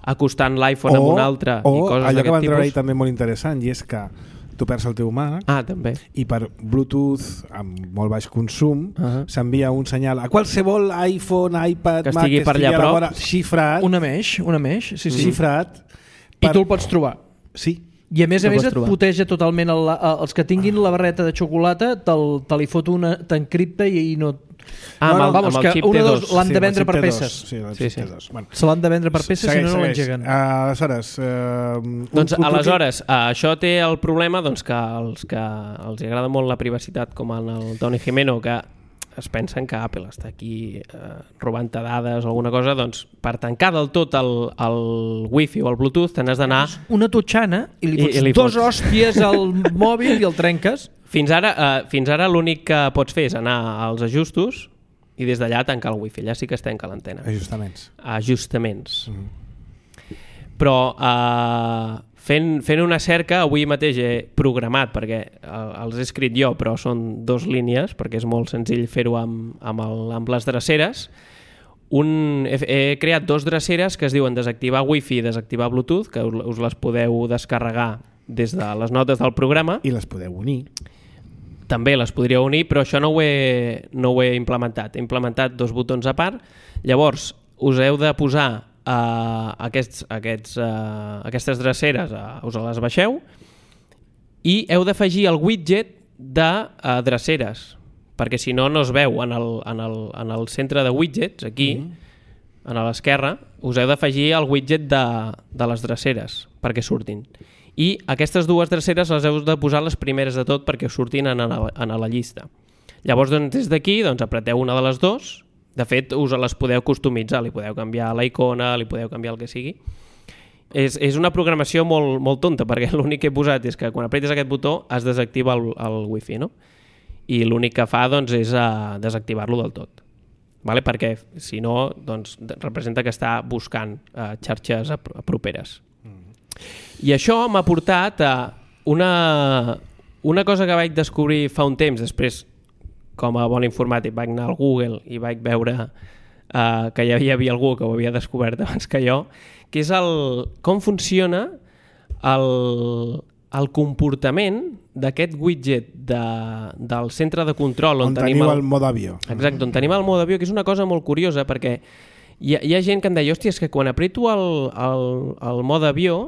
acostant l'iPhone amb un altre o i coses allò que van d'aquest treure tipus. també molt interessant, i és que tu perds el teu Mac Ah, també. i per Bluetooth amb molt baix consum Uh-huh. s'envia un senyal a qualsevol iPhone, iPad, Que Mac estigui per allà a la prop. vora, xifrat, Una mesh, una mesh, sí, sí. xifrat I tu el pots trobar. Sí. I a més a El més pots et trobar. puteja totalment el, el, els que tinguin la barreta de xocolata te'l, te li fot una, t'encripta i, i no... Ah, amb, no, el, vamos, amb el que xip una T de dos. dos l'han Sí, de amb el vendre xip per T dos. peces. Sí, el Sí, xip sí. T dos. Bueno. Se l'han de vendre per peces, si no, no Segueix, l'engeguen. segueix. Uh, aleshores, uh, un, Doncs un truc- aleshores, eh, això té el problema doncs, que els que els agrada molt la privacitat, com en el Tony Jimeno, que es pensen que Apple està aquí eh, robant-te dades o alguna cosa, doncs per tancar del tot el, el Wi-Fi o el Bluetooth te n'has d'anar... Una totxana i li I- fots i li dos fots. hòsties al mòbil i el trenques. Fins ara, eh, fins ara l'únic que pots fer és anar als ajustos i des d'allà tancar el Wi-Fi. Allà sí que es tanca l'antena. Ajustaments. Ajustaments. Mm. Però eh, fent, fent una cerca, avui mateix he programat, perquè eh, els he escrit jo, però són dos línies, perquè és molt senzill fer-ho amb, amb, el, amb les dreceres. Un, he, he creat dos dreceres que es diuen desactivar Wi-Fi i desactivar Bluetooth, que us, us les podeu descarregar des de les notes del programa. I les podeu unir. També les podria unir, però això no ho he, no ho he implementat. He implementat dos botons a part. Llavors, us heu de posar uh, aquests, aquests, uh, aquestes dreceres, uh, us les baixeu, i heu d'afegir el widget de uh, dreceres, perquè si no, no es veu en el, en el, en el centre de widgets, aquí, mm. a l'esquerra, us heu d'afegir el widget de, de les dreceres, perquè surtin. I aquestes dues dreceres les heu de posar les primeres de tot perquè us surtin en, en, en la llista. Llavors, doncs, des d'aquí, doncs, apreteu una de les dues. De fet, us les podeu customitzar, li podeu canviar la icona, li podeu canviar el que sigui. És, és una programació molt, molt tonta, perquè l'únic que he posat és que quan apretes aquest botó es desactiva el, el Wi-Fi, no? I l'únic que fa, doncs, és uh, desactivar-lo del tot. Vale? Perquè, si no, doncs, representa que està buscant uh, xarxes a, a properes. I això m'ha portat a una, una cosa que vaig descobrir fa un temps, després, com a bon informàtic, vaig anar al Google i vaig veure uh, que ja hi havia algú que ho havia descobert abans que jo, que és el, com funciona el, el comportament d'aquest widget de, del centre de control on, On tenim teniu el, el mode avió. exacte, on tenim el mode avió, que és una cosa molt curiosa perquè hi ha, hi ha gent que em deia, hòstia, és que quan apreto el, el, el mode avió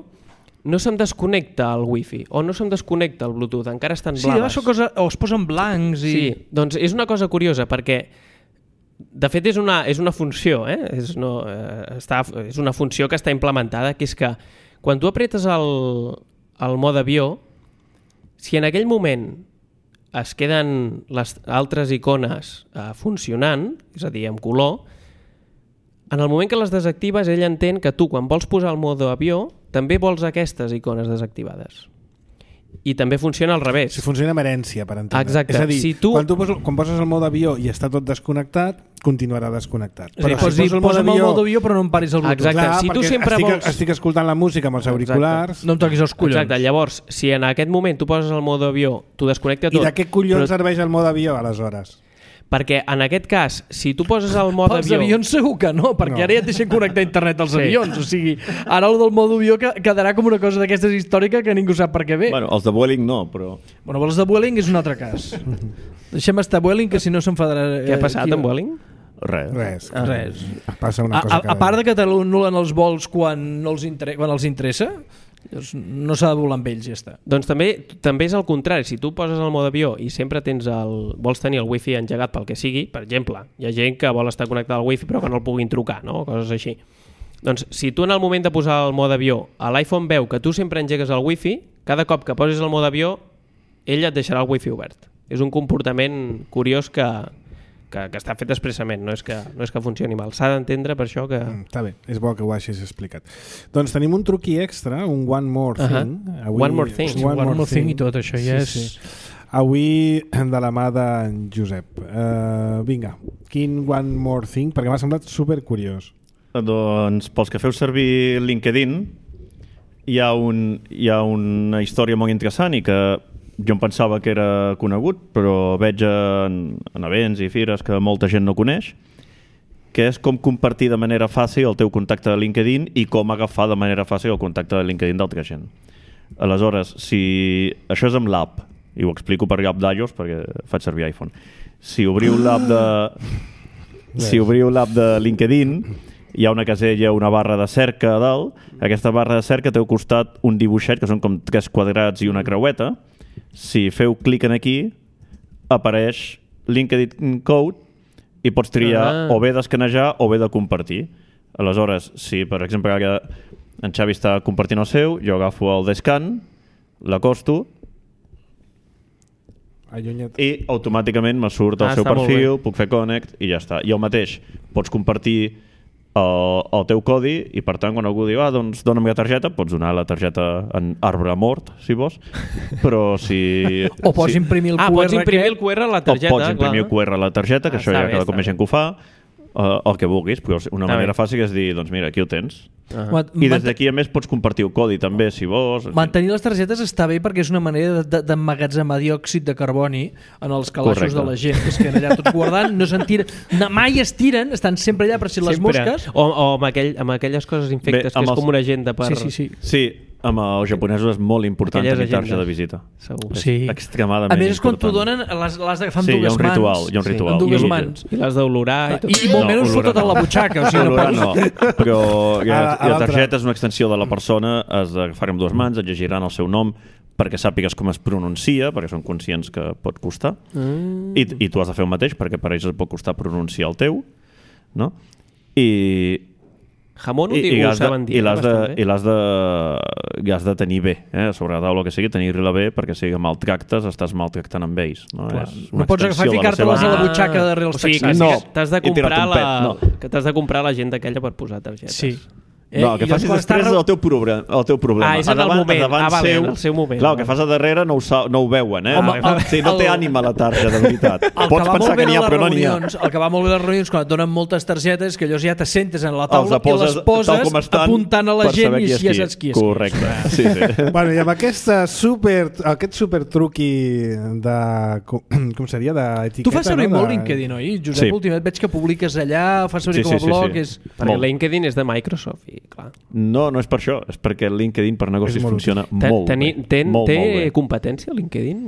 no se'm desconnecta el Wi-Fi o no se'm desconnecta el Bluetooth, encara estan Sí, blaves. això cosa, o es posen blancs i... Sí, doncs és una cosa curiosa perquè de fet és una, és una funció, eh? és, no, eh, està, és una funció que està implementada, que és que quan tu apretes el, el mode avió, si en aquell moment es queden les altres icones eh, funcionant, és a dir, amb color, en el moment que les desactives, ell entén que tu, quan vols posar el mode avió, també vols aquestes icones desactivades. I també funciona al revés. Si funciona amb herència, per entendre. Exacte. És a dir, Si tu- quan, tu poses, quan poses el mode avió i està tot desconnectat, continuarà desconnectat. És a dir, pots dir, posa'm el mode avió però no em paris el Bluetooth. Exacte. Clar, Si tu perquè sempre estic, vols- estic escoltant la música amb els auriculars. No em toquis els collons. Exacte, llavors, si en aquest moment tu poses el mode avió, tu desconnecta I tot. de què collons però- serveix el mode avió, aleshores? Perquè en aquest cas, si tu poses el mode Pels avió... avions segur que no, perquè No. ara ja et deixen connectar a internet als Sí. avions. O sigui, ara el del mode avió que- quedarà com una cosa d'aquestes històrica que ningú sap per què ve. Bueno, els de Vueling no, però... Bueno, els de Vueling és un altre cas. Deixem estar Vueling, que si no s'enfadarà... Què ha passat aquí- amb Vueling? Res. Res. Ah, res. Passa una A, cosa a, cada a part dia. de que t'anulen els vols quan, no els, inter... quan els interessa, doncs no s'ha de volar amb ells, ja està. Doncs també també és el contrari. Si tu poses el mode avió i sempre tens el, vols tenir el wifi engegat pel que sigui, per exemple, hi ha gent que vol estar connectada al wifi però que no el puguin trucar, no? Coses així. Doncs si tu en el moment de posar el mode avió a l'iPhone veu que tu sempre engegues el wifi, cada cop que posis el mode avió ell et deixarà el wifi obert. És un comportament curiós que, que, que està fet expressament, no és que, no és que funcioni mal. S'ha d'entendre per això que... Mm, està bé, és bo que ho hagis explicat. Doncs tenim un truqui extra, un One More Uh-huh. Thing. One More Thing. One, One More Thing i tot això ja és... Sí. avui de la mà d'en Josep. Uh, vinga, quin one more thing? Perquè m'ha semblat supercuriós. Doncs pels que feu servir LinkedIn hi ha, un, hi ha una història molt interessant i que jo em pensava que era conegut, però veig en, en events i fires que molta gent no coneix, que és com compartir de manera fàcil el teu contacte de LinkedIn i com agafar de manera fàcil el contacte de LinkedIn d'altra gent. Aleshores, si això és amb l'app, i ho explico per l'app d'iOS perquè faig servir iPhone, si obriu l'app de si obriu l'app de LinkedIn hi ha una casella, una barra de cerca a dalt. Aquesta barra de cerca té al costat un dibuixet que són com tres quadrats i una creueta. Si feu clic en aquí apareix LinkedIn Code i pots triar ah. o bé d'escanejar o bé de compartir. Aleshores, si per exemple ara en Xavi està compartint el seu, jo agafo el d'escan, l'acosto i automàticament me surt el ah, seu perfil, puc fer connect i ja està. I el mateix, pots compartir el, el teu codi i per tant quan algú diu ah, doncs dona'm la targeta, pots donar la targeta en arbre mort, si vols, però si... O pots si... imprimir el ah, Q R. Pots imprimir el Q R a la targeta. O pots imprimir el Q R a la targeta, que ah, això ja cada cop més gent que ho fa, uh, el que vulguis, però una manera fàcil és dir, doncs mira, aquí ho tens. Uh-huh. I des d'aquí a més pots compartir el codi també si vols. Mantenir les targetes està bé perquè és una manera d'emmagatzemar diòxid de carboni en els calaixos Correcte. De la gent que es queden allà tots guardant, no se'n tiren, no, mai es tiren, estan sempre allà per si les sempre. Mosques o, o amb, aquell, amb aquelles coses infectes bé, que és els... com una agenda per... Sí, sí, sí. sí. Amb els japonesos és molt important tenir targeta de visita. Segur. És sí. extremadament important. A més és quan t'ho donen, les, les de, fan sí, dues hi ha un ritual, mans. Hi ha un ritual. Sí, dues I, mans. I les d'olorar i tot. I, i molt no, menys fotot no. a la butxaca. O sigui, olorar no, no, però la, la targeta és una extensió de la persona, has d'agafar amb dues mans, et llegiran el seu nom perquè sàpigues com es pronuncia, perquè són conscients que pot costar, mm. I, i tu has de fer el mateix perquè per ells et pot costar pronunciar el teu, no? I... Jamón ho diu, ho saben dir. I l'has de, i l'has de, i has de tenir bé, eh? Sobre la taula que sigui, tenir-la bé, perquè si maltractes, estàs maltractant amb ells. No, no pots agafar i ficar-te-les a la butxaca darrere els taxis. No, t'has de comprar la, no. que t'has de comprar l'agenda aquella per posar targetes. Sí. Eh? No, el que I facis després és el teu, problema, el teu problema. Ah, és en el moment. Ah, vale, seu, en el seu moment. Clar, el que fas a darrere no ho, sa, no ho veuen, eh? Home, el, sí, no el, té ànima la targeta, de veritat. Pots pensar que n'hi ha, però no n'hi ha. El que va molt bé a les reunions, quan et donen moltes targetes, que allò ja te sentes en la taula poses, i les poses estan, apuntant a la gent i ja saps qui és. Correcte. Sí, sí. Bueno, i amb aquesta super, aquest super truqui de... Com seria? D'etiqueta, tu fas servir no? molt LinkedIn, oi? Josep, sí. Últimament veig que publiques allà, fas servir sí, com a sí, blog. Sí, sí. És... Perquè LinkedIn és de Microsoft i clar... No, no és per això, és perquè LinkedIn per negocis funciona molt Teni, bé. Ten, molt, té molt bé. competència LinkedIn?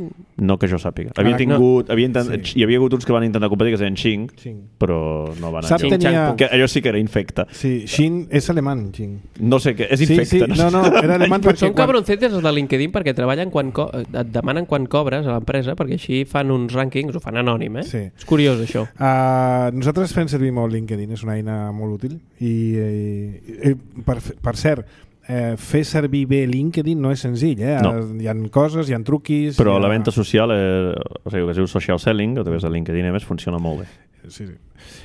No que jo sàpiga. Havia tingut, no. havia intent, sí. Hi havia hagut uns que van intentar competir que es deien Xing, Xing. Però no van anar. Tenia... Que allò sí que era infecte. Sí, Xing és alemany, Xing. No sé què, és infecte. Sí, sí. No, no, era alemany perquè... Són cabroncetes els de LinkedIn perquè treballen quan co et demanen quan cobres a l'empresa perquè així fan uns rànquings, ho fan anònim, eh? Sí. És curiós això. Uh, nosaltres fem servir molt LinkedIn, és una eina molt útil i, i, i per, per cert, Eh, fer servir bé LinkedIn no és senzill, eh? No. Hi ha coses, hi ha truquis... Però ha... la venda social, eh, o sigui, que es diu social selling, a través de LinkedIn a més, funciona molt bé. Sí, sí.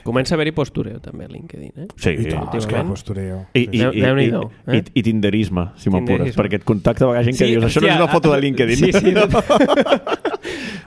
Comença a haver-hi postureo també a LinkedIn, eh? Sí, I tant, és clar, postureo. I, i, i, i, i, i tinderisme, si m'apures, perquè et contacta a vegades gent que sí, dius això no és una foto de LinkedIn. Sí, sí.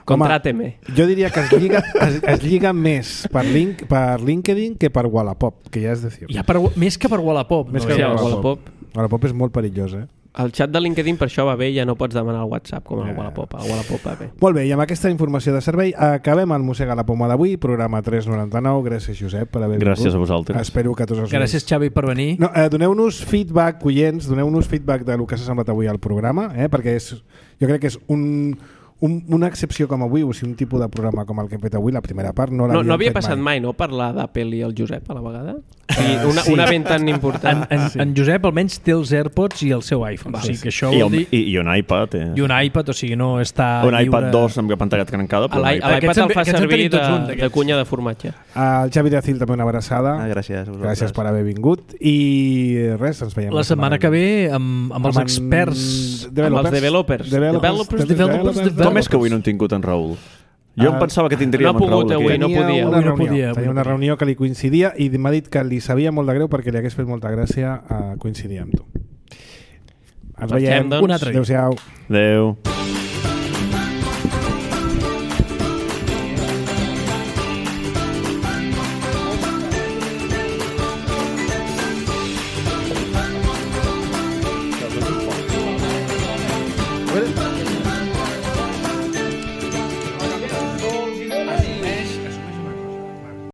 Contràteme. Jo diria que es lliga, es, es lliga més per, link, per LinkedIn que per Wallapop, que ja és decir. Ja per, més que per Wallapop. Més no, que ja, per Wallapop. Wallapop és molt perillós, eh? El xat de LinkedIn per això va bé, ja no pots demanar el WhatsApp com el Wallapop. El Wallapop va bé. Molt bé, i amb aquesta informació de servei acabem el Mossega la Poma d'avui, programa tres noranta-nou. Gràcies, Josep, per haver vingut. Gràcies a vosaltres. Espero que tots els... Gràcies, Xavi, per venir. No, eh, doneu-nos feedback, oients, doneu-nos feedback de lo que s'ha semblat avui al programa, eh, perquè és, jo crec que és un... Un, una excepció com avui, o sigui, un tipus de programa com el que hem fet avui, la primera part, no l'havíem no, no havia fet passat mai, mai no? Parlar d'Apple i el Josep a la vegada? Uh, I una, sí. un event tan important. En, en, sí. en Josep almenys té els AirPods i el seu iPhone. Va, o sigui que això I, vol dir... I, i un iPad. Eh. I un iPad, o sigui, no està un lliure... iPad dos amb la pantalla trencada. Però L'iPad el fa servir de, de cunya de formatge. El Xavi de Cil també una abraçada. Ah, gràcies. Gràcies per haver vingut. I res, ens veiem la setmana que ve amb, amb els experts... Amb els developers. Developers, developers. Com és que avui no hem tingut en Raül? Jo em pensava que tindríem no en Raül avui, aquí. no podia. Una no reunió, podia. tenia una reunió que li coincidia i m'ha dit que li sabia molt de greu perquè li hagués fet molta gràcia a coincidir amb tu. Ens veiem. Doncs. Un altre dia. Adéu-siau. Adéu. A veure...